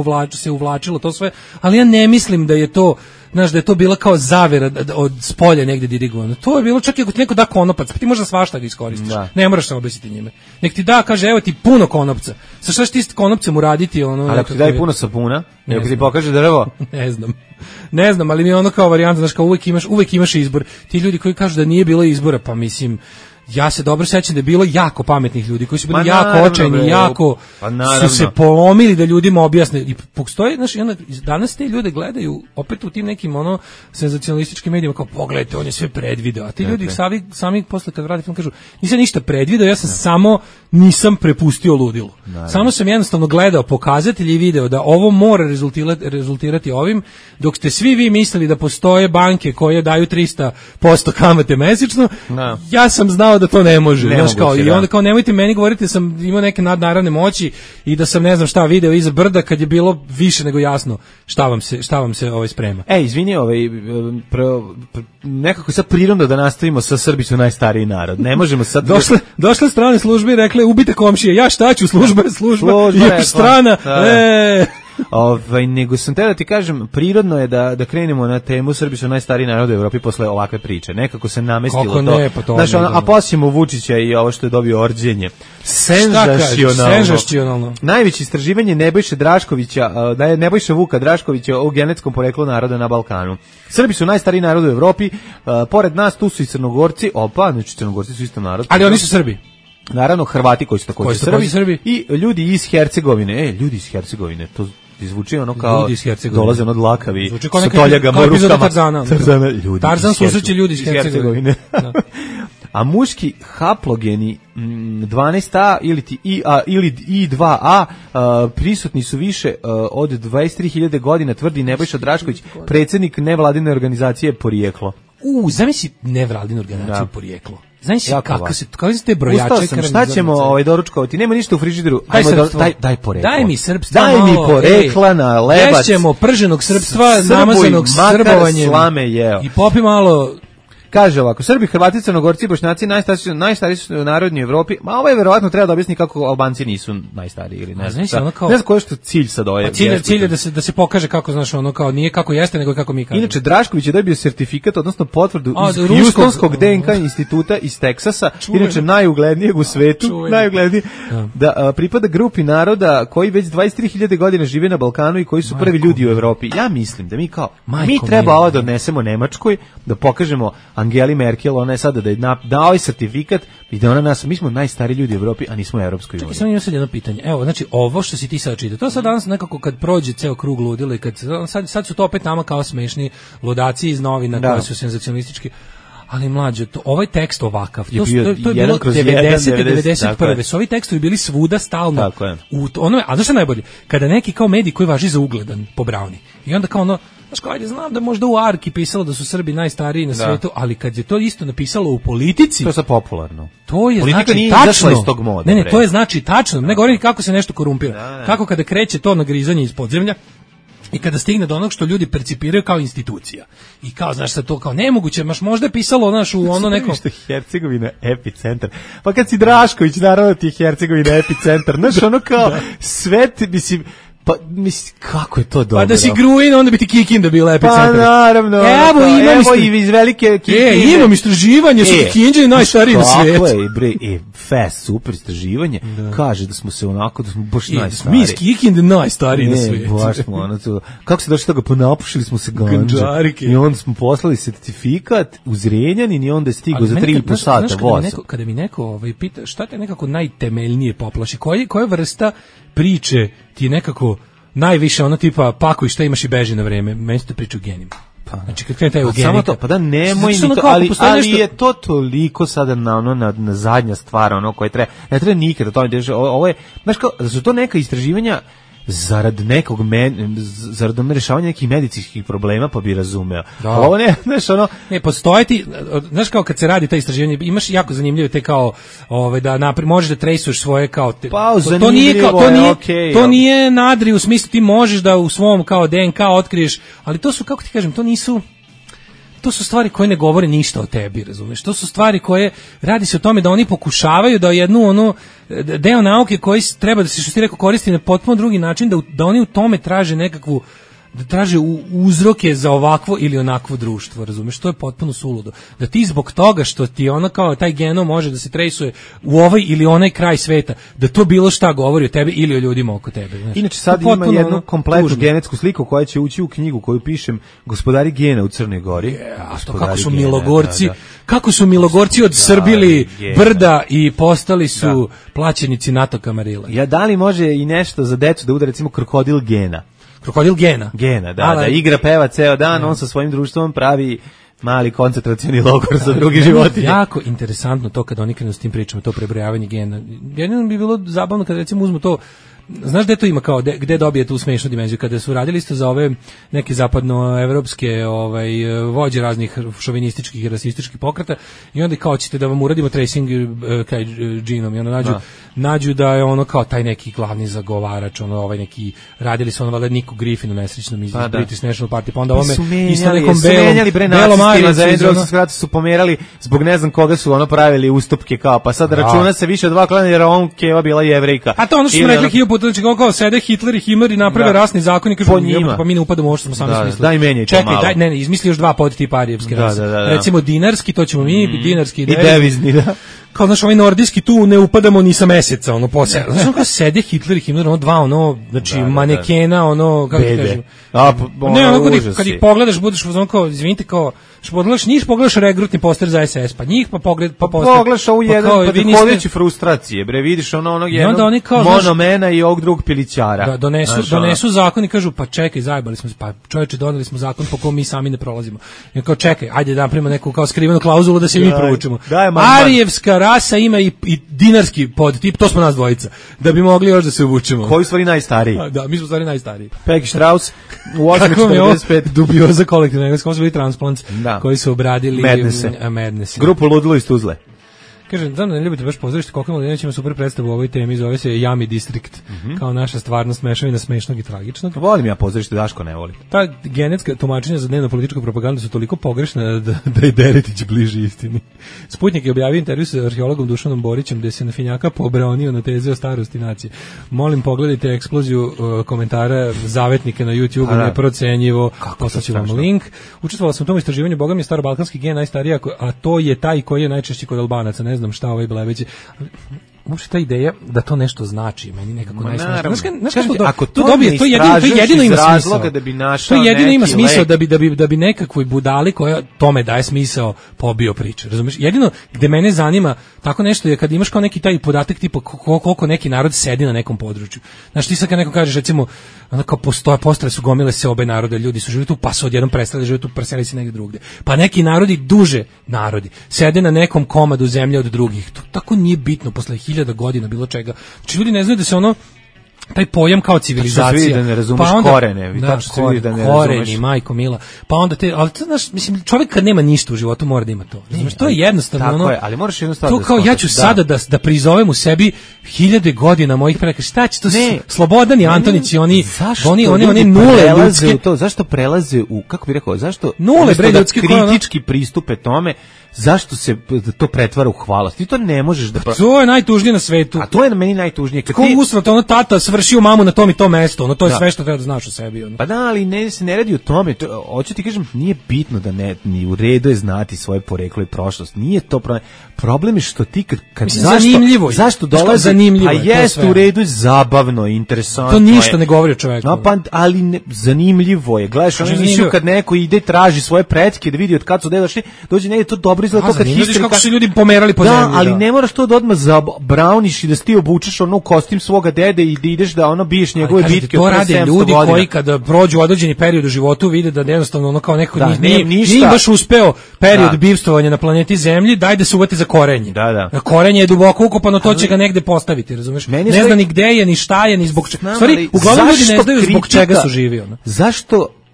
uvlačilo to sve, ali ja ne mislim da je to, znaš, da je to bila kao zavera od spolja negde dirigovano. To je bilo čak i ako ti neko da konopac, pa ti možda svašta ga iskoristiš. Ne moraš se obesiti njime. Nek ti da, kaže, evo ti puno konopca. Sa šta ćeš ti konopcem uraditi? Ono, ali ako ti daj puno sapuna, ako ti pokaže drvo? Ne znam, ali mi je ono kao varijanta, znaš, kao uvek imaš izbor. Ti ljudi koji kažu da nije bilo izbora, pa mislim, ja se dobro sećam da je bilo jako pametnih ljudi koji su bili jako očajni, jako su se polomili da ljudima objasne. I postoji, znaš, danas te ljude gledaju opet u tim nekim ono senzacionalističkim medijima kao pogledajte, on je sve predvideo. A ti ljudi sami posle kad vrati film kažu nisam ništa predvideo, ja sam samo nisam prepustio ludilu. Samo sam jednostavno gledao pokazatelje i video da ovo mora rezultirati ovim, dok ste svi vi mislili da postoje banke koje daju 300% kamate mesečno, ja sam znao da to ne može. I onda kao nemojte meni govoriti da sam imao neke nadnaravne moći i da sam ne znam šta video iza brda kad je bilo više nego jasno šta vam se sprema. Izvini, nekako sad prirodno da nastavimo sa Srbi su najstariji narod. Ne možemo sad... Došle strane službe i rekle ubite komšije, ja šta ću, služba je strana. Nego sam te da ti kažem, prirodno je da krenemo na temu Srbi su najstariji narod u Evropi posle ovakve priče. Nekako se namestilo to. Znaš, a posljemo Vučića i ovo što je dobio orđenje. Senzacionalno. Najveće istraživanje Nebojše Draškovića, da je Nebojša Vuka Draškovića o genetskom poreklu naroda na Balkanu. Srbi su najstariji narod u Evropi, pored nas tu su i Crnogorci, znači Crnogorci su isto narod. Ali oni su Srbi. Naravno, Hrvati koji su također Srbi i ljudi iz Hercegovine. Ljudi iz Hercegovine, to zvuči ono kao dolaze od lakavi sa toljagama u rukama. Tarzan susreće ljudi iz Hercegovine. A muški haplogeni 12A ili I2A prisutni su više od 23.000 godina, tvrdi Nebojša Drašković, predsjednik nevladine organizacije Porijeklo. Zamisli nevladinu organizaciju Porijeklo. Znaš kako se te brojače... Ustao sam, šta ćemo doručkovati? Nema ništa u frižideru. Daj porekla. Daj mi srpstva. Daj mi porekla na lebac. Ješćemo prženog srpstva, namazanog srbovanjem. Slame jeo. I popi malo... Kaže ovako, Srbi, Hrvati, Crnogorci i Bošnjaci najstariji su narodi u Evropi. Ma ovo je verovatno treba da objasni kako Albanci nisu najstariji ili ne znam. Ne znam koji je što cilj sad ovaj. Cilj je da se pokaže kako, znaš, ono kao nije kako jeste nego kako mi kažemo. Inače Drašković je dobio sertifikat, odnosno potvrdu iz Houstonskog DNK instituta iz Teksasa, inače najuglednijeg u svetu, da pripada grupi naroda koji već 23.000 godina žive na Balkanu i koji su prvi ljudi u Evropi. Ja mislim da mi treba ovo da odnesemo Nemačkoj, da pokažemo Angeli Merkel, ona je sada da je dao ovaj sertifikat i da ona mi smo najstariji ljudi u Evropi, a nismo u Evropskoj uniji. Čekaj, samo imam sad jedno pitanje. Evo, znači, ovo što si ti sad čitao, to sad danas nekako kad prođe ceo krug ludila i sad su to opet nama kao smešni ludaci iz novina koji su senzacionalistički. Ali mlađe, ovaj tekst ovakav, to je bilo 90-91. Su ovi tekstovi bili svuda stalno. A znaš što najbolje? Kada neki kao medij koji važi za ugledan po Brauni. I onda kao ono, znaš kao, ajde, znam da možda u Arki pisalo da su Srbi najstariji na svijetu, ali kad je to isto napisalo u Politici... To je sad popularno. To je Politika znači nije tačno. Iz tog moda, ne, to je znači tačno. Ne govorim kako se nešto korumpira. Kako kada kreće to nagrizanje iz podzemlja, i kada stigne do onog što ljudi percipiraju kao institucija. I kao, znaš, sad to kao nemoguće, možda je pisalo, znaš, u ono neko... Što je Hercegovina epicentar. Pa kad si Drašković, naravno ti je Hercegovina epicentar. Znaš, ono kao, sve, mislim, Pa, mislim, kako je to dobro? Pa da si Gruin, onda bi ti Kikinda bila epicentar. Pa, naravno. Evo i iz velike Kikinde. Imam istraživanje, su Kikinđe najstariji na svijetu. Tako je, bre, fest, super istraživanje. Kaže da smo se onako, da smo baš najstariji. Mi iz Kikinde najstariji na svijetu. Baš smo, ono to. Kako se došli toga, ponapušili smo se ganđe. I onda smo poslali sertifikat u Zrenjanin i onda je stigao za 3,5 sata voza. Kada mi neko pita šta te nekako najtemeljnije poplaši, koja vrsta priče ti je nekako najviše ono tipa pakuj šta imaš i beži na vreme, meni se to priča o genima. Znači kad krene taj eugenika. Samo to, pa da nemoj ni to, ali je to toliko sada na zadnja stvar, ono koje treba, ne treba nikada to ne ovo je, znaš kao, da su to neka istraživanja zarad rešavanja nekih medicinskih problema, pa bi razumeo. Ovo ne, znaš, ono... Ne, postoje ti, znaš kao kad se radi ta istraživanje, imaš jako zanimljive te kao, da možeš da trejsuješ svoje kao... Pa, zanimljivo to nije nadri u smislu, ti možeš da u svom kao DNK otkriješ, ali to su, kako ti kažem, to su stvari koje ne govore ništa o tebi, razumeš? To su stvari koje, radi se o tome da oni pokušavaju da jednu deo nauke koji treba da se, što ti rekao, koristi na potpuno drugi način, da oni u tome traže nekakvu, da traže uzroke za ovakvo ili onakvo društvo, razumeš? To je potpuno suludo. Da ti zbog toga što ti ono kao taj genom može da se trejsuje u ovaj ili onaj kraj sveta, da to bilo šta govori o tebi ili o ljudima oko tebe. Znaš? Inače sad ima jednu kompletnu genetsku sliku koja će ući u knjigu koju pišem Gospodari gena u Crnoj Gori. Kako su Milogorci, kako su Milogorci odsrbili brda i postali su plaćenici NATO kamarila. Ja, da li može i nešto za decu da uda recimo krokodil gena? Krokodil Gena. Gena, da igra, peva ceo dan, on sa svojim društvom pravi mali koncentracioni logor za drugi životinje. Jako interesantno to kad oni krenu s tim pričama, to prebrojavanje gena. Jedino bi bilo zabavno kad recimo uzmu to, znaš gde to ima kao, gde dobije tu smešnu dimenziju, kada su radili isto za ove neke zapadnoevropske vođe raznih šovinističkih i rasističkih pokreta i onda kao ćete da vam uradimo tracing kaj džinom i onda nađu da je ono kao taj neki glavni zagovarač, neki, radili su valjda Niku Griffinu nesrećnom iz British National Party, pa onda ovome isto nekom belom Marijem su pomerali zbog ne znam koga su pravili ustupke kao, pa sad računa se više od 2 klana jer on Keva bila Jevrejka. A to ono što smo rekli znači kao sede Hitler i Himmler i naprave rasni zakon i kažu pa mi ne upadamo ovo što smo sami smislili. Daj menjaj to malo. Čekaj, ne, izmisli još 2 podtipa arijevske rase. Recimo dinarski, to ćemo mi, dinarski i devizni, da. Kao znaš, ovaj nordijski tu ne upadamo ni sa meseca, posle. Znaš, kao sede Hitler i Himmler, znači manekena, kako ti kažem. Kad ih pogledaš, budeš kao, izvinite, kao, pogledaš regrutni poster za SS, pa njih pogledaš ovu jedan, pa ti hodeći frustracije, bre, vidiš onog jednog monomena i ovog drugog pilićara. Da, donesu zakon i kažu, pa čekaj, zajebali smo se, pa čovječe, doneli smo zakon po kom mi sami ne prolazimo. I kao, čekaj, ajde da napravimo neku kao skrivenu klauzulu da se mi provučemo. Arijevska rasa ima i dinarski podtip, to smo nas dvojica, da bi mogli još da se uvučemo. Koji su stvari najstariji? Da, mi smo stvari najstariji. Peggy Strauss u 845. Dubioza kolektivna, kako su bili transplants koji su obradili Madness. Grupu Ludilo iz Tuzle. Kažem, znam da ne ljubite baš pozorište, koliko Mladenović ima super predstavu u ovoj temi, zove se Yami District, kao naša stvarnost mešavina smešnog i tragičnog. Volim ja pozorište, Daško ne voli. Ta genetska tumačenja za dnevno političku propagandu su toliko pogrešna da je Deretić bliži istini. Sputnik je objavio intervju sa arheologom Dušanom Borićem gde se na finjaka pobranio na teze o starosti nacije. Molim, pogledajte eksploziju komentara zavetnika na YouTube, neprocenjivo, poslaću vam link. Učestvovala sam u tom istraživanju, boga mi je starobalkanski gen najstariji, a to je taj koji je najčešći kod Albanaca, ne znam šta Blebeći. Uopšte ta ideja da to nešto znači, meni nekako najsnažnije. Znaš kako to dobije, to jedino ima smisao. To jedino ima smisao da bi nekakvoj budali koja tome daje smisao pobio priče, razumiješ? Jedino gde mene zanima tako nešto je kad imaš kao neki taj podatak tipa koliko neki narod sedi na nekom području. Znaš, ti sad kad neko kažeš recimo kao postale su gomile se obe narode, ljudi su živjeli tu, pa su odjednom prestali živjeti tu, preseli se negdje drugdje. Pa neki narodi, duže narodi, sede na nekom komadu zemlje od drugih. To tako nije bitno posle 1000 godina bilo čega. Znači ljudi ne znaju da se taj pojam kao civilizacija. Da ne razumeš korene. Koreni, majko mila. Pa onda ali to, znaš, mislim, čovjek kad nema ništa u životu mora da ima to. Znači, to je jednostavno tako je, ali moraš jednostavno to kao ja ću sada da prizovem u sebi 1000 godina mojih preka. Šta će to? Slobodan i Antonić i oni nule ljudske. Zašto prelaze u, kako bih rekao, zašto nule ljudske kritički pristupe tome? Zašto se to pretvara u hvalost? Ti to ne možeš da... To je najtužnije na svetu. A to je na meni najtužnije. Kako usrat, tata svršio mamu na tom i tom mestu, ono to je sve što treba da znaš o sebi. Ono. Pa da, ali se ne radi o tome, hoću ti kažem, nije bitno da ni u redu je znati svoje poreklo i prošlost, nije to problem. Problem je što ti kad zašto dolazi, zanimljivo a jeste u redu, zabavno, interesantno. To ništa ne govori o čoveku. No, pa, ali zanimljivo je. Gledaš ono emisiju kad neko ide traži svoje pretke da vidi od kad su došli, dođe negdje to dobro izgleda, to kad histerika. Kako su ljudi pomerali po zemlji. Da, ali ne moraš to da odmah zabrauniš i da ti obučeš ono kostim svoga dede i da ideš da ono biješ njegove bitke od 700 godina. To rade ljudi koji kada prođu određeni period u životu vide da jednostavno ono kao neko nije baš uspeo period bivstvovanja na planeti Zemlji, daj da se uvati za korenje. Da. Korenje je duboko ukopano, to će ga negde postaviti, razumeš? Ne zna ni gde je, ni šta je, ni zbog čega. Stvari, uglavnom ljudi ne znaju zbog čega su živi. Ono.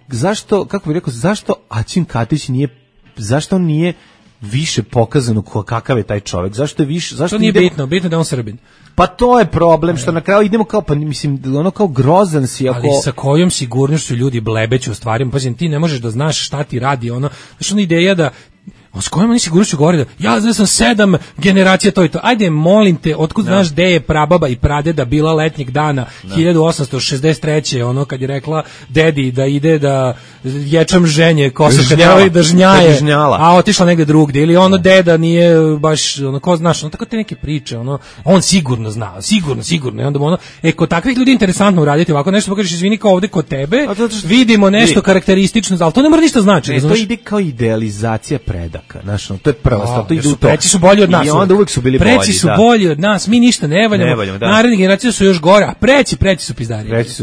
Zašto, kako bih rekao, zašto Aćim Katić zašto on nije više pokazano kakav je taj čovjek? Zašto nije bitno da je on Srbin. Pa to je problem, što na kraju idemo kao, pa mislim, ono kao grozan si. Ali sa kojom sigurnošću ljudi blebeću u stvarima, pa ti ne možeš da znaš šta ti radi, ono, znaš ona ideja da s kojom oni sigurnošću govori da ja znam 7 generacija to i to. Ajde, molim te, otkud znaš gde je prababa i pradeda bila letnjeg dana 1863. ono kad je rekla dedi da ide da ječam ženje kosa kad je da žnjaje, a otišla negde drugdje ili ono deda nije baš ono ko znaš, ono tako te neke priče, ono on sigurno zna, sigurno i onda ono kod takvih ljudi interesantno uraditi ovako nešto, pokažeš izvini kao ovde kod tebe vidimo nešto karakteristično, ali to ne mora ništa znači. To ide kao idealizacija preda. Znaš, to je prva stvar, to ide u to. Preci su bolji od nas. I onda uvijek su bili bolji. Preci su bolji od nas, mi ništa ne valjamo. Naredne generacije su još gore, a preci su pizdari. Preci su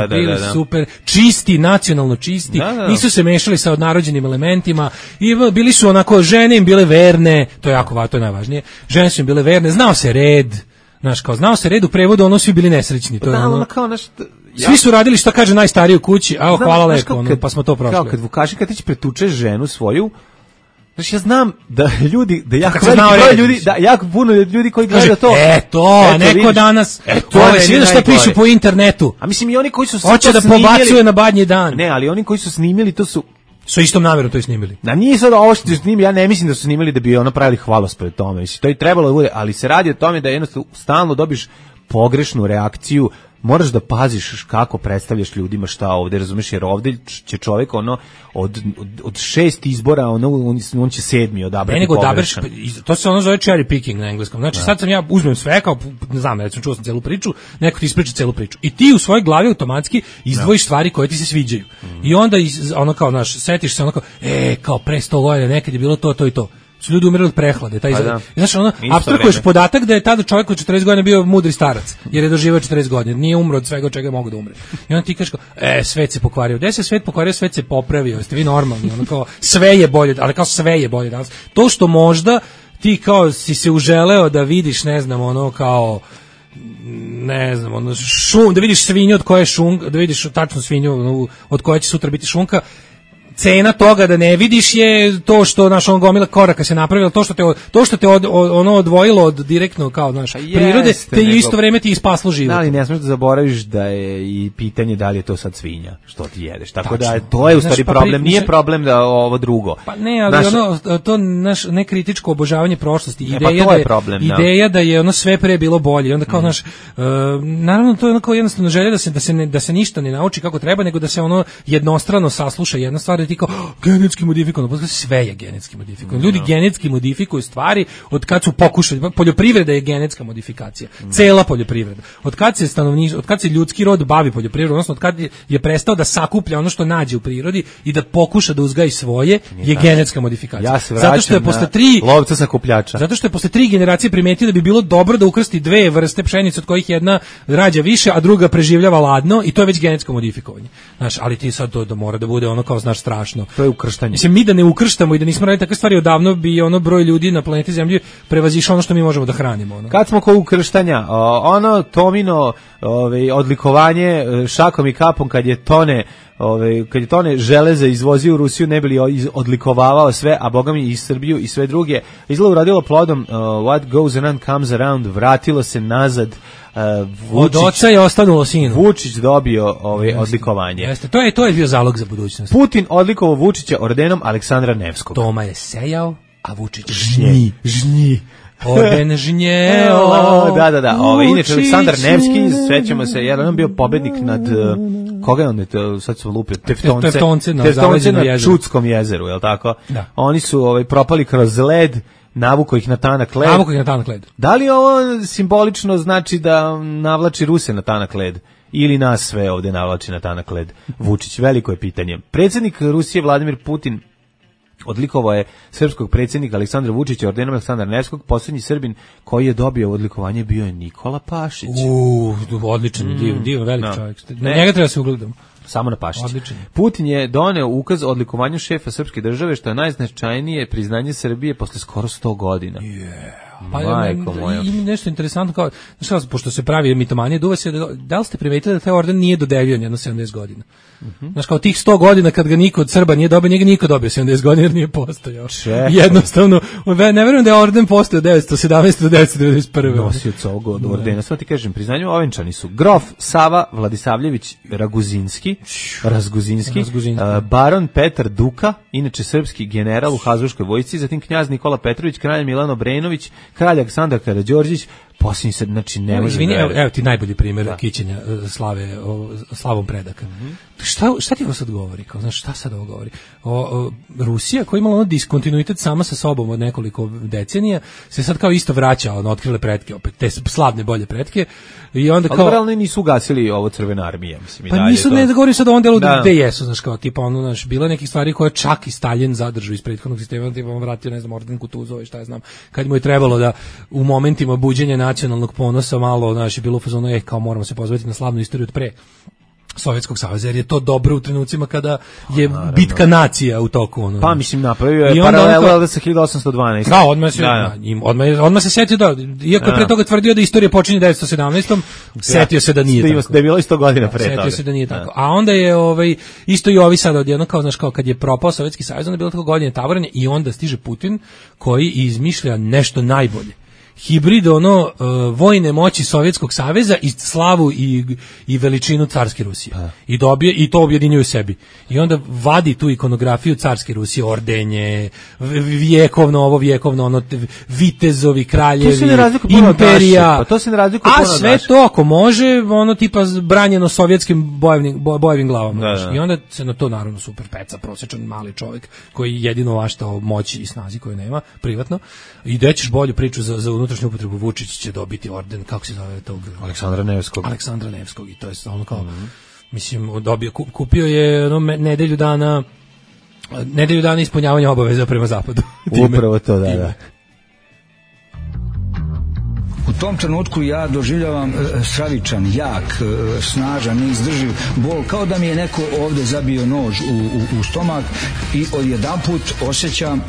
bili super, čisti, nacionalno čisti, nisu se mešali sa odnarođenim elementima i bili su onako, žene im bile verne, to je jako važno, to je najvažnije. Žene su im bile verne, znao se red. Znaš, kao znao se red u prevodu, ono svi bili nesrećni. To je ono kao nešto. Svi su radili šta kaže najstariji u kući, a hvala lepo, pa smo to prošli. Kao kad Vukašin Katić pretuče ženu svoju, znači ja znam da ljudi, da jako puno ljudi koji gleda to. Neko danas, vidiš šta pišu po internetu. A mislim i oni koji su hoće da pobacuje na badnji dan. Ne, ali oni koji su snimili to su istom namjerom to i snimili. Da nije sad ovo što su snimili, ja ne mislim da su snimili da bi ono pravili hvalospred tome. Mislim, to i trebalo da bude, ali se radi o tome da jednostavno stalno dobiš pogrešnu reakciju. Moraš da paziš kako predstavljaš ljudima šta ovde, razumeš, jer ovde će čovjek ono od 6 izbora on će 7. odabrati pogrešan. To se ono zove cherry picking na engleskom. Znači sad sam ja uzmem sve kao, ne znam, recimo čuo sam celu priču, neko ti ispriča celu priču i ti u svojoj glavi automatski izdvojiš stvari koje ti se sviđaju. I onda ono kao, znaš, setiš se ono kao, kao pre 100 godina nekad je bilo to i to. Su ljudi umirali od prehlade. Znaš, ono, apstrakuješ podatak da je tada čovjek od 40 godina bio mudri starac, jer je doživio 40 godina, nije umro od svega od čega je mogu da umre. I onda ti kažeš kao, svet se pokvario. Gde se svet pokvario, svet se popravio. Jeste vi normalni? Ono kao, sve je bolje, ali kao sve je bolje danas. To što možda ti kao si se uželeo da vidiš, ne znam, ono kao, ne znam, ono, da vidiš svinju od koje je šunka, da vidiš tačnu svinju od koje će sutra biti šunka, cena toga da ne vidiš je to što naš on gomila koraka se napravila, to što te ono odvojilo od direktno kao naš prirode, te isto vrijeme ti ispaslo život. Da, ali ne smiješ da zaboraviš da je i pitanje da li je to sad svinja što ti jedeš. Tako da to je u stvari problem, nije problem da ovo drugo. Pa ne, ali to naš nekritičko obožavanje prošlosti, ideja da je ono sve pre bilo bolje. Onda kao naš naravno to je onako jednostavno želja da se ništa ne nauči kako treba, nego da se ono jednostrano sasluša jedna stvar. Ti kao, genetski modifikovano, pa sve je genetski modifikovano. Ljudi genetski modifikuju stvari od kad su pokušali, poljoprivreda je genetska modifikacija, cela poljoprivreda. Od kad se ljudski rod bavi poljoprivredom, odnosno od kad je prestao da sakuplja ono što nađe u prirodi i da pokuša da uzgaji svoje, je genetska modifikacija. Ja se vraćam lovca sakupljača. Zato što je posle 3 generacije primetio da bi bilo dobro da ukrsti 2 vrste pšenice, od kojih jedna rađa više, a druga preživljava ladno, i to je već genetsko modifikovanje. Znaš, ali ti sad to mora da bude ono kao, znaš, strašno. To je ukrštanje. Mislim, mi da ne ukrštamo i da nismo radili takve stvari odavno bi ono broj ljudi na planeti Zemlji prevazišao ono što mi možemo da hranimo. Ono. Kad smo kod ukrštanja, ono Tomino odlikovanje šakom i kapom kad je tone železa izvozio u Rusiju, ne bi li odlikovavao sve, a boga mi i Srbiju i sve druge, izgleda uradilo plodom. What goes around comes around, vratilo se nazad. Od oca je ostanulo sinu. Vučić dobio odlikovanje. Jeste, to je bio zalog za budućnost. Putin odlikovao Vučića ordenom Aleksandra Nevskog. Toma je sejao, a Vučić žnji. Orden žnjelo. Da. Inače, Aleksandar Nevski, svećamo se, jer on bio pobednik nad, koga je on, sad smo lupio, Teftonce na Čudskom jezeru, je li tako? Da. Oni su propali kroz led, navuko ih na tanak led. Da li ovo simbolično znači da navlači Ruse na tanak led? Ili nas sve ovde navlači na tanak led? Vučić, veliko je pitanje. Predsjednik Rusije Vladimir Putin odlikovao je srpskog predsjednika Aleksandra Vučića ordenom Aleksandra Nevskog. Posljednji Srbin koji je dobio odlikovanje bio je Nikola Pašić. Odličan, divan, velik čovjek. Na njega treba se ugledati. Samo na Pašić. Putin je doneo ukaz o odlikovanju šefa srpske države, što je najznačajnije priznanje Srbije posle skoro 100 godina. Pa ima nešto interesantno, kao, znači, pošto se pravi mitomanije, duva se, da li ste primetili da taj orden nije dodeljivan jedno 70 godina? Znaš, kao tih 100 godina kad ga niko od Srba nije dobio, nije ga niko dobio 70 godina jer nije postojao. Jednostavno, ne verujem da je orden postojao 917. do 1991. Nosioc ovog ordena, sve ti kažem, priznanju ovenčani su grof Sava Vladisavljević Razguzinski, baron Petar Duka, inače srpski general u Habsburškoj vojsci, zatim knjaz Nikola Petrović, kralj Milan Obrenović, kralj Aleksandar Karađorđić, posljednji se, znači ne može. Izvini, evo ti najbolji primjer kićenja slavom predaka. Šta ti ovo sad govori? Kao, znaš, šta sad ovo govori? Rusija, koja imala diskontinuitet sama sa sobom od nekoliko decenija, se sad kao isto vraća, otkrile pretke, opet te slavne bolje pretke. I onda kao, ali realno nisu ugasili ovo Crvena armija, mislim. Pa nisu, ne govori sad o ovom delu gde jesu, znaš, kao tipa ono, znaš, bila nekih stvari koje čak i Stalin zadržao iz prethodnog sistema, tipa on vratio, ne znam, orden Kutuzova i šta ja znam, kad mu je trebalo da u momentima buđenja nacionalnog ponosa malo, znaš, je bilo u fazonu, kao moramo se pozvati na slavnu istoriju od pre Sovjetskog saveza, jer je to dobro u trenucima kada je bitka nacija u toku. Ono. Pa mislim, napravio je paralelu sa 1812. Da, odmah se setio da, iako je pre toga tvrdio da istorija počinje 1917. Setio se da nije tako. Da je bilo 100 godina pre toga. Setio se da nije tako. A onda je isto i ovi sad odjedno, kao, znaš, kao kad je propao Sovjetski savez, onda je bilo tako godine tavoranje i onda stiže Putin koji izmišlja nešto najbolje. Hibrid vojne moći Sovjetskog saveza i slavu i veličinu carske Rusije. I dobije i to objedinjuje u sebi. I onda vadi tu ikonografiju carske Rusije, ordenje, vjekovno vitezovi, kraljevi, imperija. To se ne razlikuje puno. A sve to ako može, tipa branjeno sovjetskim bojevim glavama. Da. I onda se na to naravno super peca, prosječan mali čovjek koji jedino vaštao moći i snazi koju nema privatno. I da ćeš bolju priču za unutrašnju upotrebu, Vučić će dobiti orden, kako se zove tog? Aleksandra Nevskog, i to je ono kao, mislim, kupio je nedelju dana ispunjavanja obaveza prema zapadu. Upravo to, da. U tom trenutku ja doživljavam stravičan, jak, snažan, neizdrživ bol, kao da mi je neko ovde zabio nož u stomak i odjedanput osjećam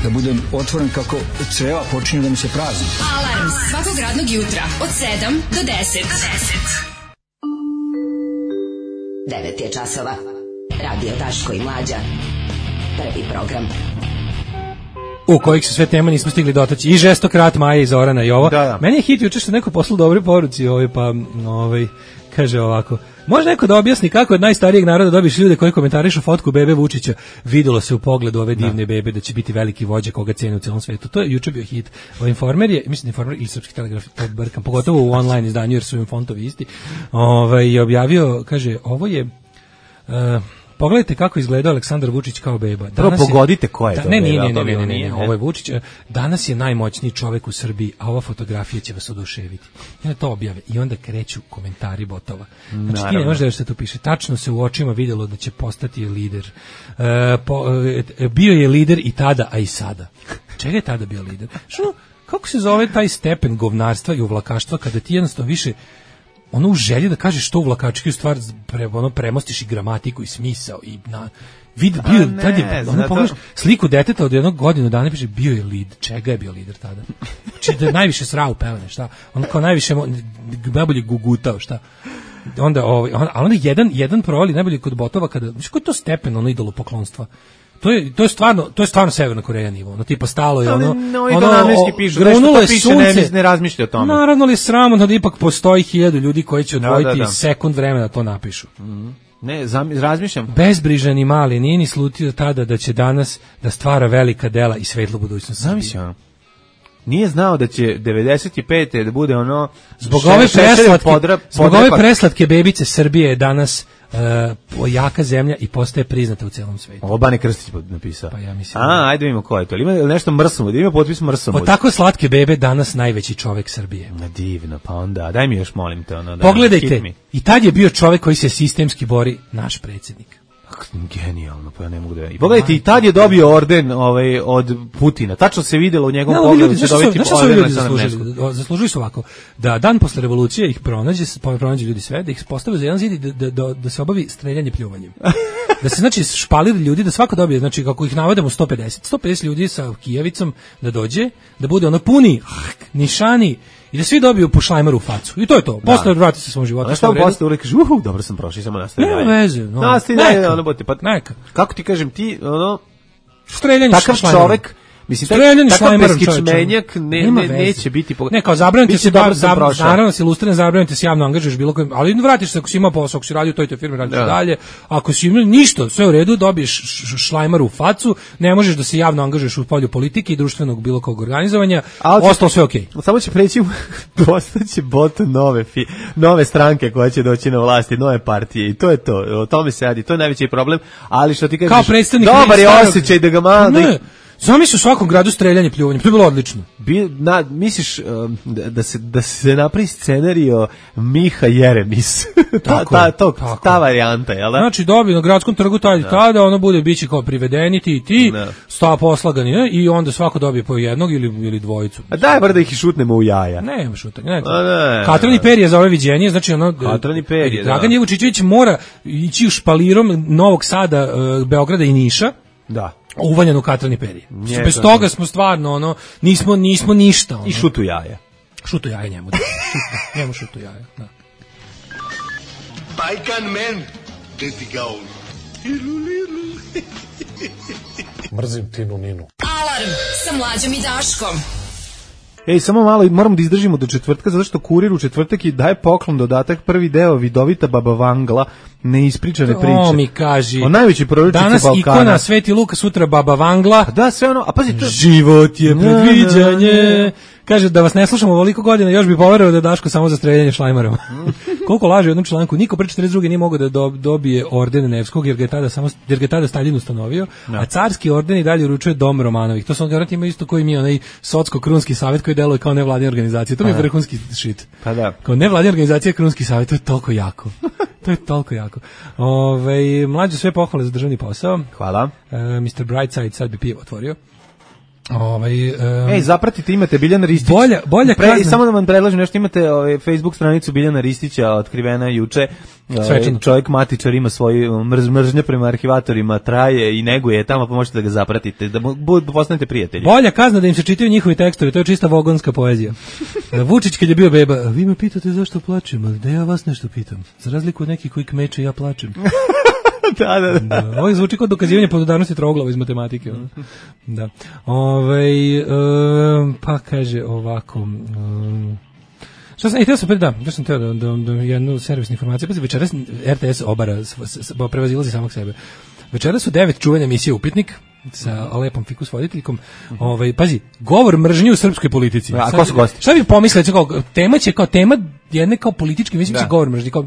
da budem otvoren kako creva počinju da mi se prazni. Alarm svakog radnog jutra od 7 do 10. 9 je časova. Radio Daško i Mlađa. Prvi program. U kojih se sve tema nismo stigli dotaći. I Žestok rat Maja i Zorana i ovo. Da. Meni je hit juče što neko poslao dobre poruci, kaže ovako: može neko da objasni kako od najstarijeg naroda dobiš ljude koji komentarišu fotku bebe Vučića? Videlo se u pogledu ove divne bebe da će biti veliki vođa koga cene u celom svetu. To je juče bio hit. Informer je, mislim Informer ili Srpski telegraf, pogotovo u online izdanju jer su im fontovi isti, je objavio, kaže, ovo je... pogledajte kako izgleda Aleksandar Vučić kao beba. Prvo pogodite ko je to. Ne, ovo je Vučić. Danas je najmoćniji čovek u Srbiji, a ova fotografija će vas oduševiti. I onda to objave. I onda kreću komentari botova. Znači ti ne možeš da se tu piše. Tačno se u očima vidjelo da će postati lider. Bio je lider i tada, a i sada. Čega je tada bio lider? Kako se zove taj stepen govnarstva i uvlakaštva kada ti jednostavno više u želji da kažeš što uvlakački u stvar premostiš i gramatiku i smisao i pogledaš sliku deteta od jednog godinu dana, piše bio je lider. Čega je bio lider tada? Znači da je najviše srao pelene, šta? On kao najviše najbolje gugutao, šta? Onda jedan provali najbolje kod botova kada, znači koji je to stepen idolopoklonstva? To je stvarno Severna Koreja nivo. Tipa stalo je grunulo je sunce, ne razmišlja o tome. Naravno li je sramotno da ipak postoji 1000 ljudi koji će odvojiti sekund vremena da to napišu. Ne, razmišljam. Bezbrižan i mali, nije ni slutio tada da će danas da stvara velika dela i svetlu budućnost. Zamišljam. Nije znao da će 95. da bude ono zbog ove preslatke bebice Srbije je danas jaka zemlja i postaje priznata u celom svetu. Ovo Bane Krstić napisao. Pa ja mislim. Ajde vidimo ko je to. Ima nešto mrsomud, ima potpis mrsomud. Od tako slatke bebe danas najveći čovjek Srbije. Divno, pa onda, daj mi još molim te. Ono, pogledajte, i tad je bio čovjek koji se sistemski bori, naš predsjednik. Genijalno, pa ja ne mogu da... I pogledajte, i tad je dobio orden od Putina. Tačno se vidjelo u njegovom pogledu će dobiti orden. Zaslužuju su ovako, da dan posle revolucije ih pronađe ljudi sve, da ih postave za jedan zid i da se obavi streljanje pljuvanjem. Da se, znači, špalir ljudi, da svako dobije, znači, kako ih navedemo 150 ljudi sa kijevicom da dođe, da bude ono puni, nišani, i da svi dobiju po šlajmaru u facu. I to je to. Posle vrati se svom životu. A šta posle uvijek kaže, dobro sam prošao, samo nastavi dalje. Nema veze. Nastavi dalje, ono bote. Neka. Kako ti kažem, ti, ono... Streljanje takav čovek, mislim, takav beskičmenjak neće biti... Ne, kao zabranite se, naravno se ilustriran, zabranite se javno angažuješ bilo kojim, ali vratiš se ako si imao posao, ako si radio u toj firmi, radiš dalje, ako si imao ništa, sve u redu, dobiješ šlajmar u facu, ne možeš da se javno angažuješ u polju politike i društvenog bilo kog organizovanja, ostalo sve okej. Samo će preći, postaće bot nove stranke koja će doći na vlasti, nove partije i to je to, o tome se radi, to je najveći problem, ali što ti kažeš, dobar je osjećaj da ga malo... Zamisli u svakom gradu streljanje pljuvanjem, to je bilo odlično. Misliš da se napravi scenario Miha Jeremis, ta varijanta, jel da? Znači dobije na gradskom trgu tada, ono bude biće kao privedeni ti, sta poslagani, i onda svako dobije po jednog ili dvojicu. A daj bar da ih šutnemo u jaja. Nema šutanja. Katrani Perije za ove viđenje, znači Katrani Perije, Dragan Jevučićević mora ići špalirom Novog Sada, Beograda i Niša. Da. Uvaljeno u Katrani Perije. Bez toga smo stvarno, nismo ništa. I šutu jaja. Šutu jaja njemu. Njemu šutu jaja, da. Bajkan men, deti gaun. Mrzim Tinu Ninu. Alarm sa Mlađom i Daškom. Samo malo, moramo da izdržimo do četvrtka, zato što Kurir u četvrtak i daje poklon dodatak, prvi deo Vidovita Baba Vangla, neispričane priče. O mi kaži. O najveći proročici Balkana. Danas ikona Sveti Luka, sutra Baba Vangla. Da, sve ono, a pazi to... Život je predviđanje. Kaže, da vas ne slušamo ovoliko godina, još bi poverovao da je Daško samo za streljanje šlajmarom. Koliko laže u jednom članku, niko pre 42. nije mogao da dobije orden Nevskog, jer ga je tada Stalin ustanovio, a carski orden i dalje uručuje Dom Romanovih. To su on garantno ima isto koji mi onaj Socko-Krunski savjet koji deluje kao nevladina organizacija. To mi je vrhunski shit. Pa da. Kao nevladina organizacija Krunski savjet, to je toliko jako. To je toliko jako. Mlađe, sve pohvale za državni posao. Hvala. Mr. Brightside sad bi pivo otvorio. Zapratite, imate Biljana Ristić. Bolja kazna. Samo da vam predlažem nešto, imate Facebook stranicu Biljana Ristića, otkrivena juče. Čovjek matičar ima svoju mržnja prema arhivatorima, traje i neguje tamo, pa možete da ga zapratite, da postanete prijatelji. Bolja kazna da im se čitaju njihovi tekstovi, to je čista vogonska poezija. Vučić kad je bio beba, vi me pitate zašto plačem, ali da ja vas nešto pitam. Za razliku od nekih koji kmeče, ja plačem. Da. Ovo zvuči kao dokazivanje podudarnosti troglava iz matematike. Da. Pa kaže ovako... Šta sam teo da jednu servisnu informaciju, pa večeras RTS obara, prevazilazi samog sebe. Večeras su 9 čuvanja emisije Upitnik sa lepom fikus voditeljkom. Pazi, govor mržnje u srpskoj politici. A ko su gosti? Šta bi pomislili, tema jedne kao političke, mislim će govor mržnje, kao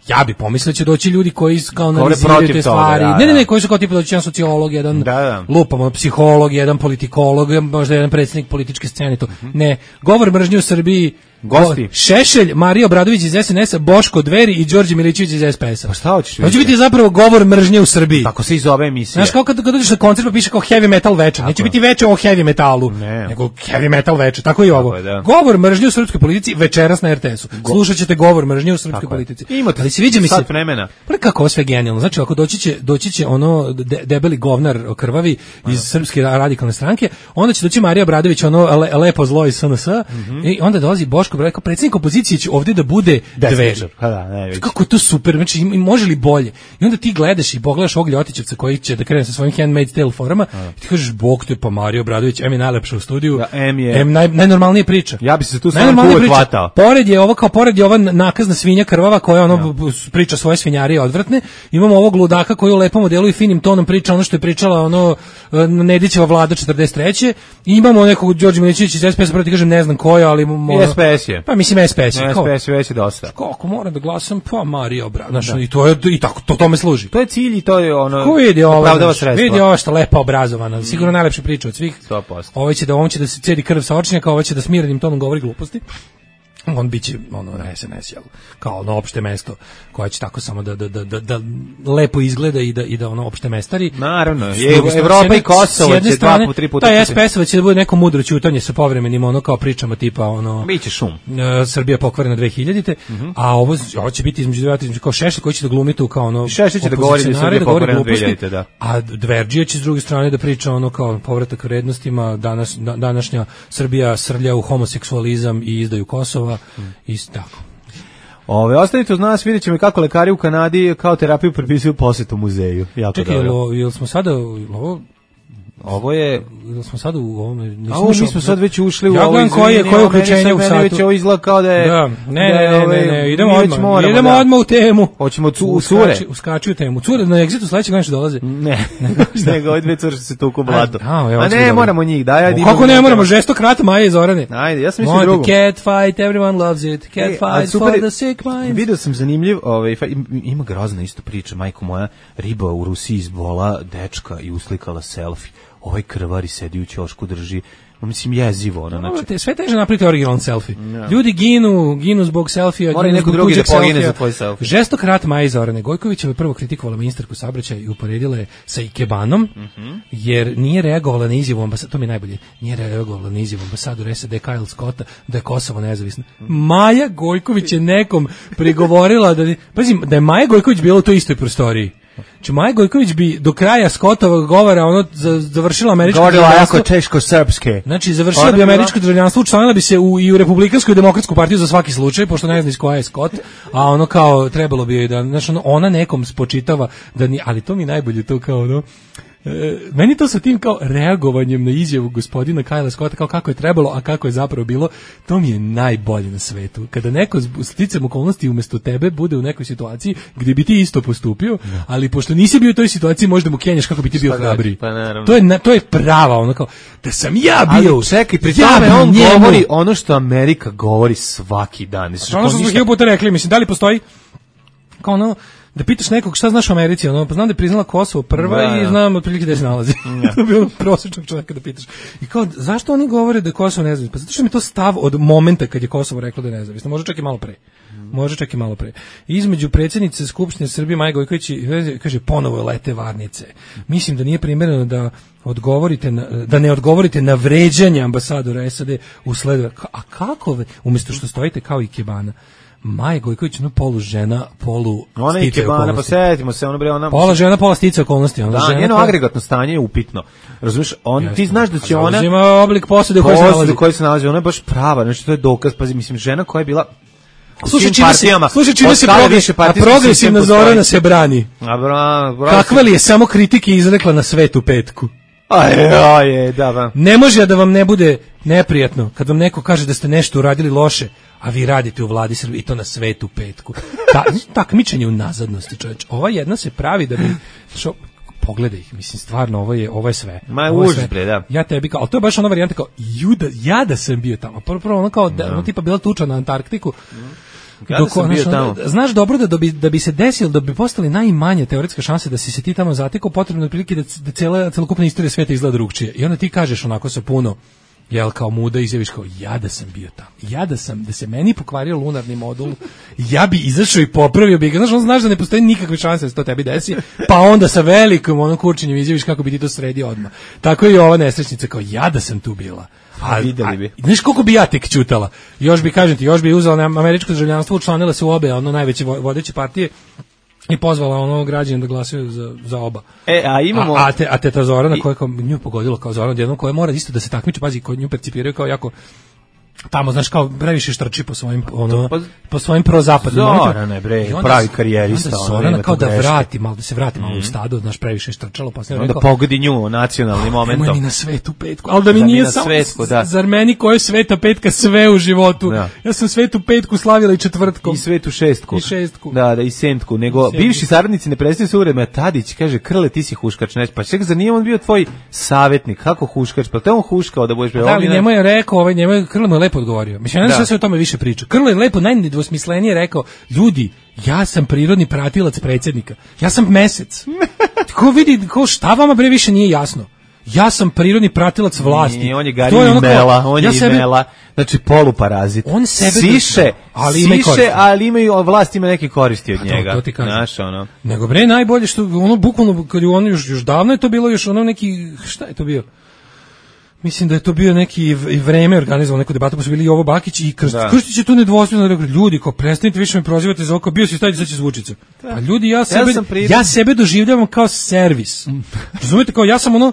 ja bi pomislio će doći ljudi koji kao analiziraju te stvari. Ne, koji su kao tipa doći jedan sociolog, jedan lupamo, psiholog, jedan politikolog, možda jedan predsjednik političke scene. Ne, govor mržnje u Srbiji, gosti. Šešelj, Marija Obradović iz SNS-a, Boško Dveri i Đorđe Milićević iz SPS-a. Pa šta hoćeš? Hoće biti zapravo govor mržnje u Srbiji. Tako se i zove emisija. Znaš, kao kad dođeš na koncert pa piše kao heavy metal večer. Neće biti večer o heavy metalu, nego heavy metal večer. Tako i ovo. Govor mržnje u srpskoj politici večeras na RTS-u. Slušat ćete govor mržnje u srpskoj politici. Ali se viđa mi se vremena. Pa kako ovo sve genijalno. Znači, ako doći će ono debeli govnar krvavi iz Srpske radikalne stranke, onda će doći Marija Obradović, ono lepo zlo iz SNS, i onda dolazi Boško Obradović, kao predsjednik opozicije će ovdje da bude Dveri. Kako je to super, znači može li bolje? I onda ti gledaš i pogledaš ovog Ljotićevca koji će da krene sa svojim Handmaid's Tale forama i ti kažeš, Bog te pa Mario Obradović, M je najlepša u studiju, M najnormalnije priča. Ja bi se tu samo uvek hvatao. Pored je ova nakazna svinja krvava koja priča svoje svinjarije odvratne, imamo ovog ludaka koji u lepom modelu i finim tonom priča ono što je pričala Nedićeva vlada 43. I imamo nekog Đorđe Milićevića iz SPS, prvo ti kažem ne znam koja, ali SPS je. Pa mislim SPS je. SPS je već dosta. Kako moram da glasam, pa Marija Obradović. Znači i to je i tako to tome služi. To je cilj i to je opravdava sredstva. Vidi ova što lepa obrazovana, sigurno najlepša priča od svih. 100%. Ovo će da se cedi krv sa očnjaka, ovo će da smirenim tonom govori gluposti. On biće na SNS, kao ono opšte mesto koje će tako samo da lepo izgleda i da ono opšte mestari. Naravno, Evropa i Kosovo će 2-3 puta. Taj SPS će da bude neko mudro ćutanje sa povremenim kao pričama tipa biće šum. Srbija pokvarena 2000-te, a ovo će biti između kao Šešelj koji će da glumi tu kao Šešelj će da govori da Srbija pokvarena 2000-te, da. A Dverđija će s druge strane da priča kao povratak vrednostima, današnja Srbija srlja u homoseksualizam i izdaju Kosova. Isto tako. Ostavite uz nas, vidjet ćemo kako lekari u Kanadi kao terapiju prepisuju posjetu muzeju. Čekaj, jel smo sada ovo je... smo sad u ovome... Mi smo sad već ušli u ovo izvinjenje. Koje je uključenje u satu. Meni već ovo izgleda kao da je... Da, ne, idemo odmah u temu. Hoćemo u cure. Uskači u temu. Cure na Exitu sledećeg nešto dolaze. Ne, nego ove dve cure što se tuku blato. A ne, moramo njih. Kako ne moramo? Žestok rat Maje i Zorane. Ajde, ja sam mislio drugo. Cat fight, everyone loves it. Cat fight for the sick minds. Video sam zanimljiv, ima grozna isto priča, majko moja, riba u Rusiji izbola dečka i uslikala selfie. Ovaj krvari sedi u ćošku, drži, mislim, jezivo. Znači. Sve teže napraviti originalan selfie. Yeah. Ljudi ginu zbog selfija. Mora neko drugi da pogine za tvoj selfie. Žestok rat Maje Zorane Gojkovićeva prvo kritikovala ministarku saobraćaja i uporedila je sa Ikebanom, jer nije reagovala na izjavu ambasadora, to mi je najbolje, nije reagovala na izjavu ambasadora SAD Kyle Scotta da je Kosovo nezavisno. Maja Gojković je nekom prigovorila da je Maja Gojković bila u toj istoj prostoriji. Znači Maja Gojković bi do kraja Scottovog govora završila američko državljanstvo. Govorila jako teško-srpske. Znači završila bi američko državljanstvo, učlanila bi se i u Republikansku i Demokratsku partiju za svaki slučaj, pošto ne zna iz koja je Scott, a kao trebalo bi joj da, znači ona nekom spočitava da ni, ali to mi najbolje to kao meni to sa tim kao reagovanjem na izjavu gospodina Kyle Scotta, kao kako je trebalo, a kako je zapravo bilo, to mi je najbolje na svetu. Kada neko sticam okolnosti umjesto tebe bude u nekoj situaciji gdje bi ti isto postupio, ali pošto nisi bio u toj situaciji, možda mu kenjaš kako bi ti bio hrabriji. To je prava, kao, da sam ja bio. Ali čekaj, pri tome on govori ono što Amerika govori svaki dan. Ono što smo hiljadu puta rekli, mislim, da li postoji kao da pitaš nekog šta znaš o Americi, pa znam da je priznala Kosovo prva i znam otprilike gde se nalazi. To je bilo prosječnog čovjeka da pitaš. I kao, zašto oni govore da je Kosovo nezavisno? Pa zato što mi je to stav od momenta kad je Kosovo reklo da je nezavisno. Može čak i malo pre. Između predsjednice Skupštine Srbije Maje Gojković kaže ponovo lete varnice. Mislim da nije primjereno da ne odgovorite na vređanje ambasadora SAD usled. A kako? Umjesto što stojite kao Ikebana. Maja Gojković, polu žena, polu ona stice okolnosti. Pa setimo se, pola žena, pola stice okolnosti. Njeno agregatno stanje je upitno. Razumiješ, ti znaš da će ona... Ima oblik posude u kojoj se nalazi. Ona je baš prava, znači to je dokaz. Pazi, mislim, žena koja je bila... Slušaj, čime se progresivna Zorana se brani. Kakva li je samo kritike izrekla na svetu petku? Da. Ne može da vam ne bude neprijatno kad vam neko kaže da ste nešto uradili loše, a vi radite u vladi Srbije i to na svetu petku. Takmičenje u nazadnosti, čovječ. Ova jedna se pravi da bi... Pogledaj ih, mislim, stvarno, ovo je sve. Da. Ja tebi kao, ali to je baš ona varijanta kao, ja da sam bio tamo. Prvo ono kao, tipa bila tuča na Antarktiku. Znaš dobro da bi se desilo, da bi postali najmanje teoretska šansa da si se ti tamo zatekao, potrebno je prilike da celokupna istorija sveta izgleda drugčije. I onda ti kažeš onako sa puno, kao muda, izjaviš kao, ja da sam bio tamo, da se meni pokvario lunarni modul, ja bi izašao i popravio bi ga, znaš da ne postoji nikakve šanse da se to tebi desi, pa onda sa velikom kurčenjem izjaviš kako bi ti to sredio odmah. Tako je i ova nesrećnica, kao, ja da sam tu bila. Videli bi. Znaš koliko bi ja tek ćutala? Još bi uzela na američko državljanstvo, učlanila se u obe, najveće vodeće partije i pozvala građane da glasaju za oba. A imamo... A teta Zorana koja nju pogodilo kao Zorana, jednom koja mora isto da se takmiči, pazi, koji nju percipiraju kao jako tamo, znaš, kao previše štrči po svojim po svojim prozapadnim. Zorane, bre, pravi karijerista. Zorana kao da vrati malo, da se vrati malo u stado, znaš, previše štrčalo, pa sam rekao. Onda pogodi nju nacionalnim momentom. Nemoj mi na svetu petku, ali da mi nije samo zar meni koja je sveta petka sve u životu. Ja sam svetu petku slavila i četvrtkom. I svetu šestku. I šestku. Da, i sentku. Nego bivši saradnici ne prestaju se uredno. Tadić kaže, Krle, ti si huškač. Pa ček, zar nije on bio tvoj savjetnik? Kako huškač? Pa te on huškao da budeš... Da, ali njemu je rekao, Krle mu je lepo odgovorio. Mislim, ne znam sve o tome više priča. Krle je lepo, najdvosmislenije rekao, ljudi, ja sam prirodni pratilac predsjednika. Ja sam mesec. Ko vidi, šta vama bre više nije jasno? Ja sam prirodni pratilac vlasti. Nije, on je Gari Mela, on je Mela, znači poluparazit. On sebe siše, ali imaju vlast, ima neke koristi od njega. To ti kažem. Znaš, ono. Nego bre, najbolje što, ono, bukvalno, kad je ono, još davno je to bilo, još ono neki, šta je to bio? Mislim da je to bio neki vreme organizovao neku debatu, pa su bili Jovo Bakić i Krstić je tu nedvosmisleno rekao, ljudi, kao prestanite više me prozivate za oko, bio si staviti sad će zvučica. Pa ljudi, ja sebe doživljavam kao servis. Razumete, kao ja sam ono,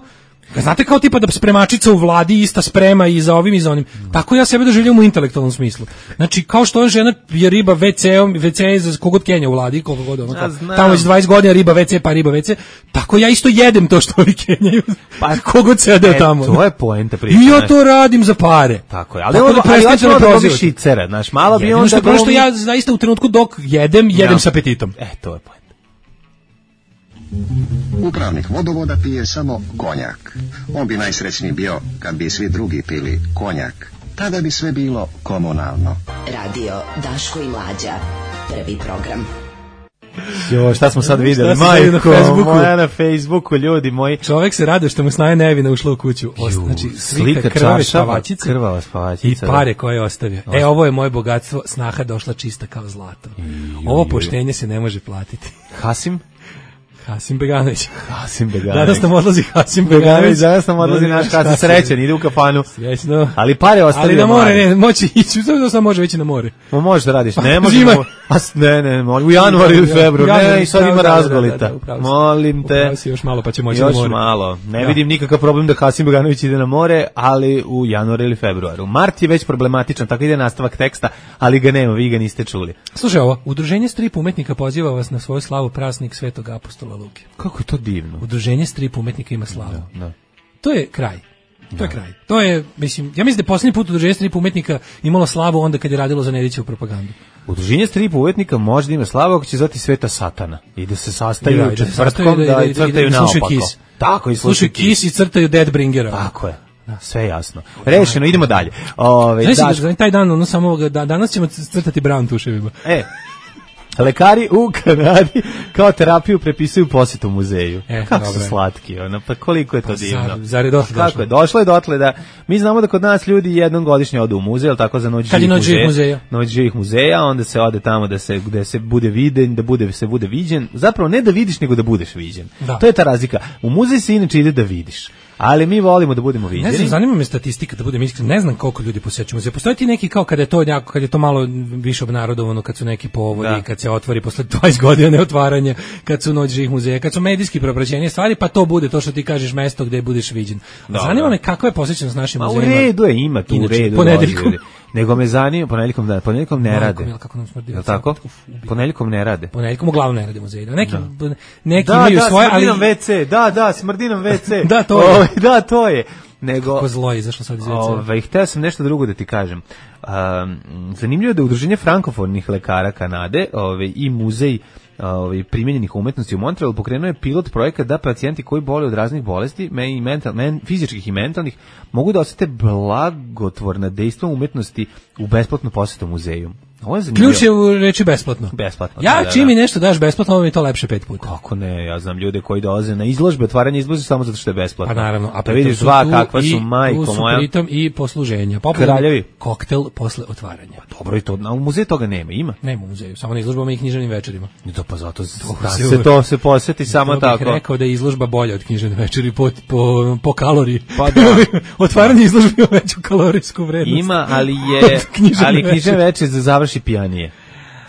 znate kao tipa da spremačica u vladi ista sprema i za ovim i za onim. Tako ja sebe doživljam u intelektualnom smislu. Znači, kao što žena je riba WC je za kogod Kenja u vladi, koliko god ono, tamo već 20 godina riba WC pa riba WC, tako ja isto jedem to što ovi Kenjaju, pa kogod sede tamo. To je poenta priče. I ja to radim za pare. Tako je, ali hoćemo da dobiš šicera, znaš, malo bi onda... Što ja zaista u trenutku dok jedem s apetitom. To je poenta. Upravnik vodovoda pije samo konjak. On bi najsrećniji bio kad bi svi drugi pili konjak. Tada bi sve bilo komunalno. Radio Daško i Mlađa. Prvi program. Jo, šta smo sad vidjeli? Majko, moja na Facebooku, ljudi moji. Čovjek se radi što mu snaje nevina ušla u kuću. Znači, slika krvave spavačice. Krvava spavačica. I pare koje je ostavio. Ovo je moje bogatstvo, snaha došla čista kao zlato. Ovo poštenje se ne može platiti. Hasim Beganović. Danas nam odlazi Hasim Beganović. Danas nam odlazi naš Hasim, srećan, ide u kafanu. Srećno. Ali pare ostavio. Ali na more ne, moći ići, što sam može ići na more. Možeš da radiš, ne možeš. Ne, u januaru ili februaru, ne, i sad ima razgolita. Molim te. Upravo si još malo pa će moći na more. Još malo. Ne vidim nikakav problem da Hasim Beganović ide na more, ali u januaru ili februaru. Mart je već problematičan, tako ide nastavak teksta, ali ga nema, vi ga niste čuli. Slušaj ovo, Udruženje strip umetnika poziva vas na svoju slavu praznik Svetog apostola Luke. Kako je to divno. Udruženje strip umetnika ima slavu. Da. To je kraj. To je kraj. To je, mislim, ja mislim da je posljednji put Udruženje strip umetnika imalo slavu onda kad je radilo za Nedićevu propagandu. Udruženje strip umetnika može da ima slavu ako će zvati Sveta Satana i da se sastaju četvrtkom i crtaju naopako. Tako, i slušaju Kiss i crtaju Deadbringera. Tako je. Sve jasno. Rešeno, idemo dalje. Taj dan, danas ćemo crtati brown tuševima. Lekari u Kanadi kao terapiju prepisuju posjetu muzeju. Kako su slatki, pa koliko je to divno. Zar je došlo? Kako je došlo je dotle da mi znamo da kod nas ljudi jednom godišnje odu u muzej, al tako za noć živih muzeja. Noć živih muzeja, onda se ode tamo gde se bude viden, da se bude viđen. Zapravo ne da vidiš, nego da budeš viđen. To je ta razlika. U muzej se inače ide da vidiš. Ali mi volimo da budemo viđeni. Ne znam, zanima me statistika, da budem iskren, ne znam koliko ljudi posećuju muzej. Postoji ti neki kao kad je to malo više obnarodovano, kad su neki povodi, kad se otvori posle 20 godina neotvaranja, kad su noć živih muzeja, kad su medijski propraćenje stvari, pa to bude to što ti kažeš mesto gde budeš viđen. Zanima me kakva je posjećenost našim muzejima. U redu je, ima tu u redu. Nego me zanima, ponedjeljkom ne rade. Je tako? Ponedjeljkom ne rade. Ponedjeljkom uglavnom ne rade muzeji. Neki imaju svoje, ali smrdi nam WC. Da, to je. Da, to je. Nego kako zlo je izašlo sad iz WC. Hteo sam nešto drugo da ti kažem. Zanimljivo je da Udruženje frankofonih lekara Kanade, i muzej primjenjenih umetnosti u Montrealu pokrenuo je pilot projekat da pacijenti koji boluju od raznih bolesti, fizičkih i mentalnih, mogu da osete blagotvorna dejstva umetnosti u besplatnu posjetu muzeju. Ključ je u reči besplatno. Čim mi nešto daš besplatno, ovo mi je to lepše 5 puta. Kako ne, ja znam ljude koji dolaze na izložbe, otvaranje izložbe samo zato što je besplatno. Pa naravno, a vidiš kakva su, majko moja. Pritom i posluženja. Kraljevi. Koktel posle otvaranja. Pa dobro, i to u muzeju toga nema, ima? Nema u muzeju, samo na izložbama i književnim večerima. Pa zato to se posjeti samo tako. Bih rekao da je izložba bolja od književne večeri po kaloriji. Pa da. Otvaranje izložbe ima veću kalorijsku vrednost. Ima, ali književne večeri završi pijanije.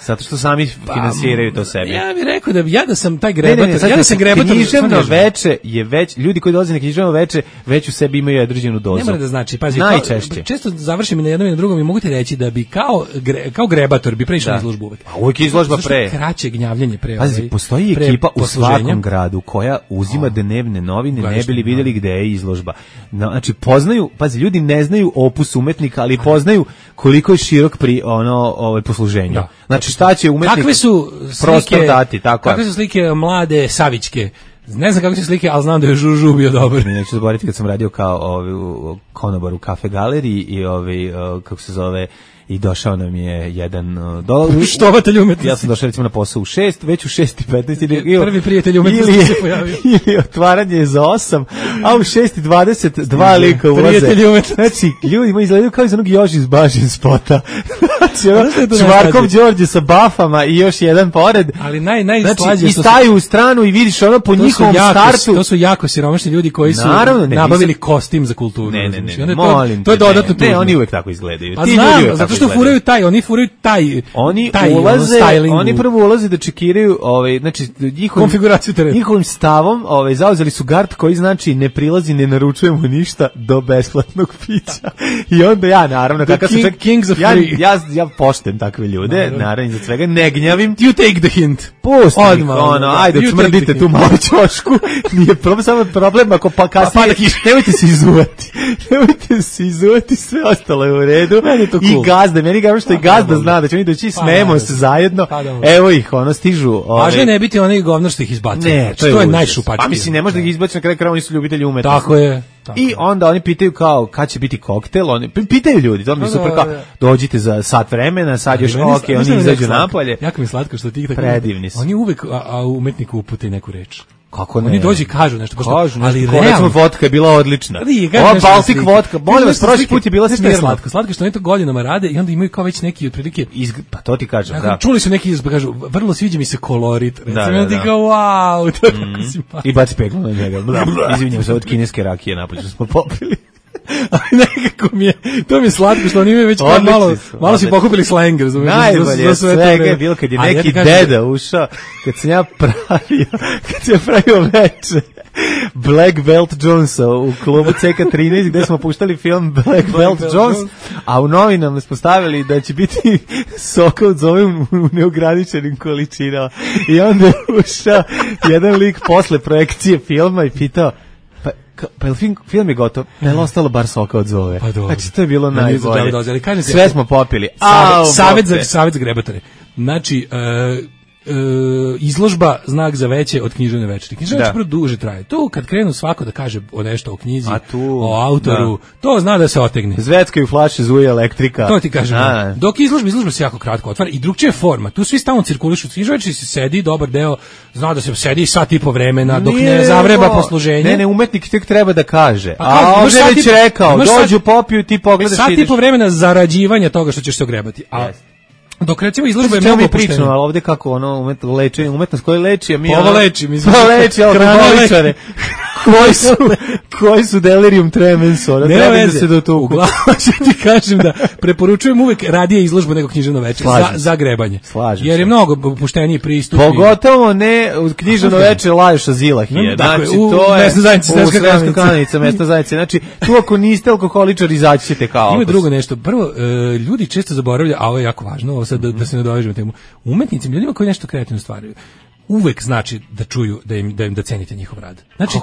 Zato što sami finansiraju to sebi. Ja bih rekao da sam taj grebator, ja da sam grebator. Književno veče je već, ljudi koji dolaze na književno veče već u sebi imaju određenu dozu. Ne mora da znači, pazi, najčešće. Često završim i na jednom i na drugom i mogu ti reći da bi kao grebator bi prešao na izložbu uvek. A uvek izložba pre. Kraće gnjavljenje pre. Pazi, postoji ekipa u svakom gradu koja uzima dnevne novine, ne bi li vidjeli gde je izložba. Znači, poznaju, pazi, ljudi ne znaju opus umetnika, ali poznaju koliko je širok pri posluženju. Znači, šta će umetnik prostor dati, tako. Kakve su slike mlade Savićke? Ne znam kako su slike, ali znam da je Žužu bio dobar. Neću zaboraviti kad sam radio kao u konobaru Kafe Galeriji i kako se zove, i došao nam je jedan štovatelj umetnosti. Ja sam došao recimo na posao u 6, već u 6:15 ili prvi prijatelj umetnosti se pojavio. Ili otvaranje je za 8, a u 6:20 dva lika ulaze. Znači, ljudi izgledaju kao iz onog Joži iz Bažin spota. Znači, Čvarkov Đorđe sa bafama i još jedan pored. Ali najslađe znači, i staju u stranu i vidiš ono po njihovom startu. To su jako siromašni ljudi koji su nabavili kostim za kulturu. Ne, molim. To je dodatno tužno. Ne, oni uvek tako izgledaju. Ti ljudi zato što furaju taj oni prvo ulaze da čekiraju znači konfiguraciju terena. Njihovim stavom zauzeli su gard koji znači ne prilazi, ne naručujemo ništa do besplatnog pića. I onda ja naravno kakav sam ja poštem takve ljude, naravno za svega ne gnjavim. You take the hint. Pusti ajde smrdite tu malo ćošku. Nije problem, samo problem ako pa kasnije nemojte se izuvati, sve ostalo je u redu. I gazda, meni ga što i gazda zna da će oni doći, smejemo se zajedno. Evo ih, stižu. Važno je ne biti onaj govnar što ih izbaci. Ne, to je najšupački. Pa mislim, ne može da ih izbaci, na kraju krajeva oni su ljubitelji umetnosti. Tako je. I onda oni pitaju kao kad će biti koktel, oni pitaju ljudi, to mi je super, kao dođite za sat vremena, sad još oni izađu napolje. Jako mi slatko što ti tako. Predivni su. Oni uvek umetniku upute neku reč. Kako ne? Oni dođu i kažu nešto, ali realno vodka je bila odlična. Ova Baltic vodka, molim vas, prošli put je bila smirna. Slatko što oni to godinama rade i onda imaju kao već neki otprilike, pa to ti kažem, da. Čuli su neki kažu, vrlo sviđa mi se kolorit. Recimo ti kao wow, to je tako simpatično. I baci peglu na njega. Izvinjam se, od kineske rakije napolje smo popili. Ali nekako to mi je slatko što oni imaju već malo su pokupili slang, razumiješ? Najbolje svega je bilo kad je neki deda ušao, kad sam ja pravio veče Black Belt Jonesa u klubu CK13 gde smo puštali film Black Belt Jones, a u novinama smo stavili da će biti soka od zove u neograničenim količinama. I onda je ušao jedan lik posle projekcije filma i pitao, pa film je gotov, je li ostalo bar soka od zove? Pa dobro. Znači, to je bilo najbolje. Sve smo popili. Savjet za grebatore. Znači, izložba znak za veće od književne večeri. Književne večeri duže traje. Tu kad krenu svako da kaže o nešto o knjizi, o autoru, to zna da se otegne. Zveckaju flaše, zuje elektrika. To ti kažem. Dok izložba se jako kratko otvara i drugčija forma. Tu svi stalno cirkulišu. Književne večeri se sedi, dobar deo, zna da se sedi sat i po vremena, dok ne zavreba posluženje. Ne, umetnik tek treba da kaže. A ovdje već rekao, dođu, popiju, ti pogledaš. Sat i po vremena zarađivanja toga što ćeš se ogrebati. Dok recimo izložba je mnogo opuštenija. Ali ovdje kako umetnost koja leči, a mi ovo leči, alkoholičare. Koji su delirium tremens, ne treba da se do toga. Uglavnom ti kažem da preporučujem uvek radije izložbu nego književno večer za grebanje. Jer je mnogo opušteniji pristup. Pogotovo ne u književno večer Lajoša Zilahije. Znači, to je mesna zajednica, Sremska Kanica, mesna zajednica. Znači, tu ako niste alkoholičar, izaći ćete kao. Ima drugo nešto. Prvo, ljudi često zaboravljaju, a ovo je jako važno, ovo sad da se ne dovežemo temu. Umetnicima, ljudima koji nešto kreativno stvaraju, uvek znači da čuju da cenite njihov rad. Znači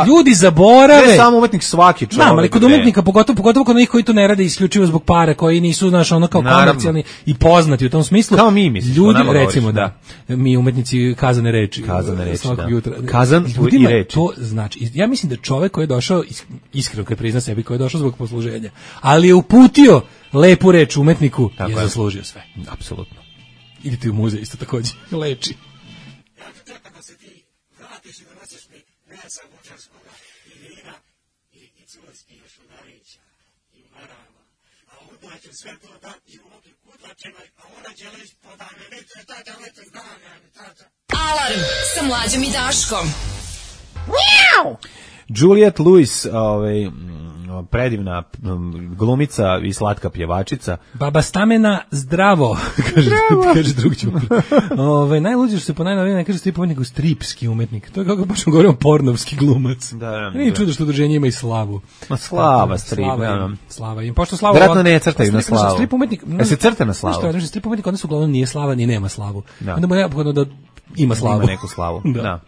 ljudi zaborave. Ne samo umetnik, svaki čovjek. Ali kod umetnika pogotovo kod onih koji to ne rade isključivo zbog para, koji nisu kao komercijalni i poznati u tom smislu. Kao mi misliš. Ljudi recimo da mi umetnici kazane reči svakog jutra. Kazan i reči. To znači ja mislim da čovjek koji je došao iskreno kad prizna sebi koji je došao zbog posluženja, ali je uputio lepu reč umetniku, je zaslužio sve. Apsolutno. Idite u muzej isto takođe, leči. Kako se ti vratiš i donosiš mi ne samo bočarskoga i vina i curski još udarića i marama, a onda će sve to dati u oki kutlačenoj, a ona će leć podane, neće tača, neće zdanja, tača. Alarm sa Mlađom i Daškom. Miau! Juliette Lewis, predivna glumica i slatka pjevačica. Baba Stamena zdravo, kaže drug Ćuprija. Najluđe što se po najnovije ne kaže strip umetnik, nego stripski umetnik. To je kako baš govorimo pornovski glumac. Nije čudo što udruženje ima i slavu. Slava strip. Slava im. Pošto Slava vjerojatno ne crtaju na slavu. Strip umetnik. Se crta na slavu. Strip umetnik onda su uglavnom nije slava ni nema slavu. Onda mu neophodno da ima slavu. Ima neku slavu. Da.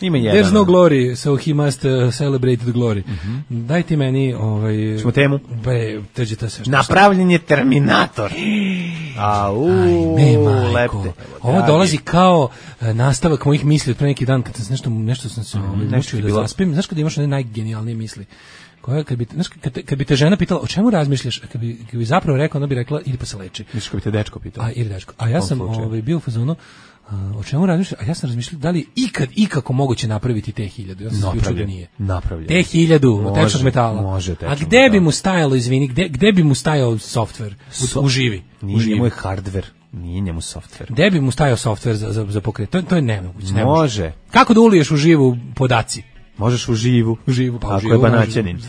Ima jedan. There's no glory, so he must celebrate the glory. Daj ti meni Čemo temu? Teđe to sve. Napravljen je Terminator. Lepte. Ovo dolazi kao nastavak mojih misli od pre neki dan, kad sam nešto sam se mučio da zaspim. Znaš kada imaš one najgenijalnije misli? Kad bi te žena pitala o čemu razmišljaš, kad bi zapravo rekla, ona bi rekla idi pa se leči. Misliš kad bi te dečko pitao? Ili dečko. A ja sam bio u fazonu, o čemu razmišljam? A ja sam razmišljao da li ikako moguće napraviti T-1000. Ja sam sključio da nije. T-1000 tečnog metala. Može a gde bi mu stajalo, izvini, gde bi mu stajao softver? U živi. Nije njemu je hardware. Nije njemu softver. Gde bi mu stajao softver za pokret? To je nemoguće. Može. Kako da uliješ u živu podaci? Možeš u živu. Pa ako je banaćanin.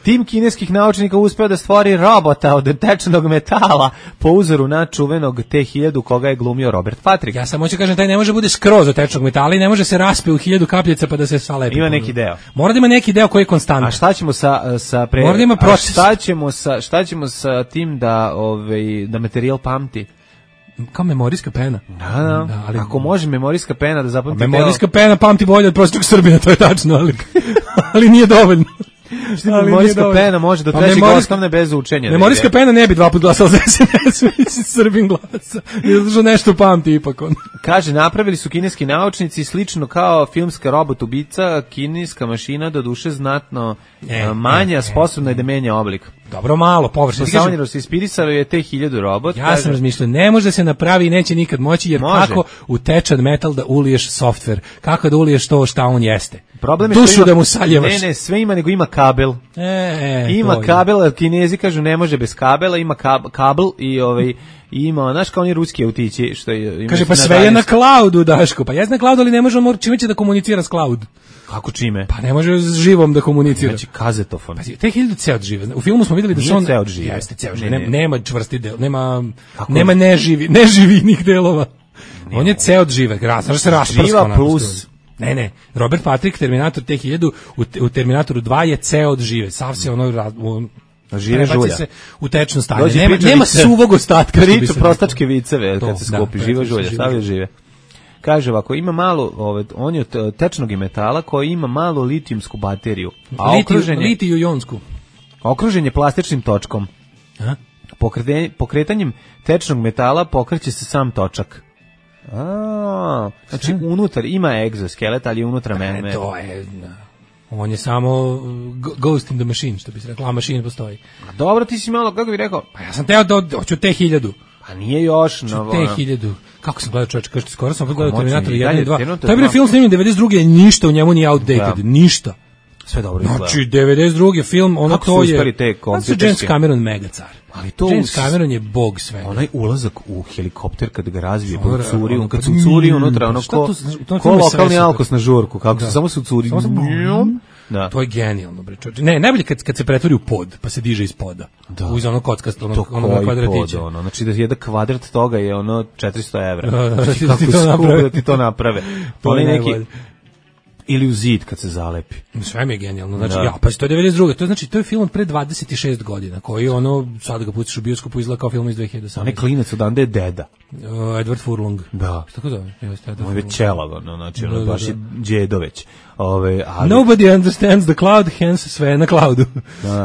Tim kineskih naučnika uspeo da stvori robota od tečnog metala po uzoru na čuvenog T-1000 koga je glumio Robert Patrick. Ja sam hoću kažem, taj ne može bude skroz od tečnog metala i ne može se raspe u 1000 kapljica pa da se salepi. Ima neki deo. Mora da ima neki deo koji je konstantan. A šta ćemo Mora da ima proces. Šta ćemo sa tim da materijal pamti? Kao memorijska pena. Da, ali ako može memorijska pena da zapamti. Memorijska pena pamti bolje od prosječnog Srbina, to je tačno, ali nije dovoljno. Memorijska pena može do trećeg osnovne bez učenja. Memorijska pena ne bi 2 puta glasala za SNS, Srbin glasa. Jer nešto pamti ipak on. Kaže, napravili su kineski naučnici slično kao filmska robot ubica, kineska mašina do duše znatno manja, sposobna je da menja oblik. Dobro, malo, površno. Savanjero se ispirisalo je T-1000 robot. Ja sam razmišljao, ne može da se napravi i neće nikad moći, jer kako u tečan metal da uliješ softver? Kako da uliješ to šta on jeste? Problem je dušu da mu saljevaš. Ne, sve ima, nego ima kabel. Ima kabel, Kinezi kažu ne može bez kabela, ima kabel i ima, znaš kao oni ruski autići što je... Kaže, pa sve je na cloudu, Daško. Pa jes na cloudu, ali ne može čime će da komunicira s cloud. Kako čime? Pa ne može s živom da komunicira. Znači kazetofon. Pa T-1000 ceo od žive. U filmu smo videli da se on... ceo od žive. Jeste ceo od žive. Nema čvrsti del, nema neživinih delova. On je ceo od žive. Znaš se rasprskao. Živa plus... Ne, Robert Patrick, Terminator T-1000, u Terminatoru 2 je ceo od žive. Sav se žive žulja. Se u tečno stanje. Nema suvog ostatka. Priču prostačke viceve kad se skupi. Živa žulja, sav je žive. Kaže ovako, ima malo, on je od tečnog metala koji ima malo litijumsku bateriju. Litiju-jonsku. Okružen je plastičnim točkom. Pokretanjem tečnog metala pokreće se sam točak. Znači unutar ima egzoskelet, ali je unutra mene. To je... On je samo ghost in the machine, što bi se rekla, a mašina postoji. Dobro, ti si malo, kako bih rekao? Pa ja sam teo da hoću T-1000. Pa nije još. T-1000. Kako sam gledao, čovječ, kažete, skoro sam gledao Terminator 1 i 2. To je bio film snimljen 92. Ništa u njemu nije outdated. Ništa. Sve dobro izgleda. Znači, 92. film, ono to je... Kako su James Cameron mega car. Ali to James Cameron je bog svega. Onaj ulazak u helikopter kad ga razvije, kad su curi unutra, ono ko lokalni alkos na žurku, kako su samo su curi. Da. To je genijalno, bre. Ne, najbolje kad se pretvori u pod, pa se diže iz poda. Uz ono kockasto, ono kvadratiće. Znači da jedan kvadrat toga je ono 400 evra. Da ti to naprave. To je neki... Ili u zid kad se zalepi. Sve mi je genijalno. Znači, pa to je 92. To znači, to je film od pre 26 godina, koji sad ga pustiš u bioskopu, izgleda kao film iz 2018. On je klinac odande je deda. Edward Furlong. Da. Šta tako zove? On je već čelav, znači, baš je djedo već. Nobody understands the cloud, hence sve je na cloudu.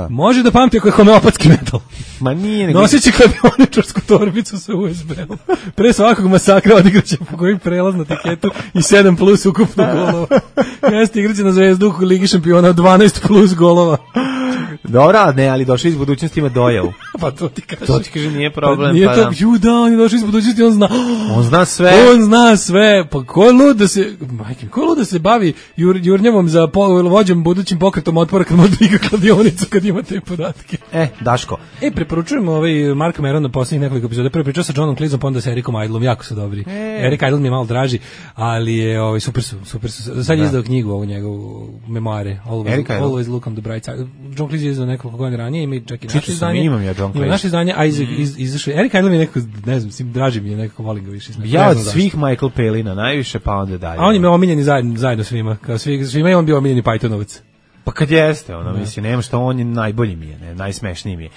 Može da pamti ako je homeopatski metal. Ma nije nego... Noseći kladioničarsku torbicu sa USB-om. Pre svakog masakra odigraće po kojim prelaznu tiketu i 7 plus ukupno golova. Jeste igraće na Zvezdu u Ligi šampiona 12 plus golova. Dobra, ne, ali došao iz budućnosti ima dojavu. Pa to ti kaže. To ti kaže nije problem. Pa nije to, on je došao iz budućnosti, on zna. On zna sve. On zna sve. Pa ko je lud da se bavi jurnjavom za vođom budućim pokretom otpora kad može da igra kladionicu kad ima te podatke. Daško. Preporučujemo Marka Merona poslednjih nekoliko epizoda. Prvo pričao sa Johnom Cleeseom, pa onda sa Erikom Idlom, jako su dobri. Erik Idle mi je malo draži, ali je super su. Sad je izdao knjigu ovu njegovu memoare. Always look on the bright side. John Cleese je izdao nekoliko godina ranije, ima čak i naše izdanje. Imam ja John Cleese. Ima naše izdanje, a izašao Erik Idle mi je nekako, ne znam, draži mi je, nekako volim ga više. Ja od svih Michael Palina najviše, pa onda dalje. A on je me omiljeni zajedno svima, kao svima je on bio omiljeni Pythonovac. Pa kad jeste, mislim, nema što, on je najbolji mi je, najsmešniji mi je,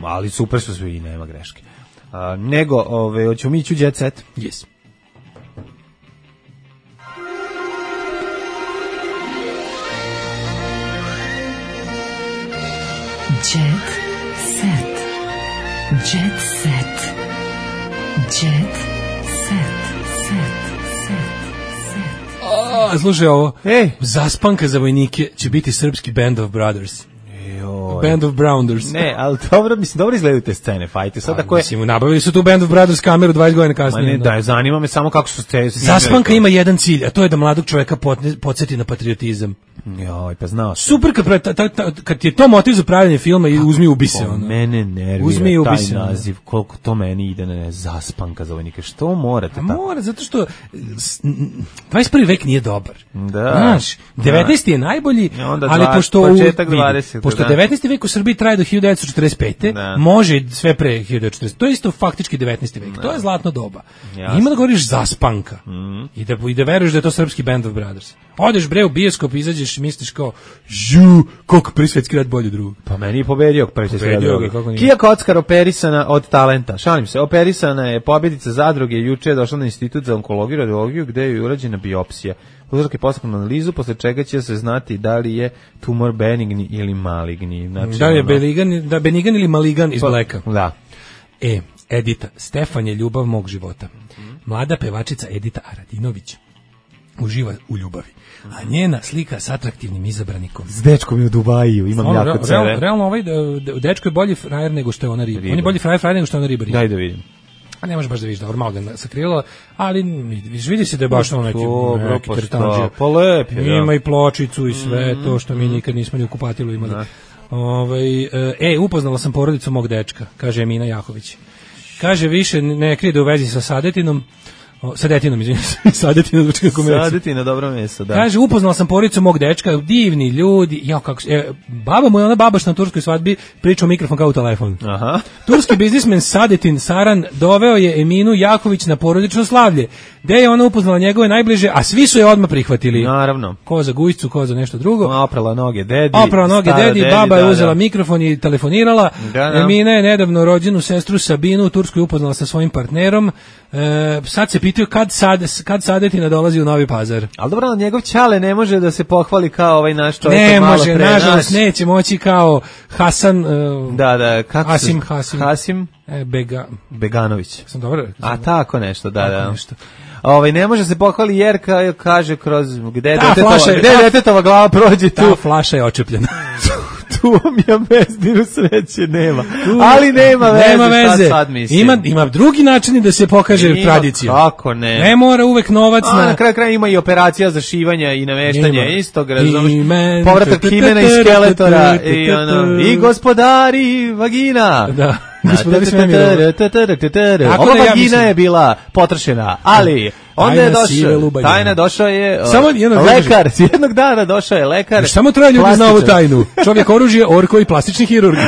ali super su svi i nema greške. Nego, hoćemo mi ići u Jet Set? Yes. Jet Set. Jet Set. Jet Set. Slušaj ovo. Zaspanka za vojnike će biti srpski Band of Brothers. Band of Browners. Ne, ali dobro izgledaju te scene, fajte. Sad ako je... Mislim, nabavili su tu Band of Brothers kameru 20 godina kasnije. Ma ne, zanima me samo kako su te... Zaspanka ima jedan cilj, a to je da mladog čoveka podsjeti na patriotizam. Joj, pa znao sam. Super, kad ti je to motiv za pravljanje filma i uzmi ubi se. Mene nervira taj naziv, koliko to meni ide, Zaspanka za vojnike. Što morate tako? Mora, zato što 21. vek nije dobar. Da. Znaš, 19. je najbolji, ali pošto 19. vek u Srbiji traje do 1945. Može sve pre 1940. To je isto faktički 19. vek. To je zlatno doba. Ima da govoriš Zaspanka. I da veruješ da je to srpski Band of Brothers. Odeš bre u bioskop, izađeš i misliš kao koliko prvi svetski rat bolji drug. Pa meni je pobedio prvi svetski rat. Kija Kockar operisana od talenta. Šalim se, operisana je pobjedica zadruge, juče je došla na institut za onkologiju i radiologiju gde je urađena biopsija. Uzorke posljednu analizu, posle čega će se znati da li je tumor benigni ili maligni. Znači, da li je benigan ili maligan iz Blacka. Da. Edita, Stefan je ljubav mog života. Mlada pevačica Edita Aradinović uživa u ljubavi. A njena slika s atraktivnim izabranikom. S dečkom je u Dubaju, imam jako cele. Realno dečko je bolji frajer nego što je ona riba. On je bolji frajer nego što je ona riba. Daj da vidim. A ne možeš baš da vidiš da ormal ga sakrila, ali vidi se da je baš ono neki tretanđe. Pa lep je, ima i pločicu i sve to što mi nikad nismo ni u kupatilu imali. Upoznala sam porodicu mog dečka, kaže Emina Jahović. Kaže, više ne krije da u vezi sa Sadetinom, Sadetina, dobro meso, da. Kaže, upoznala sam porodicu mog dečka, divni ljudi, baba mu je ona babaš na turskoj svadbi, priča u mikrofon kao u telefon. Aha. Turski biznismen Sadetin Saran doveo je Eminu Jaković na porodično slavlje, gde je ona upoznala njegove najbliže, a svi su je odmah prihvatili. Naravno. Ko za gujcu, ko za nešto drugo. Oprala noge dedi, baba je uzela mikrofon i telefonirala. Emina je nedavno rođenu sestru Sabinu u Turskoj upoznala sa svojim partnerom. Sad se pitaju kad Sadetina dolazi u Novi Pazar. Ali dobro, njegov ćale ne može da se pohvali kao ovaj naš čovjek. Ne može, nažalost neće moći kao Hasan. Kako Hasim Beganović. Sam dobro. A tako nešto, da. Ne može se pohvali jer kaže kroz gde detetova glava prođe tu. Ta flaša je očepljena. Tu ja mezdinu sreće nema. Ali nema veze. Sad ima drugi način da se pokaže tradicija. Kako ne? Ne mora uvek novac na kraju kraja ima i operacija za šivanje i nameštanje istog, razumiješ? Povratak himena i skeletora i gospodari vagina. Da. Ova vagina je bila potrošena, ali onda je došao, tajna došao je lekar, jednog dana došao je lekar. Samo troje ljudi zna ovu tajnu. Čovjek oružje, orko i plastični hirurg.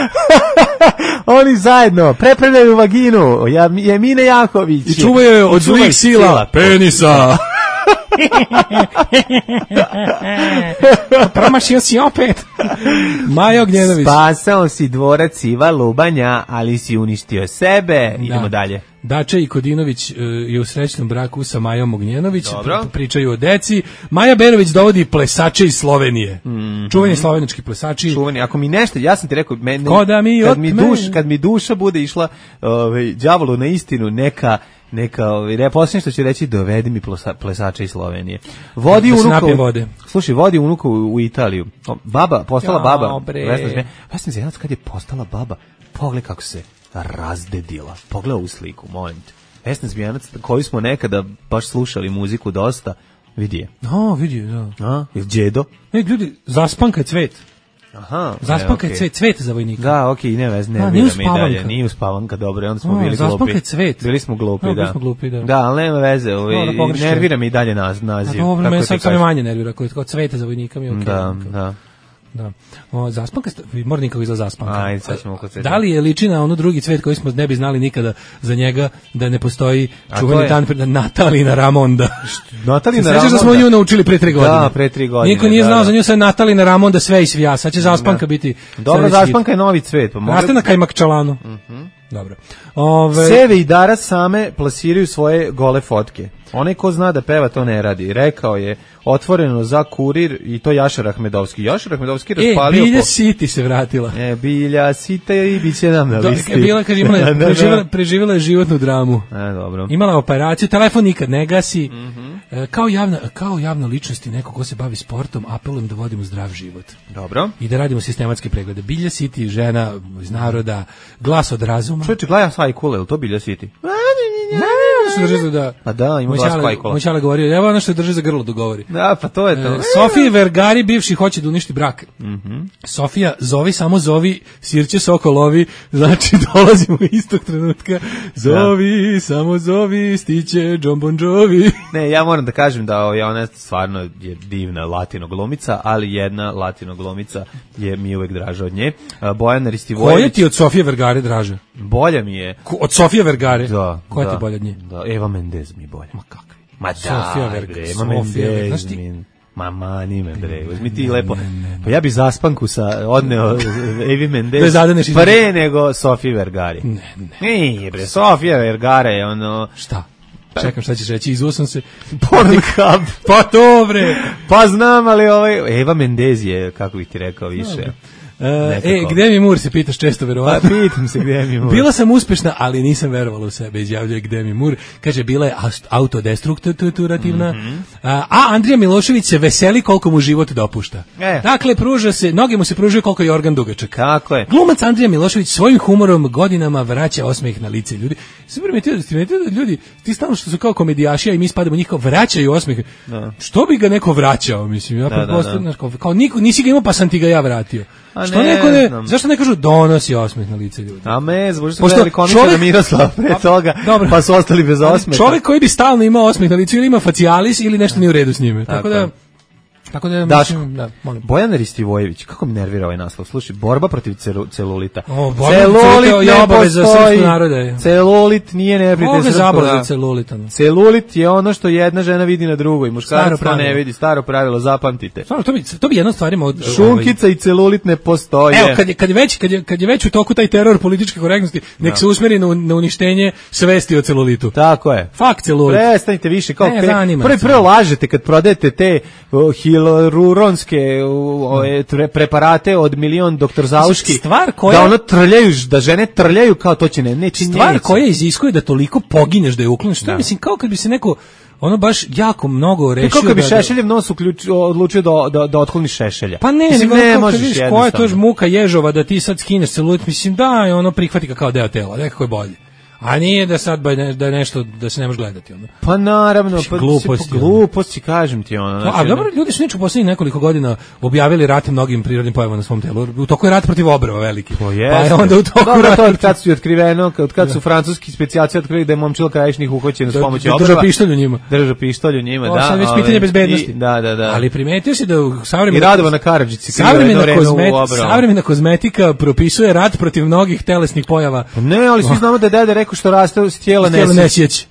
Oni zajedno prepravljaju vaginu, Emine Jaković. I čuvaju je od zlih sila, penisa. Promašio si opet. Maja Ognjenović. Spasao si dvorac Iva Lubanja, ali si uništio sebe. Idemo dalje. Dača i Kodinović je u srećnom braku sa Majom Ognjenović. Pričaju o deci. Maja Berović dovodi plesače iz Slovenije. Čuveni slovenački plesači. Čuveni, ako mi nešto, ja sam ti rekao, kad mi duša bude išla đavolu na istinu, Neka, posljednje što će reći, dovedi mi plesača iz Slovenije. Vodi unuka, slušaj, vodi unuka u Italiju. Baba, postala baba. Vesna Zmijanac kad je postala baba, pogledaj kako se razdedila. Pogledaj u sliku, molim te. Vesna Zmijanac, koju smo nekada baš slušali muziku dosta, vidi je. Vidi je, da. Je djedo? Ljudi, zaspanka je cvet. Aha. Zaspanka je cvet za vojnika. Da, okej, ne vira mi dalje. Nije uspavanka, dobro, onda smo bili glupi. Zaspanka je cvet. Bili smo glupi, da. Bili smo glupi, da. Da, ali nema veze, nervira mi i dalje naziv. Dobro, me sad sam manje nervira, kao cvete za vojnika mi je okej. Da. Zaspanka, mora nikako izla zaspanka. Ajde, sad ćemo oko cveta. Da li je liči na ono drugi cvet koji smo ne bi znali nikada za njega, da ne postoji čuveni dan Natalina Ramonda? Natalina Ramonda? Sveće da smo nju naučili pre 3 godine. Da, pre 3 godine. Niko nije znao za nju, sad Natalina Ramonda sve i svija. Sad će zaspanka biti... Dobro, zaspanka je novi cvet. Raste na Kajmakčalanu. Dobro. Seve i Dara same plasiraju svoje gole fotke. Onaj ko zna da peva to ne radi. Rekao je otvoreno za Kurir i to Jašar Ahmedovski. Jašar Ahmedovski raspalio... Bilja Siti se vratila. Bilja Sita i bit će nam na listi. Bila, kad preživjela je životnu dramu. Dobro. Imala operaciju, telefon nikad ne gasi. Kao javna ličnost i neko ko se bavi sportom, apelujem da vodimo zdrav život. Dobro. I da radimo sistematske preglede. Bilja Siti, žena iz naroda, glas od razuma. Čovječe, gledam Sajkule, ili to Bilja Siti? Pa da, ima glas Sajkula. Moj čale govorio, evo ono što drži za grlo da govori. Da, pa to je to. Sofiji Vergari bivši hoće da uništi brak. Sofija, zovi, samo zovi, sirće sokolovi, znači dolazimo istog trenutka. Zovi, samo zovi, stiće John Bon Jovi. Ne, ja moram da kažem da ona stvarno je divna latino glumica, ali jedna latino glumica je mi uvek draža od nje. Bojana Ristivojević. Koja ti od Sofije Vergare draža? Bolja mi je. Od Sofije Vergare? Da. Koja ti bolja od nje? Da, Eva Mendez mi bolja. Ma kakvi? Ma da, Eva Mendez mi... Mama, nime bre, uzmi ti lepo. Pa ja bi zaspanku odneo Evi Mendez pre nego Sofije Vergari. Ne, bre, Sofija Vergara je ono... Šta? Čekam šta ćeš reći, izuo sam se. Pornhub. Pa to bre. Pa znam, ali Eva Mendez je, kako bih ti rekao, više... gde mi Mur, se pitaš često, verovatno. Pa pitam se gde mi Mur. Bila sam uspešna, ali nisam verovala u sebe, izjavljuje gde mi Mur. Kaže, bila je autodestrukturativna. A Andrija Milošević se veseli koliko mu život dopušta. Dakle, pruža se, noge mu se pružaju koliko je organ dugačak. Kako je? Glumac Andrija Milošević svojim humorom godinama vraća osmeh na lice ljudi. Sam primetio da ljudi, ti stalno što su kao komedijaši, a i mi spadamo njih, kao vraćaju osmeh. Što bi ga neko vraćao, mislim? Ja pretpostavljam, kao nisi ga imao, pa sam ti ga ja vratio. Što neko zašto ne kažu donosi osmeh na lice ljudi? A možda su gledali komičara Miroslava pre toga, pa su ostali bez osmeha. Čovjek koji bi stalno imao osmeh na licu ili ima facialis ili nešto nije u redu s njime. Tako da mislim, molim. Bojana Ristivojević, kako mi nervira ovaj naslov? Slušaj, borba protiv celulita. Celulit je obaveza srpskog naroda. Celulit nije neprijatelj srpskog naroda. Celulit je ono što jedna žena vidi na drugoj, muškarac to ne vidi, staro pravilo, zapamtite. Stvarno, to bi jedna stvarima od šunkica i celulit ne postoje. Evo, kad je već u toku taj teror političke korektnosti, nek se usmeri na uništenje svesti o celulitu. Tako je. Fakt celulit. Prestanite više, kao prvo lažete kad prodajete te hiloruronske preparate od milion doktor Zauški, da ono trljaju, da žene trljaju kao to će neći. Stvar koja iziskuje da toliko pogineš da je ukloniš. To je, mislim, kao kad bi se neko ono baš jako mnogo rešio. Kako bi Šešeljev nos odlučio da otkloni Šešelja. Pa ne možeš jednostavno. Koja je to muka ježova da ti sad skineš celulit, mislim da je ono prihvati ga kao deo tela, nekako je bolje. A nije da sad da je nešto da se ne može gledati ono. Pa naravno, pa gluposti kažem ti ono. Znači, a dobro, ljudi su u poslednjih nekoliko godina objavili rat mnogim prirodnim pojavama na svom telu. U toku je rat protiv obrva veliki. Pa je onda u toku rat. To kad su otkriveno, kad su francuski specijalci otkrili da je momčilo krajišnih uhoćen s pomoću obrva. Držao pištolj u njima, da. Sad već pitanje bezbednosti. Da. Ali primetio si da i Radovana Karadžić savremena kozmetika propisuje rat protiv mnogih telesnih pojava. Ne, ali svi znamo da dede rekao što raste s tijela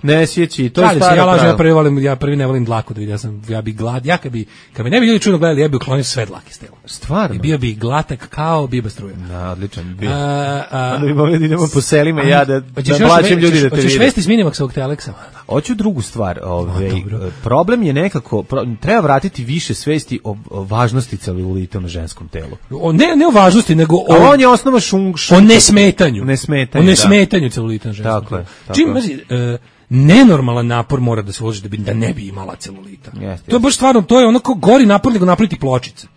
nesjeći. To je staro pravilo. Ja prvi ne volim dlaku da vidim, ja bi glad, kad bi ne bi ljudi čudno gledali, ja bi uklonio sve dlake s tela. Stvarno? I bio bi glatak kao biba struja. Da, odličan bio. Onda bi mogli da idemo po selima i ja da plaćam ljudi da te vidi. Hoćeš vesti s Minimaxovog Teleksa? Hoću drugu stvar. Problem je nekako, treba vratiti više svesti o važnosti celulita na ženskom telu. Ne o važnosti, nego on je osnova o nesmetanju. O nesmetanju celulita na ženskom telu. Čim, nenormalan napor mora da se uloži da ne bi imala celulita. Jeste, to je baš stvarno, to je onako gori napor nego napraviti pločice.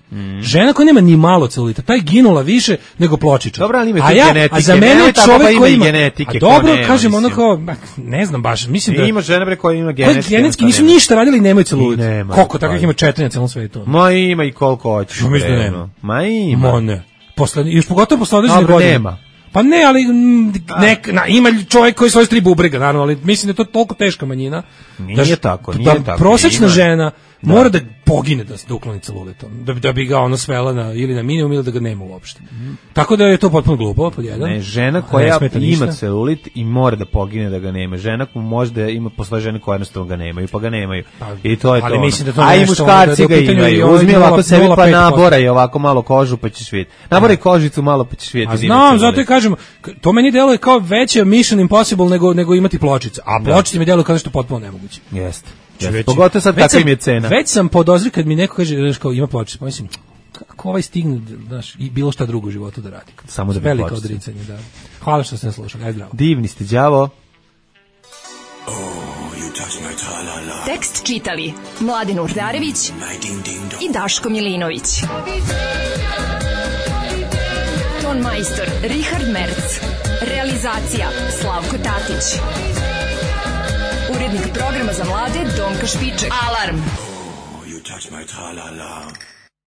Žena koja nema ni malo celulita, taj ginula više nego pločiča. Dobro, ali ima tu genetike. A za mene je čovjek koji ima genetike. A dobro, kažem ono kao, ne znam baš, mislim da ima žena bre koja ima genetike. Genetski nisu ništa radili i nemaju celulit. Koliko takvih ima 4 na celom svetu? Ma ima i koliko hoćeš. Ma ima. Ma ne. Još pogotovo posle određenih godina. Nema. Pa ne, ali ima čovjek koji svoje 3 bubrega, naravno, ali mislim da je to toliko teška manjina. Nije tako. Prosječna žena mora da pogine da se ukloni celulitom, da bi ga ono svela ili na minimum ili da ga nema uopšte. Tako da je to potpuno glupo, pod jedan. Ne, žena koja ima celulit i mora da pogine da ga nema. Žena koja možda ima, postoje žene koje jednostavno ga nemaju, pa ga nemaju. I to je to. Ali mislim da to a i muškarci ga imaju. Uzmi ovako sebi pa naboraj ovako malo kožu pa ćeš vidjeti. Naboraj kožicu malo pa ćeš vidjeti. A znam, zato i kažem, to meni deluje kao veće Mission Impossible nego imati pločice. A pločice mi deluju kao nešto potpuno nemoguće. Jeste. Pogotovo sad kakva im je cena. Već sam podozrio kad mi neko kaže kao ima pločice, pa mislim kako ovaj stigne, znaš, i bilo šta drugo u životu da radi. Samo da bi veliko odricanje, da. Hvala što ste nas slušali, aj zdravo. Divni ste, đavo. Tekst čitali Mladen Urdarević i Daško Milinović. Ton majstor Richard Merc. Realizacija Slavko Tatić. Urednik programa za mlade Donka Špiček. Alarm! You touch my tra-la-la.